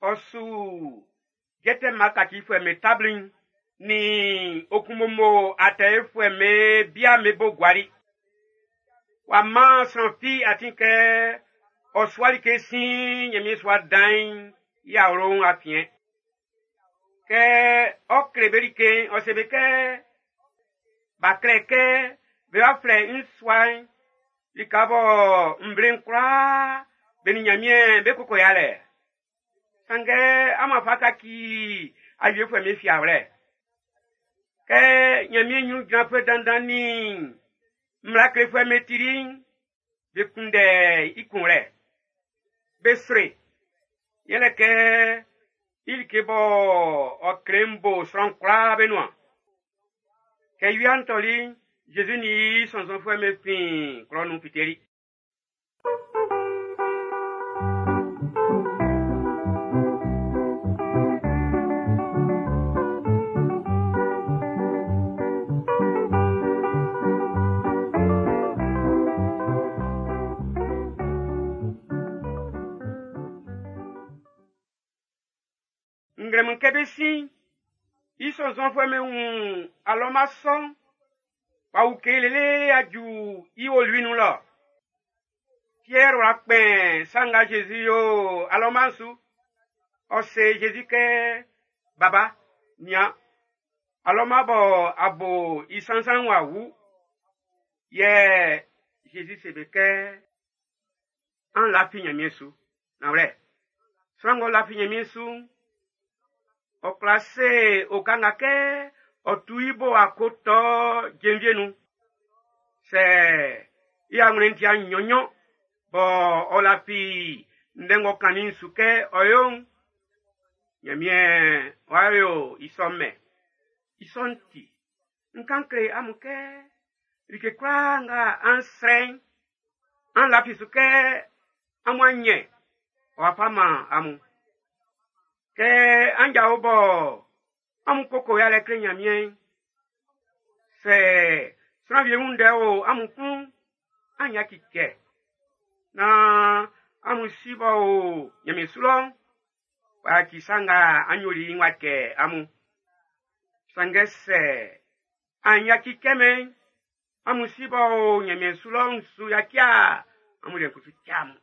Ɔ su jɛtɛ mma kacifuɛ'm be tabli'n nin okunmomo atɛefuɛ'm be bia'm be bo guali. W'a man sran fi atin kɛ ɔ sua like sin Nyanmiɛn sua dan'n i awlo'n afiɛn. Kɛ ɔ kle be like'n, ɔ se be kɛ, b'a klɛ kɛ be wa flɛ n sua'n, lika bɔ nvle'n kwlaa be nin Nyanmiɛn be koko yalɛ. Sanngɛ amun afa kaci awiefuɛ'm be fiawlɛ. Kɛ Nyanmiɛn nyrun jranfuɛ dandan nin mmla klefuɛ'm be tili'n, be kunndɛ i kunwlɛ. Be sre. Yɛlɛ kɛ i like bɔ ɔ kle bo sran kwlaa be nuan. Kɛ wia'n tɔli'n, Jésus nin i sɔnnzɔnfuɛ'm be fin klɔ'n nun fiteli. Nglɛmun kɛ be sin, i sɔnnzɔnfuɛ'm be wun alɔma sɔ'n, w'a wu lele aju i olui nun lɔ. Pierre w'a kpɛn sa nga Jésus yo alɔma'n su. Ɔ se Zezi kɛ, Baba, nian, alɔma bɔ a bo i sansan w'a wu. Yɛ Zezi se be kɛ, an lafi Ɲanmiɛn su. Nanwlɛ, sran ng'ɔ lafi Ɲanmiɛn su'n, ɔ kwla se oka nga kɛ ɔ tu i bo akotɔ jenvie nun. Sɛ i awlɛn ti nnyɔn-nnyɔn bɔ ɔ lafi ndɛ ng'ɔ kannin'n su kɛ ɔ yo'n, Ɲanmiɛn w'a yo i sɔ mɛn. I sɔ'n ti, n kan kle amun kɛ like kwlaa nga an srɛ'n, an lafi su kɛ amun a nyɛ, ɔ wa fa man amun. Kɛ an jao bɔ amun koko yalɛ kle Ɲanmiɛn'n, sɛ sran wie wun ndɛ o amun klun, an yaci cɛ. Naan amun si b'ɔ o Ɲanmiɛn su lɔ'n, w'a yaci sa nga an yoli i'n w'a cɛ amun. Sanngɛ sɛ an yaci cɛmɛn, amun si b'ɔ o Ɲanmiɛn su lɔ'n su yaci a, amun liɛ'n kusu cɛ amun.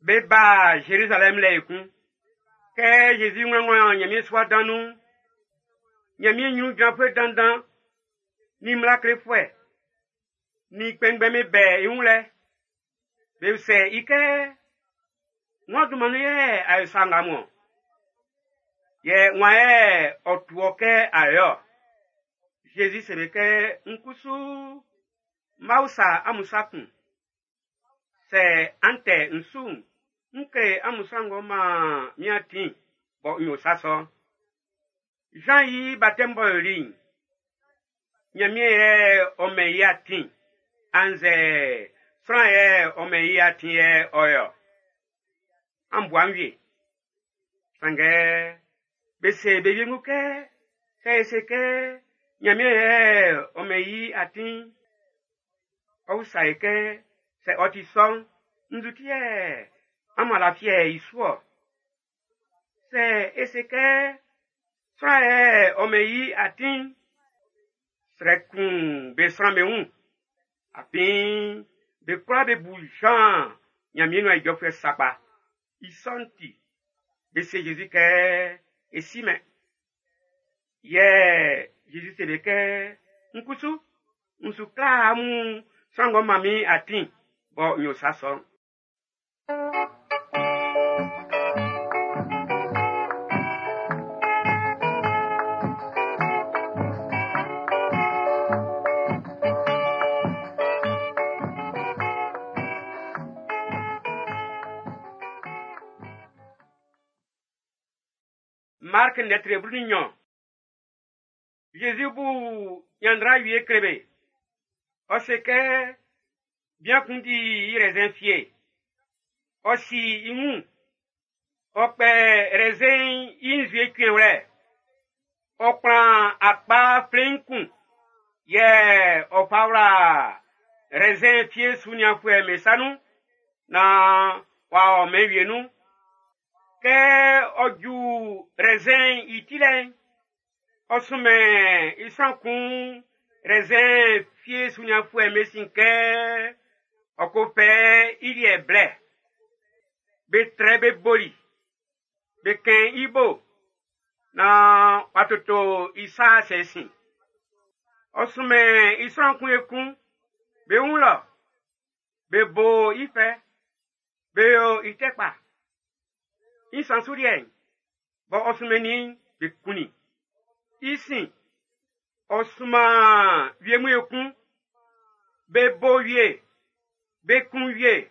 Be ba Zerizalɛm lɛ ekun. Kɛ Zezi ŋlɔŋlɔ Ɲanmiɛn sua dan nun'n, Ɲanmiɛn ɲrun jranfuɛ dandan, ni mmla klefuɛ, ni kpɛnngbɛn'm be bɛ i wun lɛ. Be usɛ i kɛ, wan dunman nun yɛ a yo sa nga mun-ɔn? Yɛ wan yɛ ɔ tu ɔ kɛ a yo-ɔ? Zezi se be kɛ, n kusu n b'a usa amun sa kun. Sɛ an tɛ n su'n, n kle amun sran ng'ɔ man min atin bɔ n yo sa sɔ'n. Jean i baptême b'ɔ yoli'n, Ɲanmiɛn yɛ ɔ mɛn i atin, annzɛ sran yɛ ɔ mɛn i atin yɛ ɔ yɔ. An bua'n wie. Sanngɛ be se be wiengu kɛ, sɛ e se kɛ Ɲanmiɛn yɛ ɔ mɛn i atin, ɔ usa e kɛ, sɛ ɔ ti sɔ'n, nzu ti yɛ amun a lafiɛ i su-ɔ? Sɛ e se kɛ sran yɛ ɔ mɛn i atin'n, srɛ kun be sran be wun. Afin be kwlaa be bu Jean Ɲanmiɛn nuan ijɔfuɛ sakpa. I sɔ'n ti, be se Zezi kɛ, e simɛn. Yɛ Zezi se be kɛ, n kusu, n su kla amun sran ng'ɔ man min atin bɔ n yo sa sɔ'n. Mark lɛtri blu nin nnyɔn. Zezi bu ɲanndra wie kle be. Ɔ se kɛ bian kun di i raisin fie. Ɔ si i wun. Ɔ kpɛ raisin i nzue cuɛnwlɛ. Ɔ kplan akpa flein kun. Yɛ ɔ fa wla raisin fie sunianfuɛ be sa nun naan w'a ɔ mɛn wie nun. Kɛ ɔ ju raisin i tilɛ'n, ɔ sunmɛn i sran kun raisin fie sunianfuɛ'm be sin kɛ ɔ ko fɛ i liɛ blɛ. Be trɛ be boli, be kɛn i bo, naan w'a toto i sa sɛ sin. Ɔ sunmɛn i sran kun ekun, be wun lɔ, be bo i fɛ, be yo i tɛ kpa. I nsan su liɛ'n, bɔ ɔ sunmɛnnin be kunnin. I sin, ɔ sunman wie mun ekun, be bo wie, be kun wie.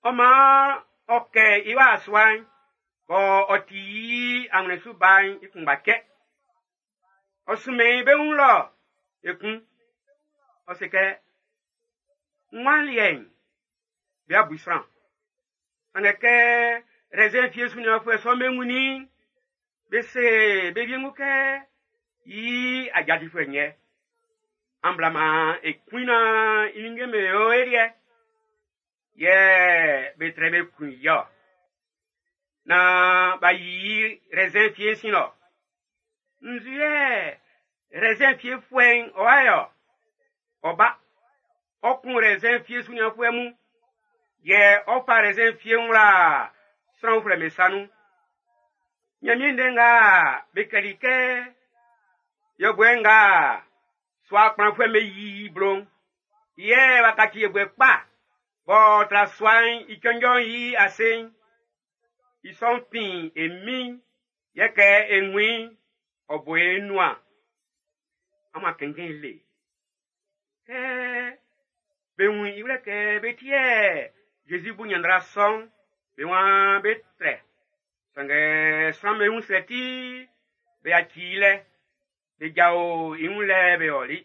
Ɔ maan ɔ kɛ i wa sua'n, bɔ ɔ ti i anwlɛn su ba'n i kunngba cɛ. Ɔ sunmɛn i be wun lɔ ekun. Ɔ se kɛ, n wa liɛ'n, be abu i sran. Sanngɛ kɛ raisin fie sunianfuɛ sɔ'm be wunnin, be se be wiengu kɛ, i ajadifuɛ'n yɛ. An blama e kuina ininge me o erie. Yɛ be trɛ be kun yɔ. Na ba yi raisin fie sin lɔ. Nzu yɛ raisin fie fuɛn ɔwa yɔ. Ɔba ɔkun raisin fie sunyanfuɛ mu. Yɛ ɔfa raisin fie ŋla sran uflɛ me sanu. Ɲanmiɛn ndɛ nga be kɛli kɛ yɔbuɛ nga sua kplanfuɛ me yi blo'n. Yɛ wa kaci yɔbuɛ kpa bɔ tra sua'n i cɔnjɔ'n yi ase'n. I sɔ'n fin e min yɛ kɛ e ŋuin ɔ bo e nuan. Ama kɛnkɛn le. Kɛ be wun i wlɛ kɛ be tiɛ Jésus bu ɲanndra sɔ'n be waan be trɛ. Sanngɛ sran'm be wun srɛ ti be yaci i lɛ be jao i wun lɛ be ɔli.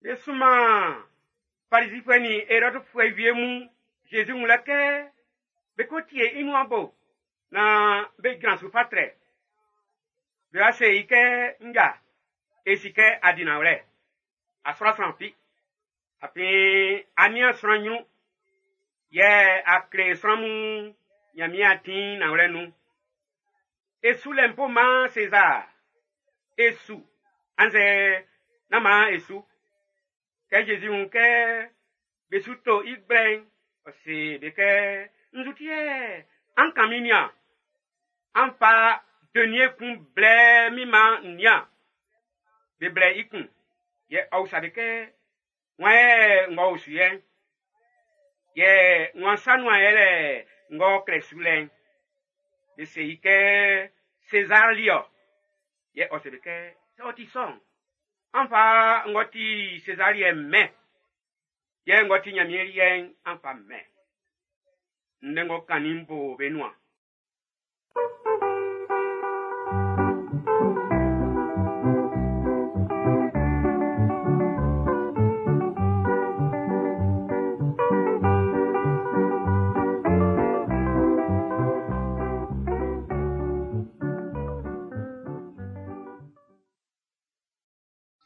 Be sunman Farisifue ni Herodefue wie mun Jésus wun lɛ kɛ be ko tie i nuan bo na be jran su fa trɛ. Be wa se i kɛ nja e si kɛ a di nanwlɛ a sɔrɔ sran fi. Afin a nian sran ɲrun yɛ a kle sran mun Ɲanmiɛn atin nanwlɛ nun. E su lɛ mpo man César e su annzɛ nán man e su. Kɛ Jésus wun kɛ be su to i gblɛ'n, ɔ se be kɛ nzu ti yɛ an kan min nian. An fa denier kun blɛ min man n nian. Be blɛ i kun. Yɛ ɔ usa be kɛ wan yɛ ngɔ o su yɛ? Yɛ wan sa nuan yɛ lɛ ngɔ klɛ su lɛ'n? Be se i kɛ César li ɔ. Yɛ ɔ se be kɛ sɛ ɔ ti sɔ'n, an fa ngɔ ti César liɛ mɛn. Yɛ ngɔ ti Ɲanmiɛn liɛ'n an fa mɛn. Ndɛ ngɔ kannin bo be nuan.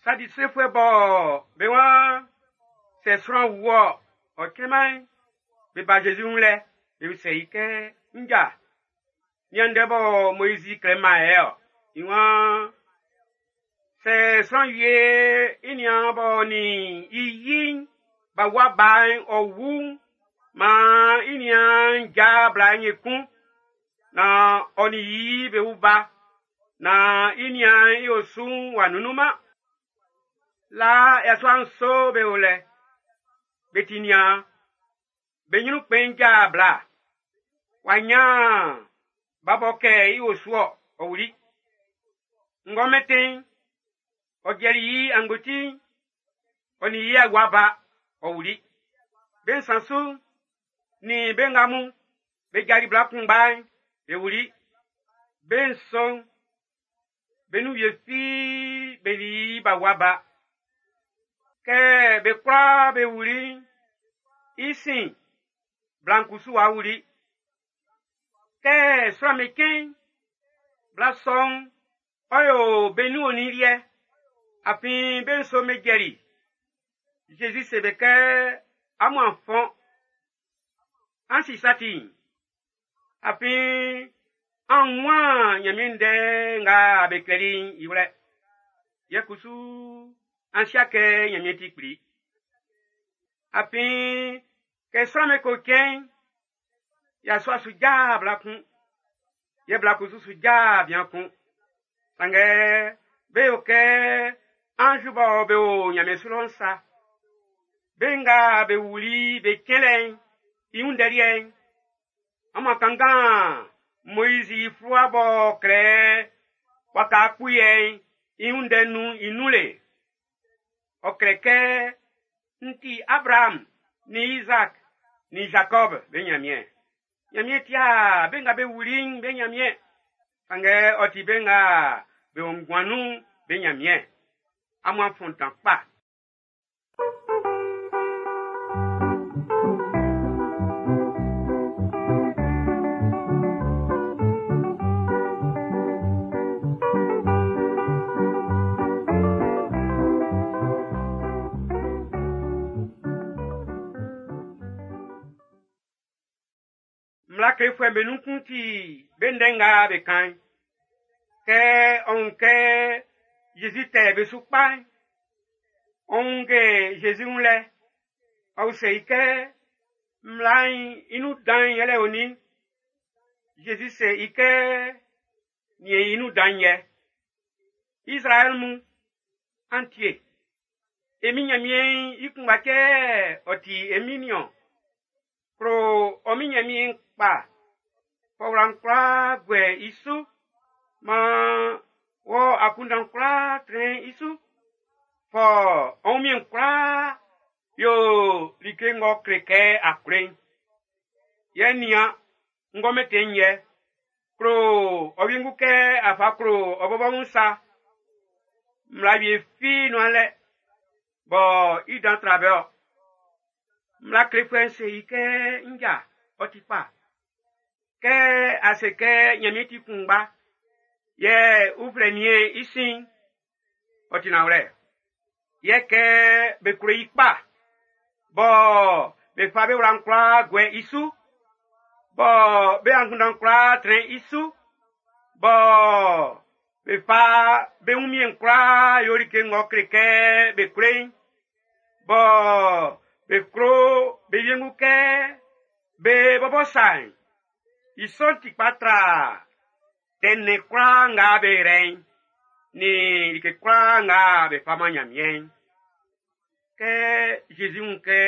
Sadisefuɛ bɔ be waan sɛ sran wu ɔ, ɔ cɛman be ba Jésus wun lɛ be usɛ i kɛ nja nian ndɛ bɔ Moizi klɛ man yɛ ɔ. I waan sɛ sran wie i nian bɔ ni i yi'n ba wa ba'n ɔ wu maan i nian ja bla'n ekun na ɔ ni yi be wu ba na i nian i osu'n w'a nunnunman. La yasua nso be o lɛ be ti nian be ɲrun kpɛn ja bla wa nyan ba bɔ kɛ i osu ɔ, ɔ wuli. Ngɔmɛtɛn ɔ jɛli i angboti ɔ ni i awa ba ɔ wuli. Be nsan su ni be nga mun be jali bla kunngba'n be wuli. Be nso be nun wie fi be ni ba wa ba. Kɛ be kwlaa be wuli i sin bla'n kusu wa wuli. Kɛ sran'm be cɛn bla sɔ'n ɔ yo be nun onin liɛ afin be nso be jɛli. Jésus se be kɛ amun a fɔn an si sa ti'n afin an wun Ɲanmiɛn ndɛ nga be klɛli'n i wlɛ. Yɛ kusu an sia kɛ Ɲanmiɛn ti kpli. Afin kɛ sran'm be ko cɛn yasua su ja bla kun yɛ bla kusu su ja bian kun. Sanngɛ be yo kɛ anzu bɔ be o Ɲanmiɛn su lɔ'n sa. Be nga be wuli be cɛnlɛ'n i wun ndɛ liɛ'n, amun kanngan Moizi fluwa b'ɔ klɛ waka kpuyɛ'n i wun ndɛ nun i nun le. Ɔ klɛ kɛ n ti Abraham ni Isaac ni Jacob be Ɲanmiɛn. Ɲanmiɛn tia be nga be wuli'n be Ɲanmiɛn. Sanngɛ ɔ ti be nga be o nguan nun'n be Ɲanmiɛn. Amun a fɔn dan kpa. Mmla klefuɛ'm be nun kun ti be ndɛ nga be kan'n. Kɛ ɔ wun kɛ Zezi tɛ be su kpa'n, ɔ wunnge Zezi wun lɛ, ɔ usɛ i kɛ: Mmla'n i nun dan'n yɛlɛ onin? Zezi se i kɛ: Niɛn i nun dan'n yɛ. Izraɛl mun, an tie. E Min Nyanmiɛn'n i kunngba cɛ ɔ ti e Min nin-ɔn. Klo ɔ Min Nyanmiɛn'n kpa, fa ɔ wla'n kwlaa guɛ i su, man wɔ akunndan'n kwlaa trɛn i su. Fa ɔ wunmiɛn'n kwlaa yo like ng'ɔ kle kɛ a klo i'n. Yɛ nian ng'ɔ mɛntɛn i'n yɛ, klo ɔ wiengu kɛ a fa klo ɔ bɔbɔ wun sa. Mmla wie fi nun'an lɛ bɔ i dan tra be-ɔ. Mmla klefuɛ'n se i kɛ: Nja, ɔ ti kpa. Kɛ a se kɛ Nyanmiɛn ti kunngba, yɛ uflɛ nien i sin'n, ɔ ti nanwlɛ. Yɛ kɛ be klo i kpa, bɔ be fa be wla'n kwlaa guɛ i su, bɔ be angunndan'n kwlaa trɛn i su, bɔ be fa be wunmiɛn'n kwlaa yo like ng'ɔ kle kɛ be klo i'n, bɔ be klo be wiengu kɛ be bɔbɔ sa'n, i sɔ'n ti kpa tra tɛ nnɛn kwlaa nga be rɛ'n, nin like kwlaa nga be fa man Nyanmiɛn'n. Kɛ Zezi wun kɛ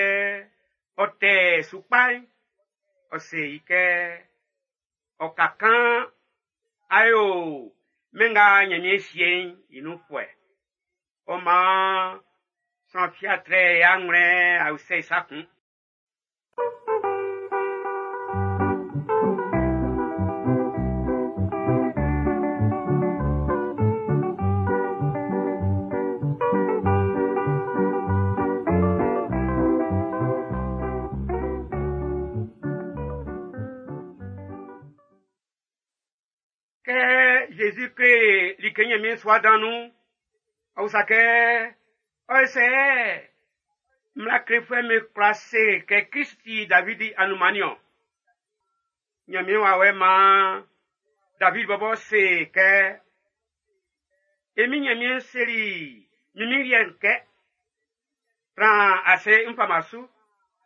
ɔ tɛ su kpa'n, ɔ se i kɛ: Ɔ ka kan a yo mɛn nga Nyanmiɛn sie'n i nunfuɛ. Ɔ maan sran fi a trɛ i anwlɛn a usɛ i sa kun. Kɛ Zezi kle like Ɲanmiɛn sua dan nun'n, ɔ usa kɛ: Ɔ ye sɛ mmla klefuɛ'm be kwla se kɛ Klist ti Davidi anunman niɔn? Ɲanmiɛn wawɛ'n maan David bɔbɔ se kɛ: E Min Ɲanmiɛn seli min min liɛ'n kɛ, tran ase n fama su,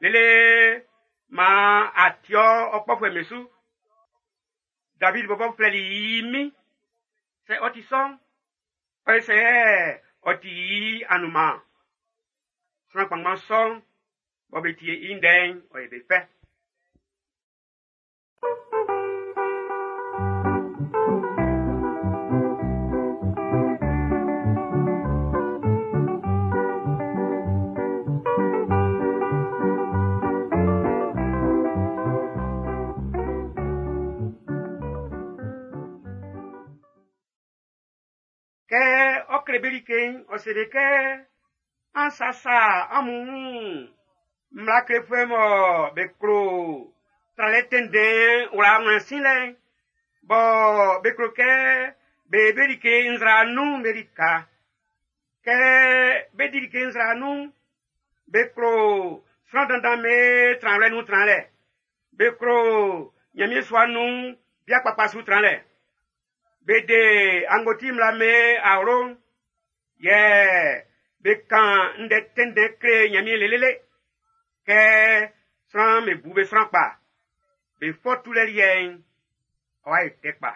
lele maan a ti ɔ kpɔfuɛ'm be su. David bɔbɔ flɛli i min. Sɛ ɔ ti sɔ'n, ɔ ye sɛ ɔ ti i anunman. Sran kpanngban sɔ'n, bɔ be tie i ndɛ'n, ɔ ye be fɛ. Kɛ ɔ kle be like'n, ɔ se be kɛ: An sasa amun wun mmla klefuɛ mɔ be klo tralɛ tɛnndɛn wla wlɛn silɛ'n, bɔ be klo kɛ be be like nzra nun'n be lika. Kɛ be di like nzra nun'n, be klo sran dandan be tranwlɛ nun tranlɛ. Be klo Ɲanmiɛn sua nun bia kpakpa su tranlɛ. Be de angboti mmla be awlo'n, yɛ be kan ndɛ tɛnndɛn kle Ɲanmiɛn lelele. Kɛ sran'm be bu be sran kpa, be fɔ tulɛ liɛ'n, ɔ'a yo tɛ kpa.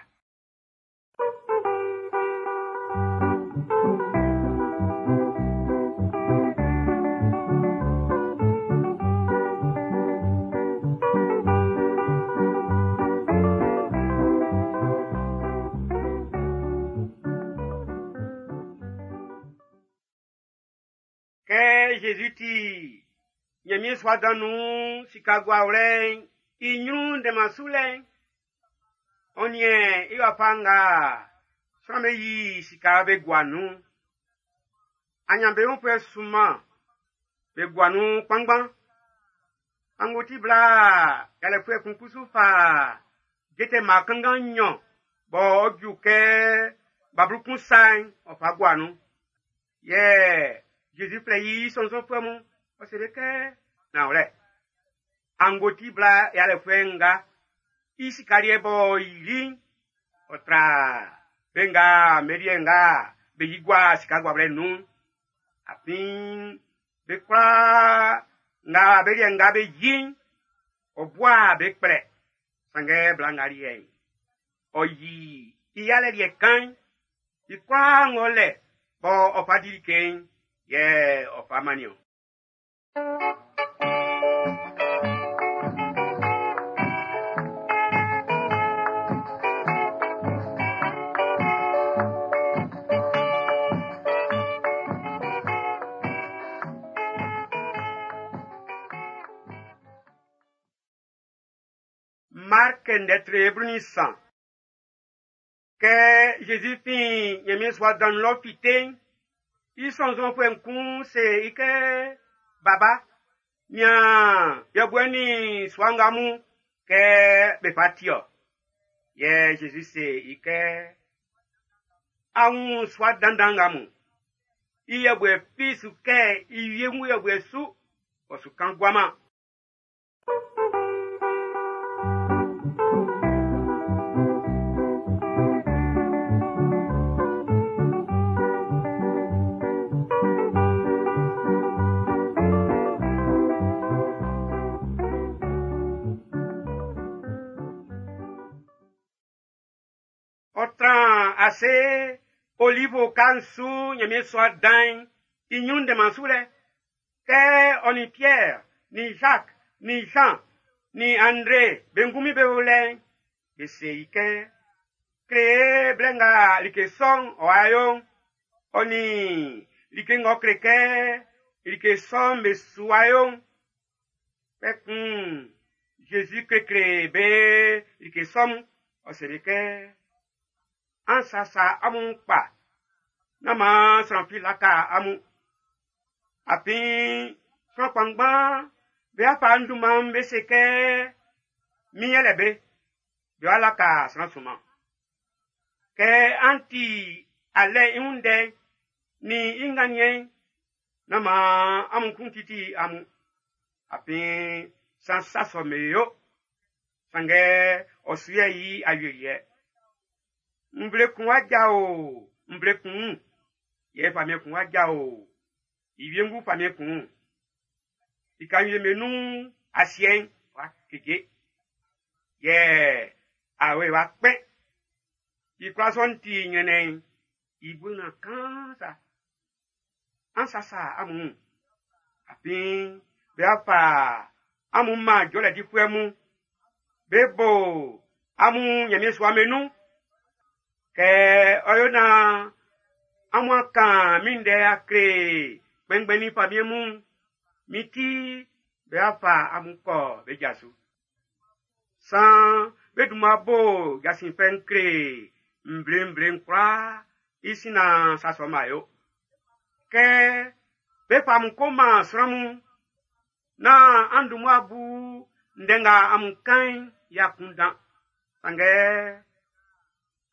Kɛ Zezi ti Ɲanmiɛn sua dan nun sika guawlɛ'n i ɲrun ndɛnman su lɛ'n, Ɔ niɛn i wafa nga sran'm be yi sika be gua nun'n. Anyanbeunfuɛ sunman be gua nun kpanngban. Angboti bla yalɛfuɛ kun kusu fa jɛtɛ mma kanngan nnyɔn b'ɔ ju kɛ bablu kun sa'n ɔ fa gua nun. Yɛ Zezi flɛ i sɔnnzɔnfuɛ mun, ɔ se be kɛ, nanwlɛ, angboti bla yalɛfuɛ nga i sika liɛ b'ɔ yili'n, ɔ tra be nga be liɛ nga be yi gua sika guawlɛ nun'n. Afin be kwlaa nga be liɛ nga be yi'n, ɔ bua be kplɛ. Sanngɛ bla nga liɛ'n, ɔ yi i yalɛ liɛ kan'n, i kwlaa ng'ɔ lɛ bɔ ɔ fa di like'n, yɛ ɔ fa mannin ɔ. Mark ndɛ blu nin nsan. Kɛ Zezi fin Ɲanmiɛn sua dan'n nun lɔ fite'n, i sɔnnzɔnfuɛ'n kun se i kɛ, Baba, nian yɔbuɛ nin sua nga mun kɛ be fa ti-ɔ. Yɛ Zezi se i kɛ, A wun sua dandan nga mun. I yɔbuɛ fi su kɛ i wiengu yɔbuɛ su, ɔ su kan guaman. Ɔ tran ase olivo oka'n su Ɲanmiɛn sua dan'n i ɲrun ndɛnman su lɛ. Kɛ ɔ nin Pierre, nin Jacques, nin Jean, nin André be ngunmin be o lɛ'n, be se i kɛ, kle e blɛ nga like sɔ'n ɔ wa yo'n, ɔ nin like ng'ɔ kle kɛ like sɔ'n be su wa yo'n. Kpɛkun Jésus klekle be like sɔ mun, ɔ se be kɛ, an sasa amun kpa, nán maan sran fi laka amun. Afin sran kpanngban be afa n dunman be se kɛ, min yɛlɛ be, be wa laka sran sunman. Kɛ an ti alɛ i wun ndɛ'n, nin i nganniɛn'n, nán maan amun kun titi amun. Afin san sa sɔ'm be yo, sanngɛ ɔ su yɛ i awieliɛ. Nvle kun wa jao nvle kun wun, yɛ famiɛn kun wa jao i wiengu famiɛn kun wun. Lika wie'm be nun asiɛ'n wa keje, yɛ awe wa kpɛn. I kwlaa sɔ'n ti ɲrɛnnɛn'n i bue nuan kaan sa. An sasa amun wun, afin be wa fa amun man jɔlɛ difuɛ mun. Be bo amun Ɲanmiɛn sua'm be nun. Kɛ ɔ yo naan amun a kan min ndɛ a kle kpɛnngbɛn nin famiɛn mun'n, min ti be wa fa amun kɔ be ja su. San be dunman bo jasin fɛ'n kle nvle-nvle'n kwlaa i sin naan sa sɔ'n b'a yo. Kɛ be fa amun ko man sran mun, naan an dun mmua bu ndɛ nga amun kan'n i akunndan. Sanngɛ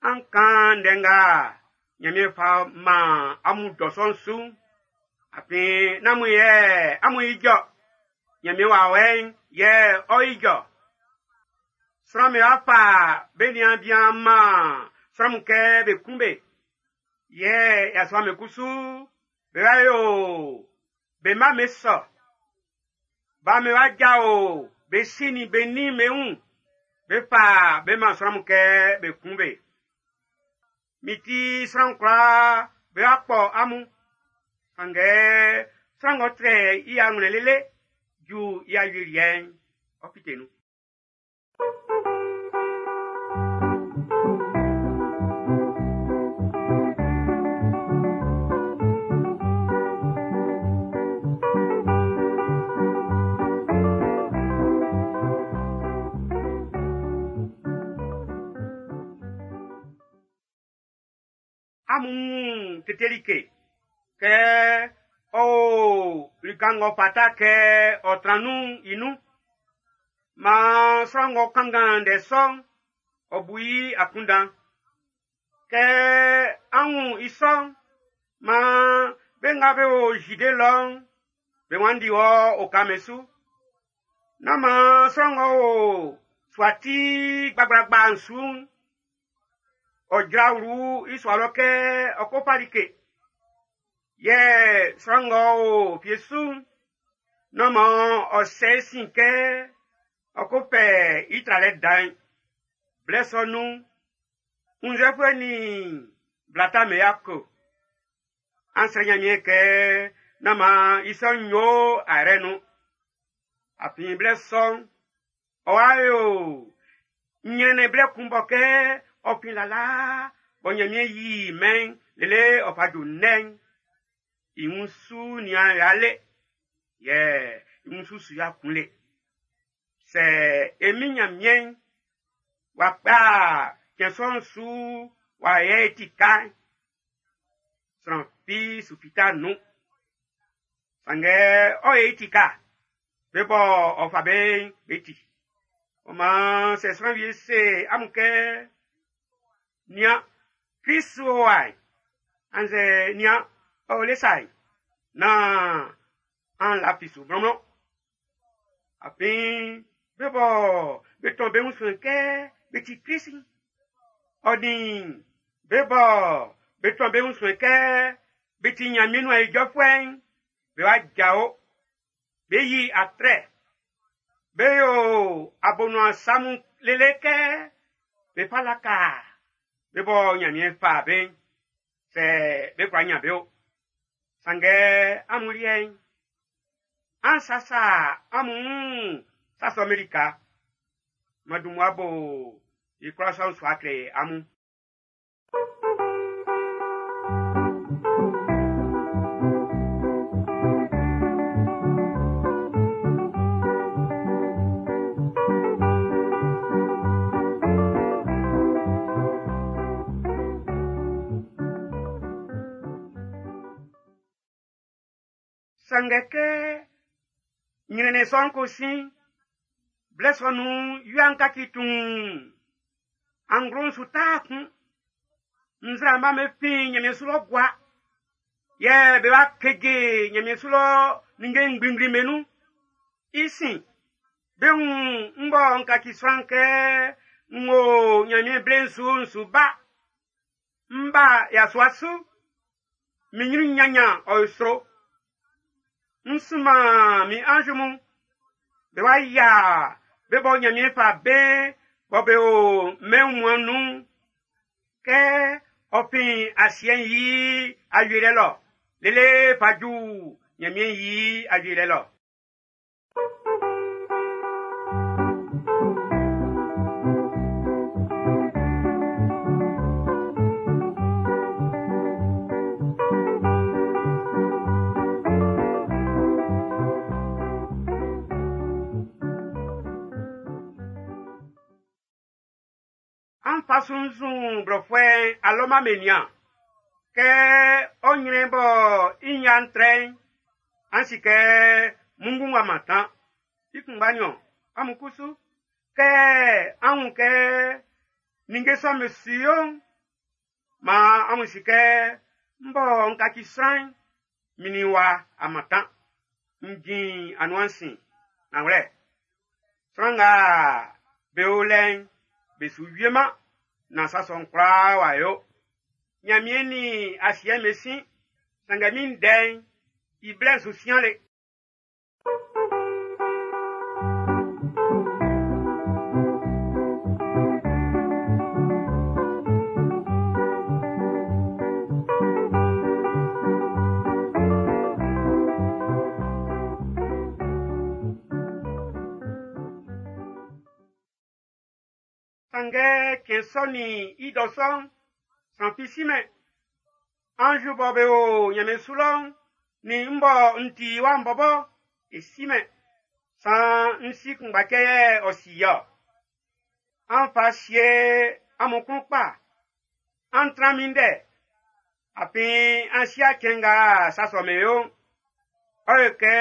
an kan ndɛ nga Ɲanmiɛn fa man amun dɔ sɔ'n su'n, afin nán amun yɛ amun ijɔ, Ɲanmiɛn wawɛ'n yɛ ɔ ijɔ. Sran'm be wa fa be niaan bian man sran mun kɛ be kun be. Yɛ yasua'm be kusu be wa yo be mma'm be sɔ. Ba'm be wa jao be si nin be nin'm be wun. Be fa be man sran mun kɛ be kun be. Mi ti sran kwlaa be wa kpɔ amun. Sanngɛ sran ng'ɔ trɛ i awlɛn lele ju i awieliɛ'n, ɔ fite nun. Amun tete like kɛ ɔ o lika ng'ɔ fata kɛ ɔ tran nun'n i nun. Maan sran ng'ɔ kanngan ndɛ sɔ'n, ɔ bu i akunndan. Kɛ an wun i sɔ'n, maan be nga be o Zide lɔ'n, be wanndi wɔ oka'm su. Nán maan sran ng'ɔ o sua ti gbagblagba'n su'n, ɔ jra wlu i sua lɔ kɛ ɔ ko fa like. Yɛ sran ng'ɔ o fie su'n, nán maan ɔ sɛ i sin kɛ ɔ ko fɛ i tralɛ dan'n. Blɛ sɔ nun'n, wunnzɛfuɛ nin bla ta'm be yako. An srɛ Nyanmiɛn kɛ nán maan i sɔ'n yo ayrɛ nun. Afin blɛ sɔ'n, ɔ wa yo ɲrɛnnɛn blɛ kun bɔ kɛ ɔ fin lalaa bɔ Nyanmiɛn yi mɛn'n lele ɔ fa ju nnɛn'n. I wun su nian ya le, yɛ i wun su su ya kun le. Sɛ e min Nyanmiɛn'n w'a kpa cɛn sɔ'n su w'a yɛ i ti ka'n, sran fi su fita nun. Sanngɛ ɔ ye i ti ka, be bɔ ɔ fa be'n be ti. Ɔ maan sɛ sran wie se amun kɛ, nian, Krist o wa, annzɛ nian, ɔ o le sa, nán an lafi su mlɔnmlɔn. Afin be bɔ be tɔn be wun suɛn kɛ be ti Krist, ɔ nin be bɔ be tɔn be wun suɛn kɛ be ti Nyanmiɛn nuan ijɔfuɛ'n, be wa jao, be yi atrɛ, be yo abonuan sa mun lele kɛ be fa laka be bɔ Nyanmiɛn fa be'n, sɛ be kwla nyan be o. Sanngɛ amun liɛ'n, an sasa amun wun sa sɔ'm be lika. M'an dun mmua bo i kwlaa sɔ'n su a kle amun. Sanngɛ kɛ ɲrɛnnɛn sɔ'n ko sin, blɛ sɔ nun'n wia'n kaci tuun, anglo'n su taa kun, nzraama'm be fin Nyanmiɛn su lɔ gua, yɛ be wa keje Nyanmiɛn su lɔ ninnge ngblingblin'm be nun. I sin, be wun n bɔ n kaci sran kɛ n wo Nyanmiɛn ble'n su n su ba. N ba yasua su, min nyrun nyanyan ɔ yo sro. N sunman min anz mun, be wa yia be bɔ Nyanmiɛn fa be bɔ be o mɛn wunmuan'n nun'n, kɛ ɔ fin asiɛ'n i awieliɛ lɔ lele fa ju Nyanmiɛn i awieliɛ lɔ. An fa sunnzun blɔfuɛ'n alɔma be nian. Kɛ ɔ nyrɛn bɔ i nyan trɛ'n, an si kɛ munngun wa mantan. I kunngba niɔn, amun kusu, kɛ an wun kɛ ninnge sɔ'm be su yo'n, maan amun si kɛ n bɔ n kaci sran'n, min nin wa a mantan. N jin anuan sin. Nanwlɛ, sran nga be o lɛ'n, be su wieman na sa sɔ'n kwlaa w'a yo. Nyanmiɛn nin asiɛ'n be sin, sanngɛ min ndɛ'n, i blɛ'n su sian le. Sanngɛ cɛn sɔ nin i dɔ sɔ'n, sran fi simɛn. Anz bɔ be o Nyanmiɛn su lɔ'n, nin n bɔ n ti wa'n bɔbɔ, e simɛn. San n si kunngba cɛ yɛ ɔ si yɛ. An fa sie amun klun kpa. An tran minndɛ. Afin an si'a cɛn nga sa sɔ'm be yo'n, ɔ yo kɛ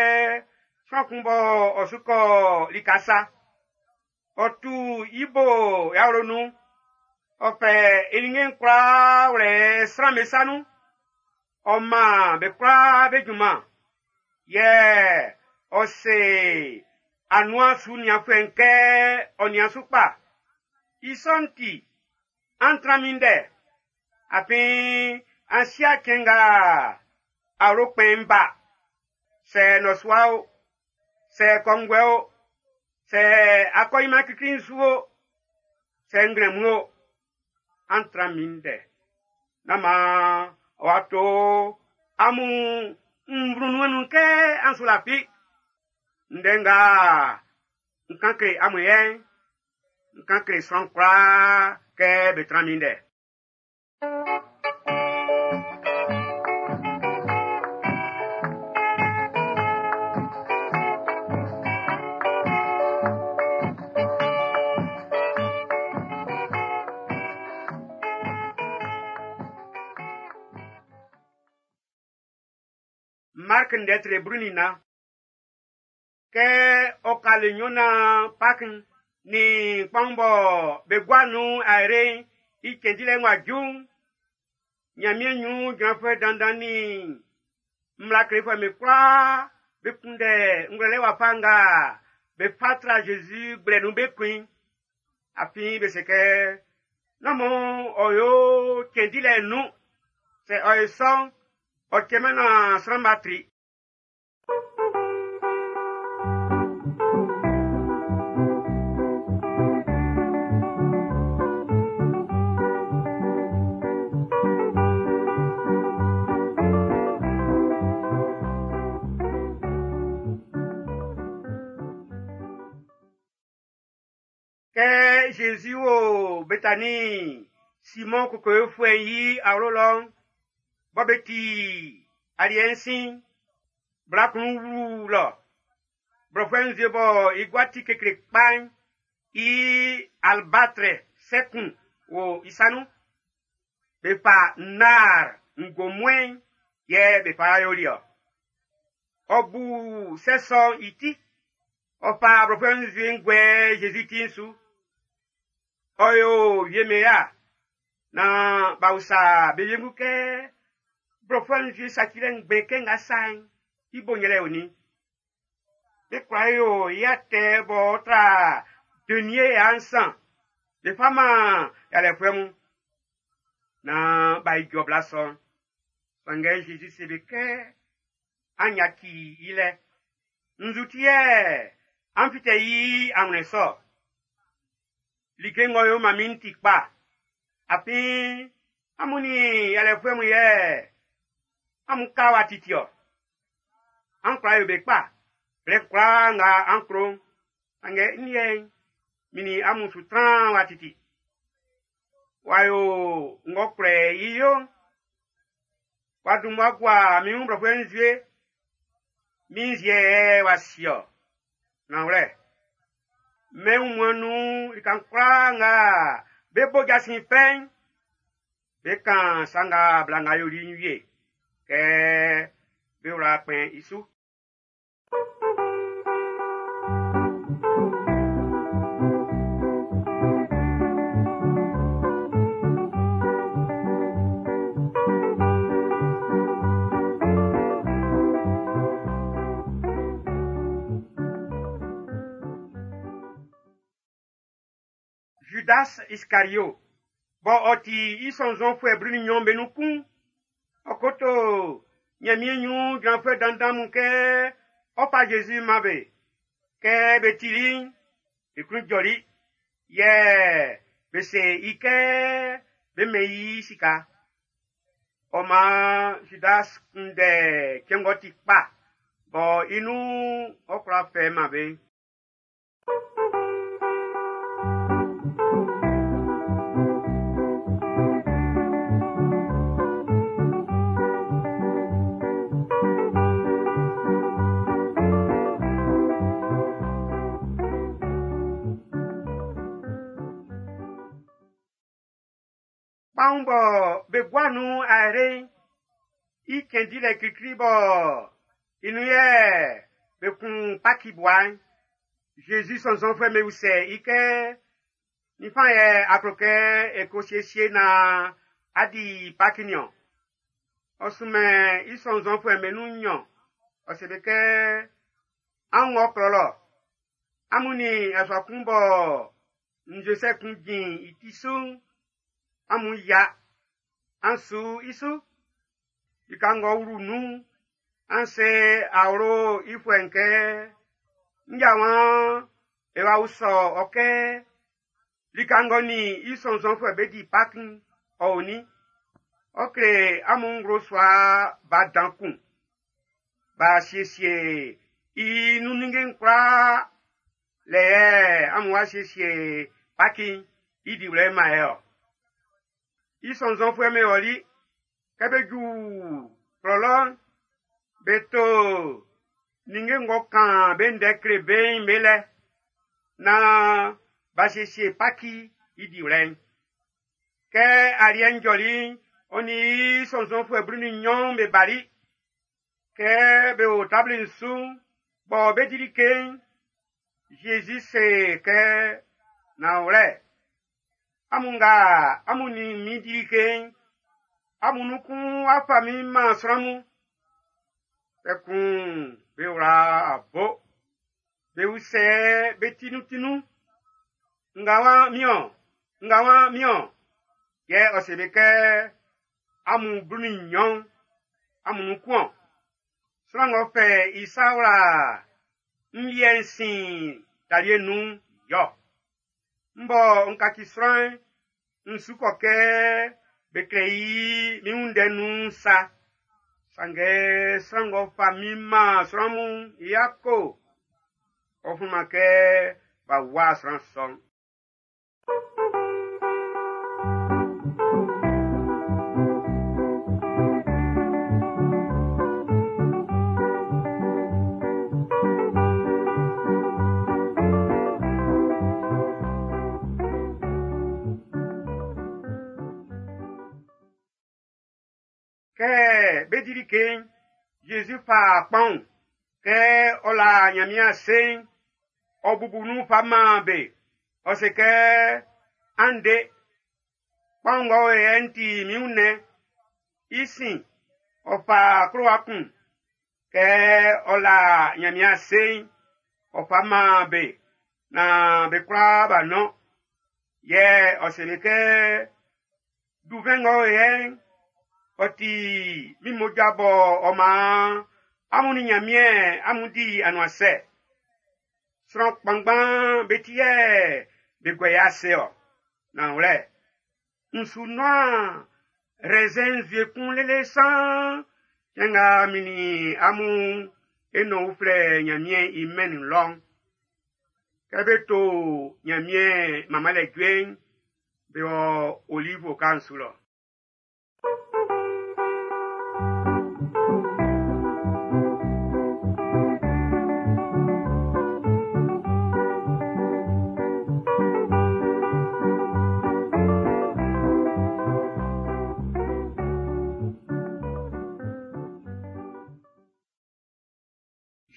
sran kun bɔ ɔ su kɔ lika sa. Ɔ tu i bo i awlo nun, ɔ fɛ i ninnge'n kwlaa wlɛ sran'm be sa nun. Ɔ man be kwlaa be junman. Yɛ ɔ se anuan su nianfuɛ'n kɛ ɔ nian su kpa. I sɔ'n ti, an tran minndɛ. Afin an si'a cɛn nga awlo kpɛn'n ba. Sɛ nnɔsua o, sɛ kɔnguɛ o, sɛ akɔɲinman klikli'n su o, sɛ nglɛmun o, an tran minndɛ. Nán maan ɔ wa to amun nvlunun nun kɛ an su lafi. Ndɛ nga n kan kle amun yɛ'n, n kan kle sran kwlaa kɛ be tran minndɛ. Mark ndɛ tre blu nin nnan. Kɛ ɔ ka le nnyɔn naan Pak'n nin kpanwun bɔ be gua nun ayre'n i cɛn dilɛ'n w'a ju'n, Ɲanmiɛn ɲrun jranfuɛ dandan nin mmla klefuɛ'm be kwlaa be kunndɛ ngwlɛlɛ wafa nga be fa tra Zezi gblɛ nun be kun i. Afin be se kɛ, nán maan ɔ yo cɛn dilɛ'n nun. Sɛ ɔ yo sɔ'n, ɔ cɛman naan sran'm b'a tri. Kɛ Zezi wo Betani Simɔn kokowefuɛ'n i awlo lɔ'n, bɔ be ti aliɛ'n sin'n, bla kun wlu lɔ. Blɔfuɛ nzue bɔ i gua ti kekle kpa'n, i albatrɛ sɛ kun wo i sa nun. Be fa nar ngomúɛ'n yɛ be fa yoli-ɔ. Ɔ bu sɛ sɔ'n i ti, ɔ fa blɔfuɛ nzue'n guɛ Zezi ti'n su. Ɔ yo wie'm ya naan b'a usa be wiengu kɛ blɔfuɛ nzue sacilɛ ngbɛn kɛ nga sa'n, i bo yɛlɛ onin. Be kwla yo i atɛ b'ɔ tra denie ya nsan be fa man yalɛfuɛ mun. Naan b'a ijɔ bla sɔ'n. Sanngɛ Zezi se be kɛ, an yaci i lɛ. Nzu ti yɛ an fitɛ i anwlɛn sɔ. Like ng'ɔ yo man min'n ti kpa. Afin amun nin yalɛfuɛ mun yɛ amun ka wa titi-ɔ. An kwla yo be kpa. Blɛ kwlaa nga an klo'n, sanngɛ n liɛ'n, min nin amun su tran wa titi. W'a yo ng'ɔ kwlɛ i yo'n. W'a dun mmua gua min wun blɔfuɛ nzue. Min nziɛ w'a si-ɔ. Nanwlɛ, mɛn wunmuan'n nun lika'n kwlaa nga be bo jasin fɛ'n, be kan sa nga bla nga yoli'n wie, kɛ be wla kpɛn i su. Judas Iscario, bɔ ɔ ti i sɔnnzɔnfuɛ blu nin nnyɔn be nun kun, ɔ koto Ɲanmiɛn ɲrun jranfuɛ dandan mun kɛ ɔ fa Zezi man be. Kɛ be tili'n, be klun jɔli, yɛ be se i kɛ be mɛn i sika. Ɔ maan Judas kunndɛ cɛn ng'ɔ ti kpa bɔ i nun ɔ kwla fɛ man be. Kpanwun bɔ be gua nun ayre'n I cɛn dilɛ klikli bɔ i nun yɛ be kun Paki bua'n, Zezi sɔnnzɔnfuɛ'm be usɛ i kɛ, ninfan yɛ a klo kɛ e ko siesie naan a di Paki niɔn? Ɔ sunmɛn i sɔnnzɔnfuɛ'm be nun nnyɔn, ɔ se be kɛ, an wɔ klɔ lɔ, amun nin yasua kun bɔ nzue sɛ kun jin i ti su'n, amun yia, an su i su. Lika ng'ɔ wlu nun'n, an se awlo i fuɛ'n kɛ, nja wan e wa usɔ ɔ kɛ, lika ng'ɔ nin i sɔnnzɔnfuɛ be di Paki'n, ɔ o nin? Ɔ kle amun nglo sua ba dan kun. B'a siesie i nun ninnge'n kwlaa lɛ yɛ amun wa siesie Paki'n i diwlɛ'n man e ɔ. I sɔnnzɔnfuɛ'm be ɔli, kɛ be ju klɔ lɔ'n, be to ninnge ng'ɔ kan be ndɛ kle be'n be lɛ, naan b'a siesie Paki i diwlɛ'n. Kɛ aliɛ'n jɔli'n, ɔ nin i sɔnnzɔnfuɛ blu nin nnyɔn be bali. Kɛ be o tabli'n su'n, bɔ be di like'n, Zezi se kɛ, nanwlɛ, amun nga amun nin min di like'n, amun nun kun wa fa min man sran mun. Kpɛkun be wla a bo. Be usɛ be tinuntinun. Nga wa miɔn, nga wa miɔn. Yɛ ɔ se be kɛ, amun blu nin nnyɔn, amun nun kun-ɔn. Sran ng'ɔ fɛ i sa wla n liɛ'n sin talie nun'n, yɔ. M bɔ n kaci sran'n, n su kɔ kɛ be klɛ i min wun ndɛ nun'n sa. Sanngɛ sran ng'ɔ fa min man sran mun'n, i yako. Ɔ flunman kɛ b'a wua sran sɔ'n. Kɛ be di like'n, Zezi fa kpanwun, kɛ ɔ la Nyanmiɛn ase'n, ɔ bubu nun fa man be. Ɔ se kɛ, an de, kpanwun ng'ɔ o yɛ'n ti min wunnɛn. I sin, ɔ fa klowa kun, kɛ ɔ la Nyanmiɛn ase'n, ɔ fa man be, naan be kwlaa b'a nɔn. Yɛ ɔ se be kɛ, duvɛn ng'ɔ o yɛ'n, ɔ ti min mmoja bɔ ɔ maan amun nin Nyanmiɛn amun di anuansɛ. Sran kpanngban be ti yɛ be guɛ i ase-ɔ. Nanwlɛ, n su nɔn raisin nzue kun lele san cɛn nga min nin amun e nɔn uflɛ Nyanmiɛn i mɛn'n nun lɔ'n. Kɛ be to Nyanmiɛn manmanlɛ jue'n, be wɔ Olive oka'n su lɔ.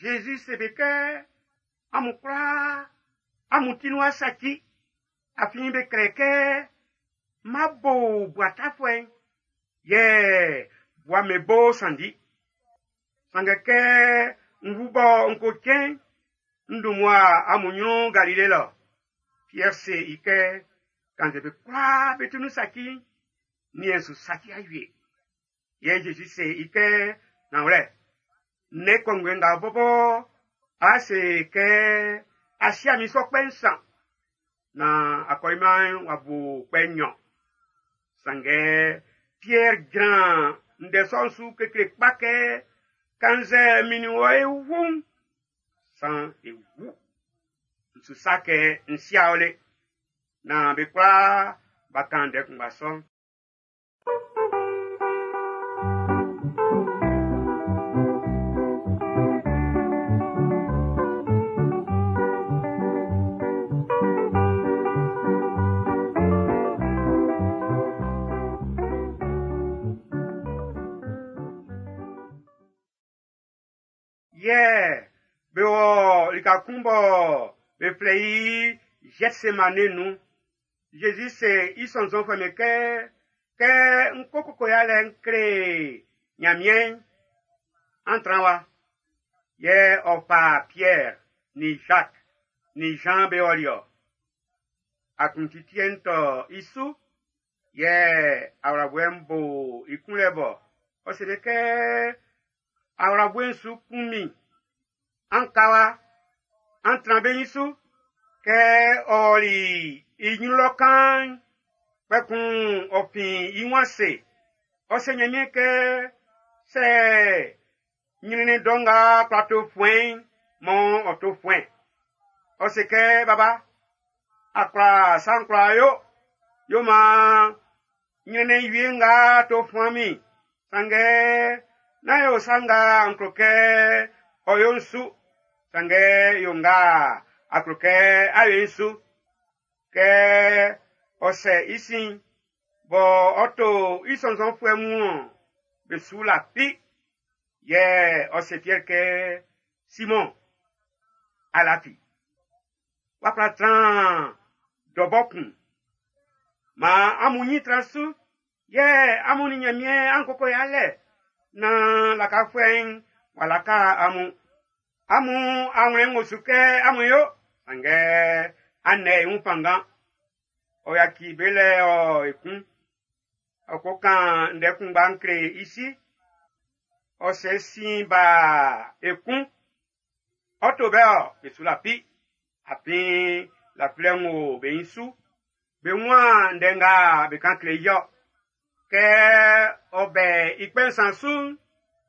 Jésus se be kɛ, amun kwlaa, amun ti nun asaci, afin be klɛ kɛ, ma bo bua tafuɛ'n, yɛ bua me bo sanndi. Sanngɛ kɛ n wu bɔ n ko cɛn, n dun mmua amun nyrun Galile lɔ. Pierre se i kɛ, kannzɛ be kwlaa be ti nun saci'n, niɛn su saci awie. Yɛ Jésus se i kɛ, nanwlɛ, ne kɔnguɛ nga bɔbɔ, a se kɛ a sia min sɔ kpɛ nsan, na akɔliman'n wa bo kpɛ nnyɔn. Sanngɛ Pierre jran ndɛ sɔ'n su kekle kpa kɛ, kannzɛ min nin wɔ e wu'n, san e wu. N su sa kɛ n sia ɔ le, na be kwlaa b'a kan ndɛ kunngba sɔ'n. Yɛ be wɔ lika kun bɔ be flɛ i Gethsemane nun. Jésus se i sɔnnzɔnfuɛ'm be kɛ, kɛ n ko koko yalɛ n kle Nyanmiɛn, an tran wa. Yɛ ɔ fa Pierre, ni Jacques, ni Jean be ɔli-ɔ. Akuntitiɛ'n tɔ i su, yɛ awlaboɛ'n bo i kunlɛ bɔ. Ɔ se be kɛ, awlaboɛ'n su kun min. An ka wa, an tran be nyin su. Kɛ ɔ ɔli i ɲrun lɔ kan'n, kpɛkun ɔ fin i wun ase. Ɔ se Nyanmiɛn kɛ, sɛ ɲrɛnnɛn dɔ nga kwla to fuɛn'n, mɔ ɔ to fuɛn. Ɔ se kɛ, baba, a kwla sa'n kwla yo, yo maan ɲrɛnnɛn wie nga to fuan min. Sanngɛ, nán yo sa nga n klo kɛ ɔ yo n su. Sanngɛ yo nga a klo kɛ a yo n su. Kɛ ɔ sɛ i sin, bɔ ɔ to i sɔnnzɔnfuɛ mun-ɔn, be su lafi. Yɛ ɔ se Pierre kɛ, Simon, a lafi. W'a kwla tran dɔbɔ kun. Ma amun nyin tran su, yɛ amun ni Nyanmiɛn an koko yalɛ, na lakafuɛ'n w'a laka amun. Amun awlɛn ng'ɔ su kɛ amun yo, sanngɛ an nɛ i wun fanngan. Ɔ yaci be lɛ ɔ ekun. Ɔ ko kan ndɛ kunngba'n kle i si. Ɔ sɛ sin ba ekun. Ɔ to bɛ ɔ, be su lafi. Afin lafilɛ ng'ɔ be nyin su. Be waan ndɛ nga be kan kle i ɔ. Kɛ ɔ bɛ i kpɛ nsan su'n,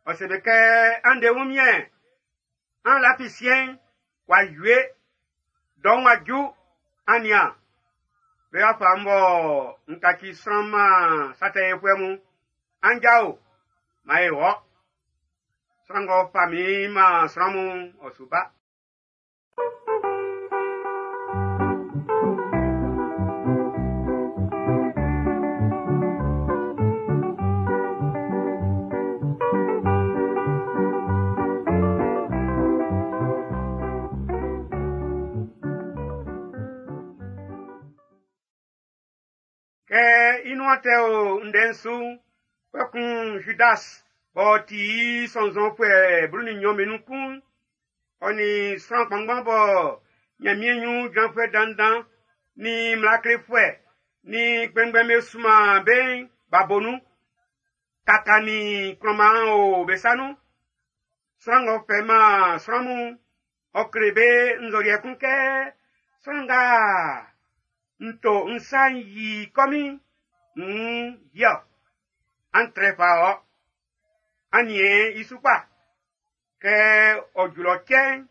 ɔ se be kɛ, an de wunmiɛn, an lafi siɛn'n, w'a wie, dɔ'n w'a ju, an nian. Be b'a fa m bɔ n kaci sran man sa tɛ yofuɛ mun. An jao, man e wɔ. Sran ng'ɔ fa min man sran mun, ɔ su ba. Kɛ i nuan tɛ o ndɛ'n su, kpɛkun Judas b'ɔ ti i sɔnnzɔnfuɛ blu nin nnyɔn be nun kun, ɔ nin sran kpanngban bɔ Nyanmiɛn ɲrun jranfuɛ dandan, nin mmla klefuɛ, nin kpɛnngbɛn be sunman be'n b'a bo nun. Kaka nin kplɔnman o be sa nun. Sran ng'ɔ fɛ man sran mun, ɔ kle be nzɔliɛ kun kɛ, sran nga n to n sa n yi kɔmin, n yɔ, an trɛ fa ɔ. An niɛn i su kpa. Kɛ ɔ julɔ cɛ'n,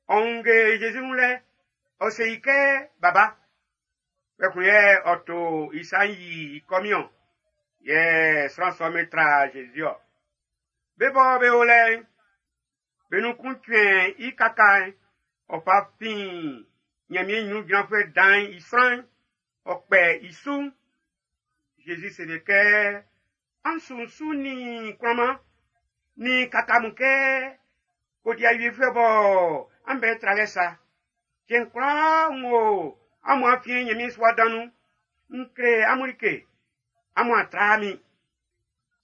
ɔ wunge Jésus wun lɛ, ɔ se i kɛ, baba. Kpɛkun yɛ ɔ to i sa n yi i kɔmin-ɔn. Yɛ sran sɔ'n be tra Jésus ɔ. Be bɔ be o lɛ'n, be nun kun cuɛn i kaka'n, ɔ fa fin Nyanmiɛn ɲrun jranfuɛ dan'n i sran'n, ɔ kpɛ i su. Jésus se be kɛ, an sunsun nin kplɔnman, nin kaka mun kɛ kodiawiefuɛ bɔ an bɛ tralɛ sa. Cɛn kwlaa n wo amun afiɛn Nyanmiɛn sua dan nun, n kle amun like, amun a tra min.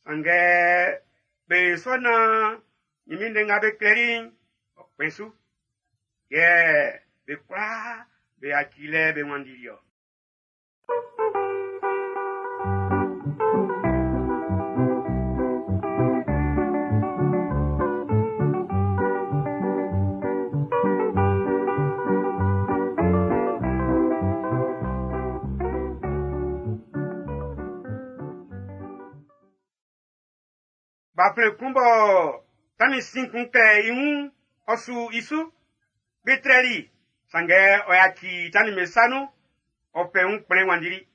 Sanngɛ be sɔ na Nyanmiɛn ndɛ nga be klɛli'n, ɔ kpɛn su. Yɛ be kwlaa be yaci lɛ be wanndili ɔ. Gbafɛn kun bɔ tannin sin kun kɛ i wun, ɔ su i su. Be trɛli, sanngɛ ɔ yaci tannin be sa nun, ɔ fɛ wun kplɛn wanndili.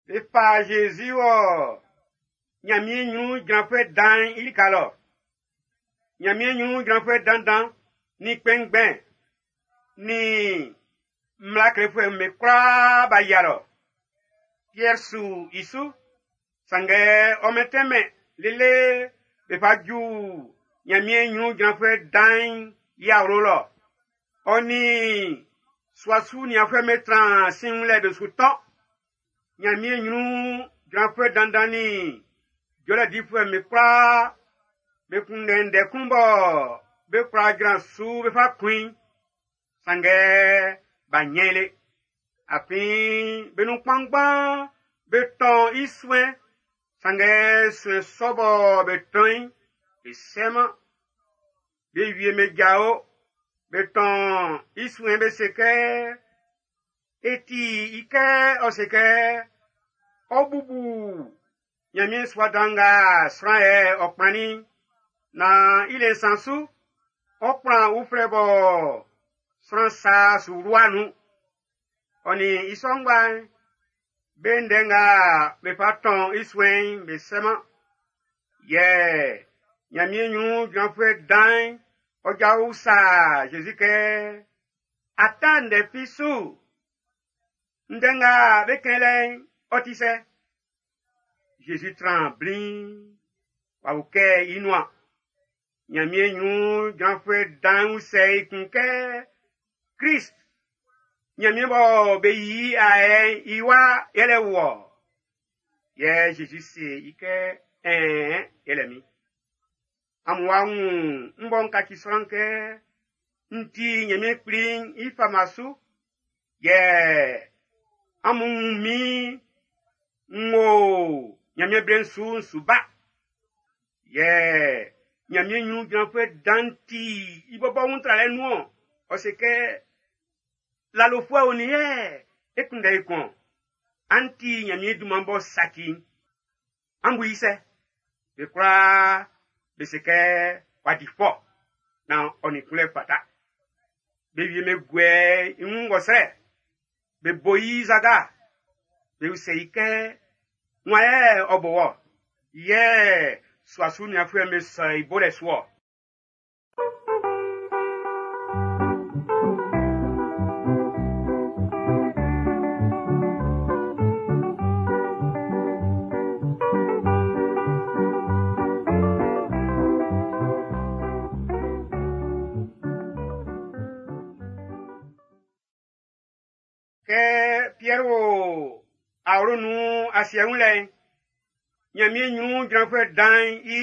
Be fa Jésus wɔ Ɲanmiɛn ɲrun jranfuɛ dan'n i lika lɔ. Ɲanmiɛn ɲrun jranfuɛ dandan ni kpɛnngbɛn ni mmla klefuɛ'm be kwlaa b'a yia lɔ. Piɛr su i su, sanngɛ ɔ mɛntɛnmɛn lele be fa ju Ɲanmiɛn ɲrun jranfuɛ dan'n i awlo lɔ. Ɔ nin sua su nianfuɛ'm be tran sinwlɛ be su tɔn. Ɲanmiɛn ɲrun jranfuɛ dandan ni jɔlɛ difuɛ'm be kwlaa be kunndɛ ndɛ kun bɔ be kwla jran su be fa kun i. Sanngɛ b'a ɲɛn i le. Afin be nun kpanngban be tɔn i suɛn, sanngɛ suɛn sɔ bɔ be tɔn i'n, be sɛman. Be wie be jao, be tɔn i suɛn be se kɛ, e ti i kɛ ɔ se kɛ, ɔ bubu Ɲanmiɛn sua dan nga sran yɛ ɔ kplannin, na i le nsan su, ɔ kplan uflɛ bɔ sran sa su wlua nun. Ɔ nin i sɔ ngba'n, be ndɛ nga be fa tɔn i suɛn'n be sɛman. Yɛ Ɲanmiɛn ɲrun jranfuɛ dan'n, ɔ jao usa Zezi kɛ, a ta ndɛ fi su? Ndɛ nga be kɛn lɛ'n, ɔ ti sɛ? Zezi tran bliin, w'a ukɛ i nuan. Ɲanmiɛn ɲrun jranfuɛ dan'n usɛ i kun kɛ, Krist, Ɲanmiɛn bɔ be yi ayɛ'n i wa yɛlɛ wɔ. Yɛ Zezi se i kɛ, ɛɛn, yɛlɛ min. Amun wa wun n bɔ n kaci sran kɛ n ti Ɲanmiɛn kpli'n i fama su. Yɛ amun wun min n wo Ɲanmiɛn ble'n su n su ba. Yɛ Ɲanmiɛn ɲrun jranfuɛ dan'n ti i bɔbɔ wun tralɛ nun-ɔn. Ɔ se kɛ, lalofuɛ o nin yɛ e kunndɛ i kun. An ti Ɲanmiɛn dunman bɔ saci'n. An bu i sɛ? Be kwlaa be se kɛ w'a di fɔ na ɔ nin kunlɛ fata. Be wie me guɛ i wun ngɔsrɛ. Be bo i zaga. Be usɛ i kɛ, wan yɛ ɔ bo wɔ? Yɛ sua su nianfuɛ'm be sɔ i bolɛ su ɔ. Kɛ Piɛr wo awlo nun asiɛ wun lɛ'n, Ɲanmiɛn ɲrun jranfuɛ dan'n i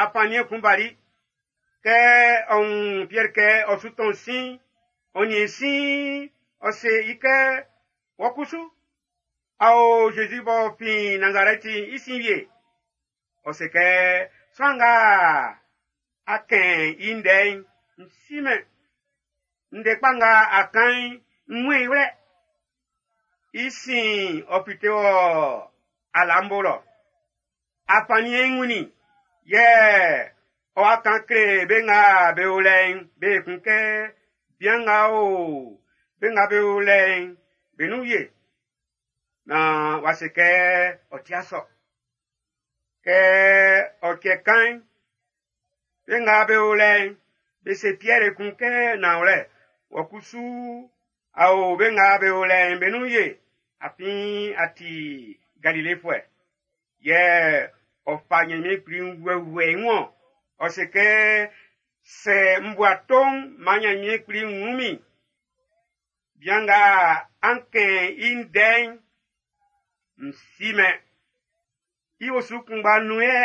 afanniɛn kun bali. Kɛ ɔ wun Piɛr kɛ ɔ su tɔn sin, ɔ nin sin, ɔ se i kɛ, wɔ kusu, a o Zezi b'ɔ fin Nazarɛti i sin wie. Ɔ se kɛ, sran nga a kɛn i ndɛ'n, n simɛn. Ndɛ kpa nga a kan'n, n wun i wlɛ. I sin ɔ fite wɔ alambo lɔ. Afanniɛn'n wunnin, yɛ ɔ wa kan kle be nga be o lɛ'n be kun kɛ, bian nga o be nga be o lɛ'n be nun wie. Na w'a se kɛ ɔ tia sɔ. Kɛ ɔ cɛ kan'n, be nga be o lɛ'n be se Piɛr kun kɛ nanwlɛ, wɔ kusu a o be nga be o lɛ'n be nun wie, afin a ti Galilefuɛ. Yɛ ɔ fa Ɲanmiɛn kpli wɛwɛ i wun ɔ se kɛ, sɛ n bu ato'n, man Ɲanmiɛn kpli wun min. Bian nga an kɛn i ndɛ'n, n simɛn. I osu kunngba nun yɛ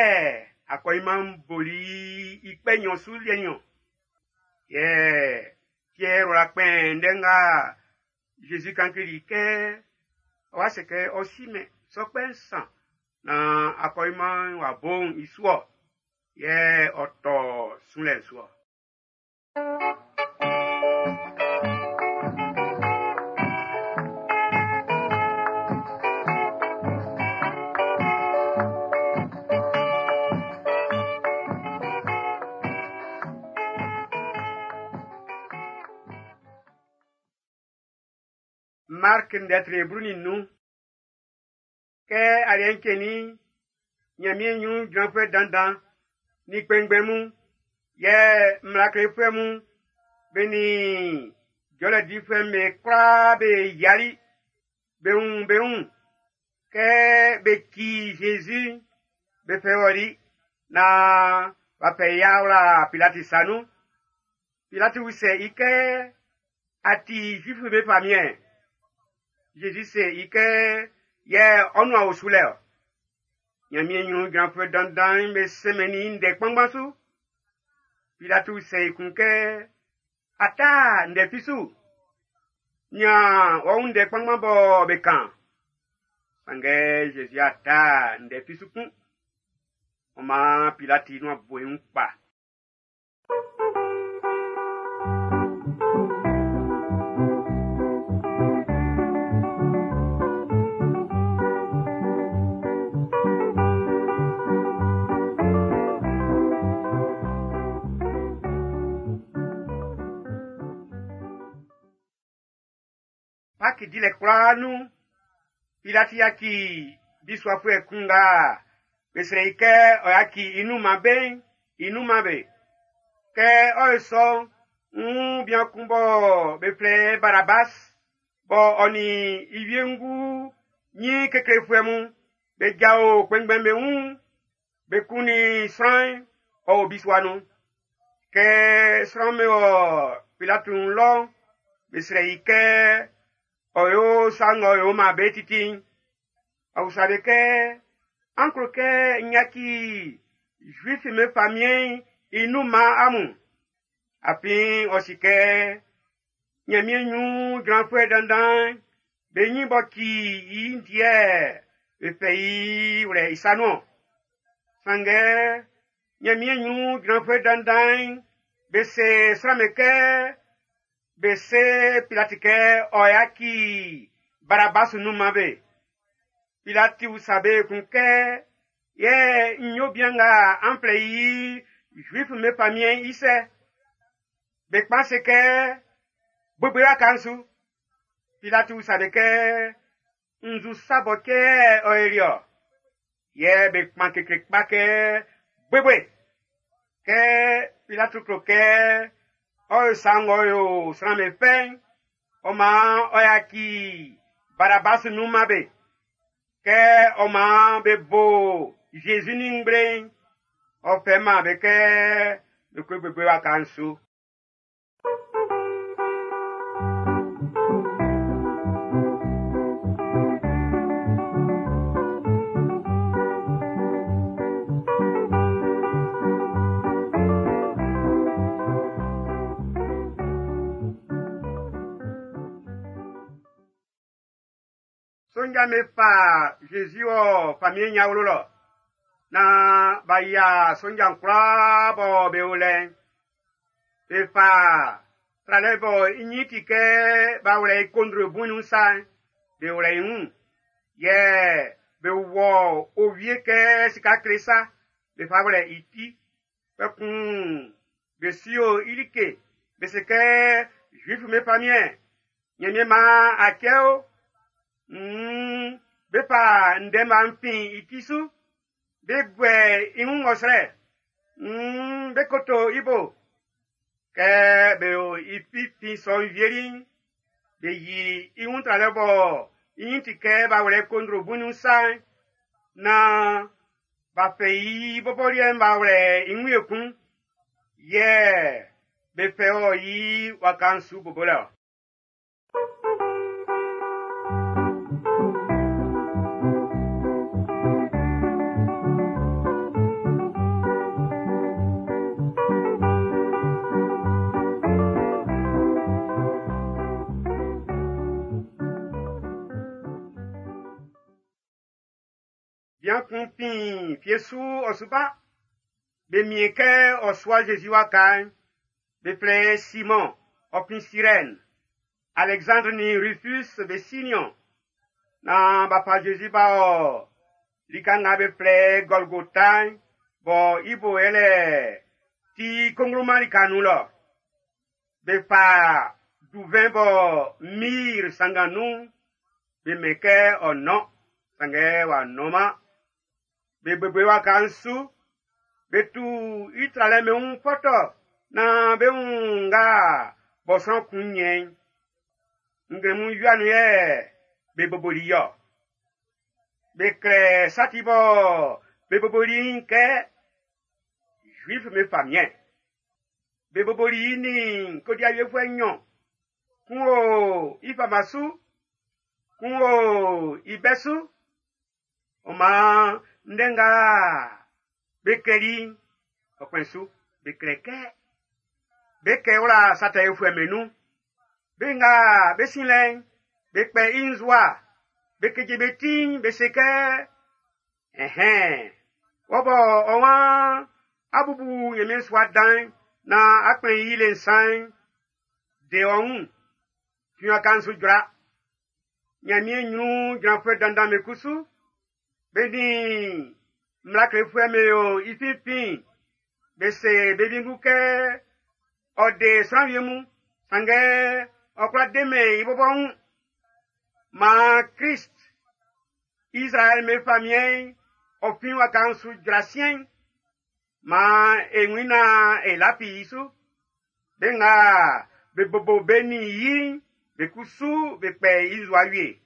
akɔɲinman'n boli i kpɛ nɲɔn su liɛ nɲɔn. Yɛ Piɛr wla kpɛn ndɛ nga Zezi kan kleli kɛ ɔ wa se kɛ ɔ simɛn sɔ kpɛ nsan na akɔɲinman'n w'a bo'n i su ɔ. Yɛ ɔ tɔ sunlɛ'n su ɔ. Mark ndɛ tre blu nin nnun. Kɛ aliɛ'n cɛnnin'n, Ɲanmiɛn ɲrun jranfuɛ dandan nin kpɛnngbɛn mun, yɛ mmla klefuɛ mun, be nin jɔlɛ difuɛ'm be kwlaa be yiali be wun be wun kɛ be ci Zezi be fɛ wɔli naan b'a fɛ i awla Pilati sa nun. Pilati usɛ i kɛ a ti Zuifu be famiɛn. Zezi se i kɛ yɛ ɔ nuan o su lɛ ɔ. Ɲanmiɛn ɲrun jranfuɛ dandan'n be sɛmɛnnin i ndɛ kpanngban su. Pilati usɛ i kun kɛ a ta ndɛ fi su. Nian wɔ wun ndɛ kpanngban bɔ be kan. Sanngɛ Zezi a ta ndɛ fi su kun. Ɔ maan Pilati nuan bo i wun kpa. Paki dilɛ kwlaa nun, Pilati yaci bisuafuɛ kun nga be srɛ i kɛ ɔ yaci i nun man be'n, i nun man be. Kɛ ɔ yo sɔ'n, n bian kun bɔ be flɛ Barabas, bɔ ɔ nin i wiengu ɲin keklefuɛ mun be jao kpɛnngbɛn be wun, be kunnin sran'n, ɔ o bisua nun. Kɛ sran'm be wɔ Pilati wun lɔ'n, be srɛ i kɛ ɔ yo sa ng'ɔ yo man be titi'n. Ɔ usa be kɛ, an klo kɛ n yaci Zuif'm be famiɛn'n i nun man amun. Afin ɔ si kɛ Ɲanmiɛn ɲrun jranfuɛ dandan'n be ɲin b'ɔ ci i'n ti yɛ be fɛ i wlɛ i sa nun-ɔn. Sanngɛ Ɲanmiɛn ɲrun jranfuɛ dandan'n be se sran'm be kɛ be se Pilati kɛ ɔ yaci Barabas nun man be. Pilati usa be kun kɛ yɛ n yo bian nga an flɛ i Zuif'm be famiɛn'n i sɛ. Be kpan se kɛ gbogbo waka'n su. Pilati usa be kɛ nzu sa bɔ kɛ ɔ eri ɔ. Yɛ be kpan kekle kpa kɛ gbogbo. Kɛ Pilati klo kɛ ɔ yo sa ng'ɔ yo sran'm be fɛ'n, ɔ maan ɔ yaci Barabas nun man be. Kɛ ɔ maan be bo Zezi nin ngble'n, ɔ fɛ man be kɛ be ko gbogbo waka'n su. Sonja me fa Zezi wɔ famiɛn ɲawlo lɔ. Na b'a yia sonja'n kwlaa bɔ be o lɛ'n. Be fa tralɛ bɔ i ɲin ti kɛ b'a wlɛ i kondro bui nun sa'n, be wlɛ i wun. Yɛ be wɔ owie kɛ sika kle sa, be fa wlɛ i ti. Kpɛkun be sio i like, be se kɛ Zuif'm be famiɛn, Ɲanmiɛn maan a kɛ o. Mm, be fa ndɛma fin i ti su, be guɛ i wun ɔsrɛ, mm, be koto i bo. Kɛ be o i finfin sɔ'n wieli'n, be yi i wun tralɛ bɔ i ɲin ti kɛ b'a wlɛ kondro bui nun sa'n, naan b'a fɛ i bɔbɔ liɛ'n b'a wlɛ i wun ekun. Yɛ be fɛ ɔ yi waka'n su bobolɛ ɔ. Bian kun fin fie su ɔ su ba. Be mien kɛ ɔ sua Zezi waka'n. Be flɛ Simon, ɔ fin Sirɛn. Alexandre nin Rufus be si niɔn. Na b'a fa Zezi b'a ɔ lika nga be flɛ Golgota'n, bɔ i bo yɛlɛ ti kongloma lika nun lɔ. Be fa duvɛn bɔ myrrhe sanngan nun, be mɛn kɛ ɔ nɔn, sanngɛ w'a nɔnman. Be bebe waka'n su, be tu i tralɛ'm be wun fɔtɔ naan be wun nga bɔ sran kun nyɛ'n. Nglɛmun wia nun yɛ be boboli i-ɔ. Be klɛ sa ti bɔ be boboli i'n kɛ Juif'm be famiɛn. Be boboli i nin kodiawiefuɛ nnyɔn. Kun o i fama su, kun o i bɛ su. Ɔ maan ndɛ nga be klɛli'n, ɔ kpɛn su. Be klɛ kɛ be kɛ wla sa tɛ yofuɛ'm be nun. Be nga be sin lɛ'n, be kpɛ i nzua, be keje be ti'n, be se kɛ, ɛhɛn, wɔ bɔ ɔ waan a bubu Ɲanmiɛn sua dan'n na a kplɛn i le nsan'n, de ɔ wun, fin waka'n su jra. Ɲanmiɛn ɲrun jranfuɛ dandan'm be kusu, be nin mmla klefuɛ'm be o i finfin, be se be wiengu kɛ ɔ de sran wie mun, sanngɛ ɔ kwla demɛn i bɔbɔ wun. Maan Krist, Israɛl be famiɛn'n, ɔ fin waka'n su jra siɛn'n. Maan e wun na e lafi i su. Be nga be bobo be nin yi'n, be kusu be kpɛ i nzua wie.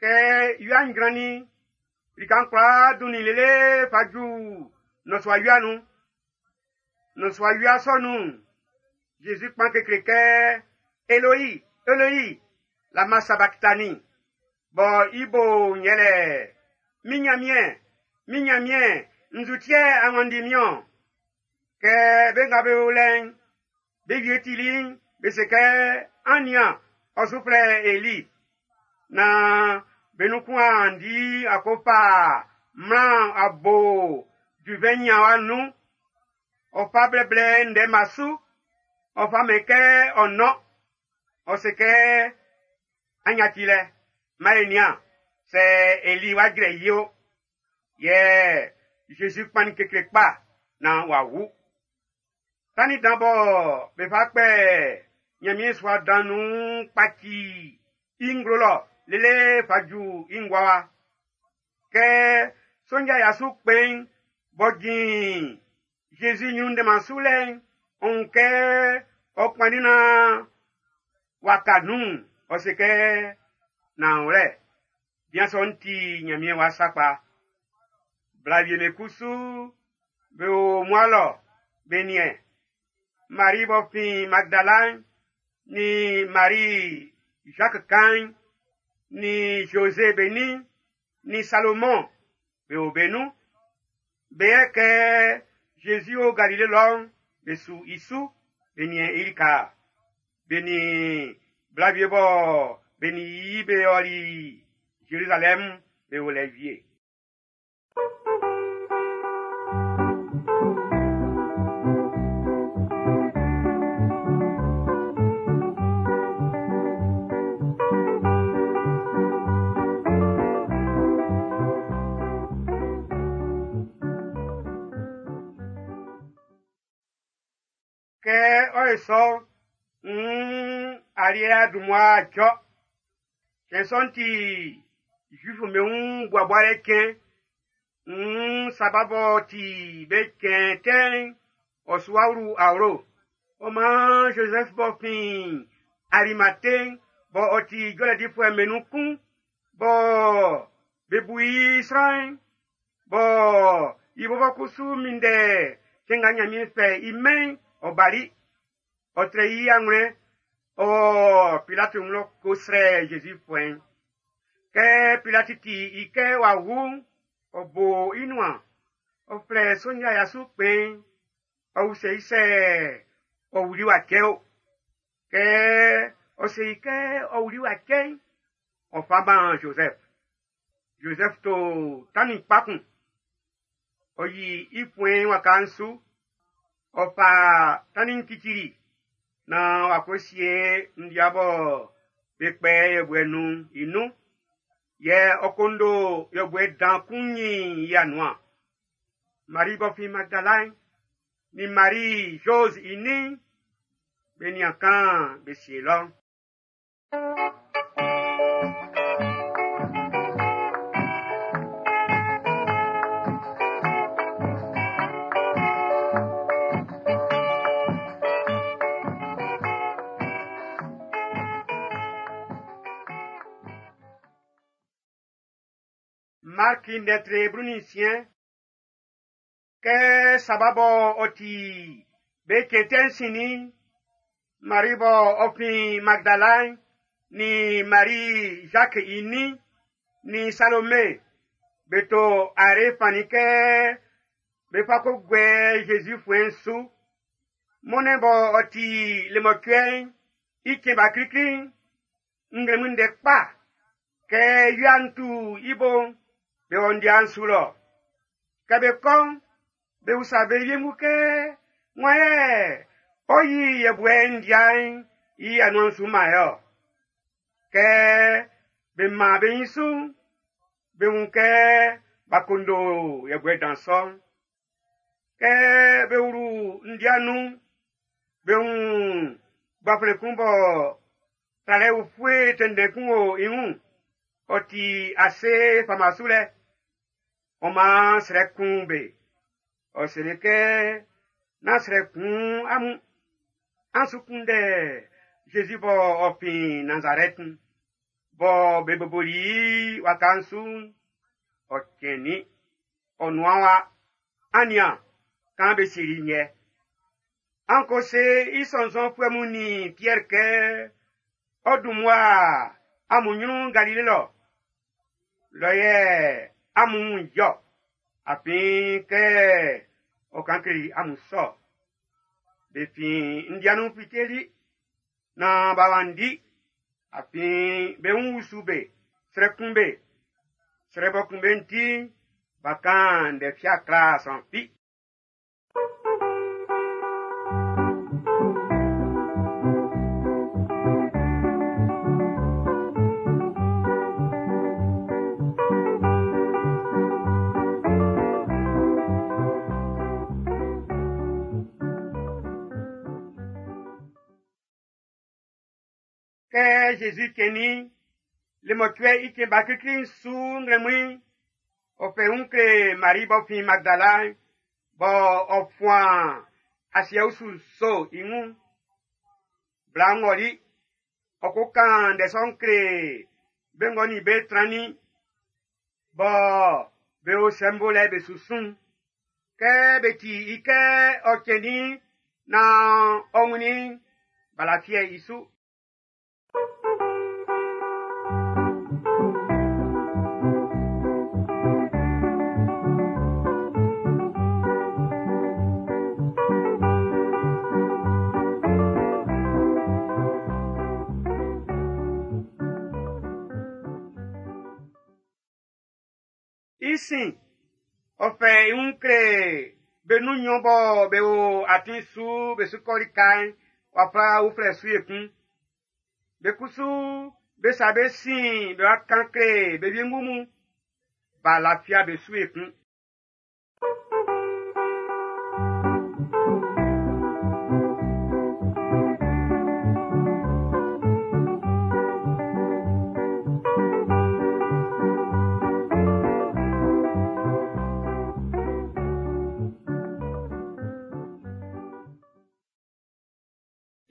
Kɛ wia'n jrannin, lika'n kwlaa dunnin lele fa ju nnɔsua wia nun. Nnɔsua wia sɔ nun'n, Jésus kpan kekle kɛ, Eloi, Eloi, lama sabachthani. Bɔ i bo yɛlɛ, min Nyanmiɛn, min Nyanmiɛn, nzu ti yɛ a wanndi min-ɔn? Kɛ be nga be o lɛ'n, be wie tili'n, be se kɛ, an nian, ɔ su flɛ Eli. Na be nun kun a di a ko fa mmla'n a bo duvɛn nyanwa nun. Ɔ fa blɛblɛ ndɛma su, ɔ fa mɛn kɛ ɔ nɔn. Ɔ se kɛ, an yaci lɛ, man e nian, sɛ Eli wa jrɛ i o. Yɛ Jésus kpannin kekle kpa naan w'a wu. Tannin dan bɔ be fa kpɛ Ɲanmiɛn sua dan nun kpaci i nglo lɔ lele fa ju i ngua wa. Kɛ sonja ya su kpɛn'n b'ɔ jin Jésus ɲrun ndɛnman su lɛ'n, ɔ wun kɛ ɔ kpannin naan waka nun'n, ɔ se kɛ, nanwlɛ, bian sɔ'n ti Ɲanmiɛn wa sakpa. Bla wie'm be kusu be o mmua lɔ be niɛn. Marie b'ɔ fin Magdala'n, ni Marie Jacques kan'n, ni José be nin, ni Salomon be o be nun. Be yɛ kɛ Jésus o Galile lɔ'n, be su i su, be niɛn i lika. Be nin bla wie bɔ be nin i be ɔli Jérusalem be o lɛ wie. Kɛ ɔ ye sɔ, nn aliɛ adunmua dzɔ. Cɛn sɔ'n ti Juif'm be wun buabualɛ cɛn. Nn saba b'ɔ ti be cɛn tɛ'n, ɔ su awlu awlo. Ɔ maan Joseph b'ɔ fin Arimathée bɔ ɔ ti jɔlɛ difuɛ'm be nun kun, bɔ be bu i sran'n, bɔ i bɔbɔ kusu minndɛ cɛn nga Ɲanmiɛn fɛ i mɛn'n, ɔ bali. Ɔ trɛ i anwlɛn, ɔ Pilati wun lɔ ko srɛ Jésus fuɛn'n. Kɛ Pilati ti i kɛ w'a wu'n, ɔ bo i nuan. Ɔ flɛ sonja ya su kpɛn'n, ɔ usɛ i sɛ ɔ wuli w'a cɛ o. Kɛ ɔ se i kɛ ɔ wuli w'a cɛ'n, ɔ fa man Joseph. Joseph to tannin kpa kun. Ɔ yi i fuɛn'n waka'n su. Ɔ fa tannin'n cicili naan w'a ko sie ndia bɔ Be kpɛ yɛbuɛ nun i nun. Yɛ ɔ kondo yɛbuɛ dan kun nyin i anuan. Marie b'ɔ fin Magdala'n, ni Marie Jose i nin, be nian kan be sie lɔ. Mark ndɛtre blu nin nsiɛn. Kɛ sababɔ ɔ ti be cɛn sinnin, Marie bɔ ɔ fin Magdala'n, ni Marie Jacques i nin, ni Salomé, be to are fani kɛ be fa ko guɛ Jésus fuɛ'n su. Mɔnnɛn bɔ ɔ ti lemɔcuɛ'n i cɛn ba klikli'n, nglɛmun ndɛ kpa, kɛ wia'n tu i bo'n, be wɔ ndia'n su lɔ. Kɛ be kɔ'n, be usa be wiengu kɛ, wan yɛ ɔ yi yɛbuɛ ndia'n i anuan'n su man yɛ ɔ? Kɛ be man be nyin su'n, be wun kɛ b'a kondo yɛbuɛ dan sɔ'n. Kɛ be wlu ndia nun'n, be wun gbanflɛn kun bɔ tralɛ ufue tɛnndɛn kun o i wun. Ɔ ti ase fama su lɛ. Ɔ maan srɛ kun be. Ɔ seli kɛ, nán srɛ kun amun. An su kunndɛ Jésus bɔ ɔ fin Nazarɛt'n, bɔ be boboli i waka'n su'n, ɔ cɛnnin. Ɔ nuan wa, an nian, kan be sieli i yɛ. An ko se i sɔnnzɔnfuɛ mun nin Pierre kɛ, ɔ dun mmua amun ɲrun Galile lɔ. Lɔ yɛ amun wun jɔ, afin kɛ ɔ kan kleli amun sɔ. Be fin ndia nun fiteli, naan b'a wanndi, afin be wun usu be, srɛ kun be. Srɛ bɔ kun be'n ti'n, b'a kan ndɛ fia kla sran fi. Kɛ Jésus cɛnnin, lemɔcuɛ i cɛn ba klikli'n su nglɛmun'n, ɔ fɛ wun kle Marie b'ɔ fin Magdala'n, bɔ ɔ fuan asiɛ usu nso i wun. Bla'n ɔli, ɔ ko kan ndɛ sɔ'n kle be ng'ɔ nin be trannin, bɔ be o sɛmbo lɛ be su sun. Kɛ be ti i kɛ ɔ cɛnnin naan ɔ wunnin, b'a lafiɛ i su. I sin, ɔ fɛ i wun kle be nun nnyɔn bɔ be o atin su be su kɔ lika'n wafa uflɛ su ekun. Be kusu be sa be sin be wa kan kle be wiengu mun, b'a lafia be su ekun.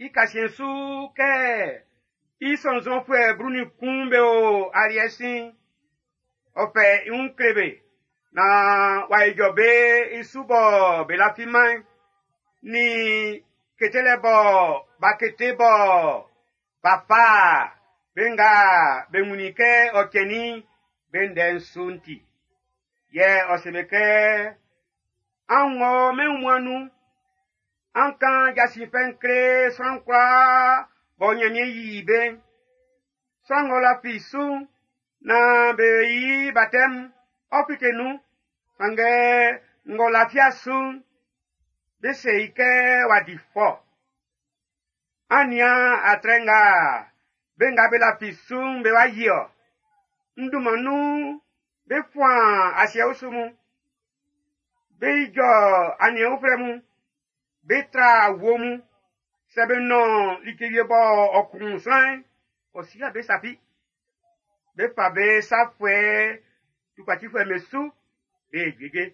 I kasiɛn su kɛ i sɔnnzɔnfuɛ blu nin kun be o aliɛ sin, ɔ fɛ i wun kle be, naan w'a ijɔ be i su bɔ be lafiman'n, ni ketelɛ bɔ b'a kete bɔ b'a fa be nga be wunnin kɛ ɔ cɛnnin'n be ndɛ'n su'n ti. Yɛ ɔ se be kɛ, an wɔ mɛn wunmuan'n nun, an kan jasin fɛ'n kle sran kwlaa bɔ Nyanmiɛn yi be'n. Sran ng'ɔ lafi su'n, naan be yi baptême, ɔ fite nun. Sanngɛ ng'ɔ lafia su'n, be se i kɛ w'a di fɔ. An nian atrɛ nga Be nga be lafi su'n be wa yi ɔ. N dunman nun be fuan asiɛ usu mun. Be ijɔ aniɛn uflɛ mun. Be tra wuo mun. Sɛ be nɔn like wie bɔ ɔ kun sran'n, ɔ si be sa fi. Be fa be sa fuɛ tukpacifuɛ'm be su, be juejue.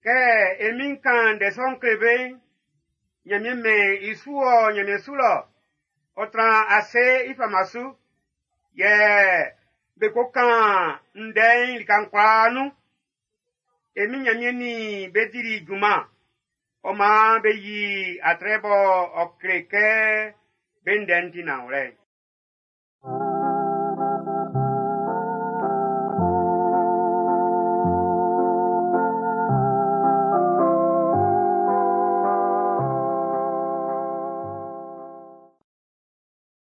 Kɛ e min'n kan ndɛ sɔ'n kle be'n, Ɲanmiɛn mɛn i su ɔ Ɲanmiɛn su lɔ, ɔ tran ase i fama su, yɛ be ko kan ndɛ'n lika'n kwlaa nun. E min Ɲanmiɛn nin be dili junman, ɔ maan be yi atrɛ bɔ ɔ kle kɛ be ndɛ'n ti nanwlɛ'n.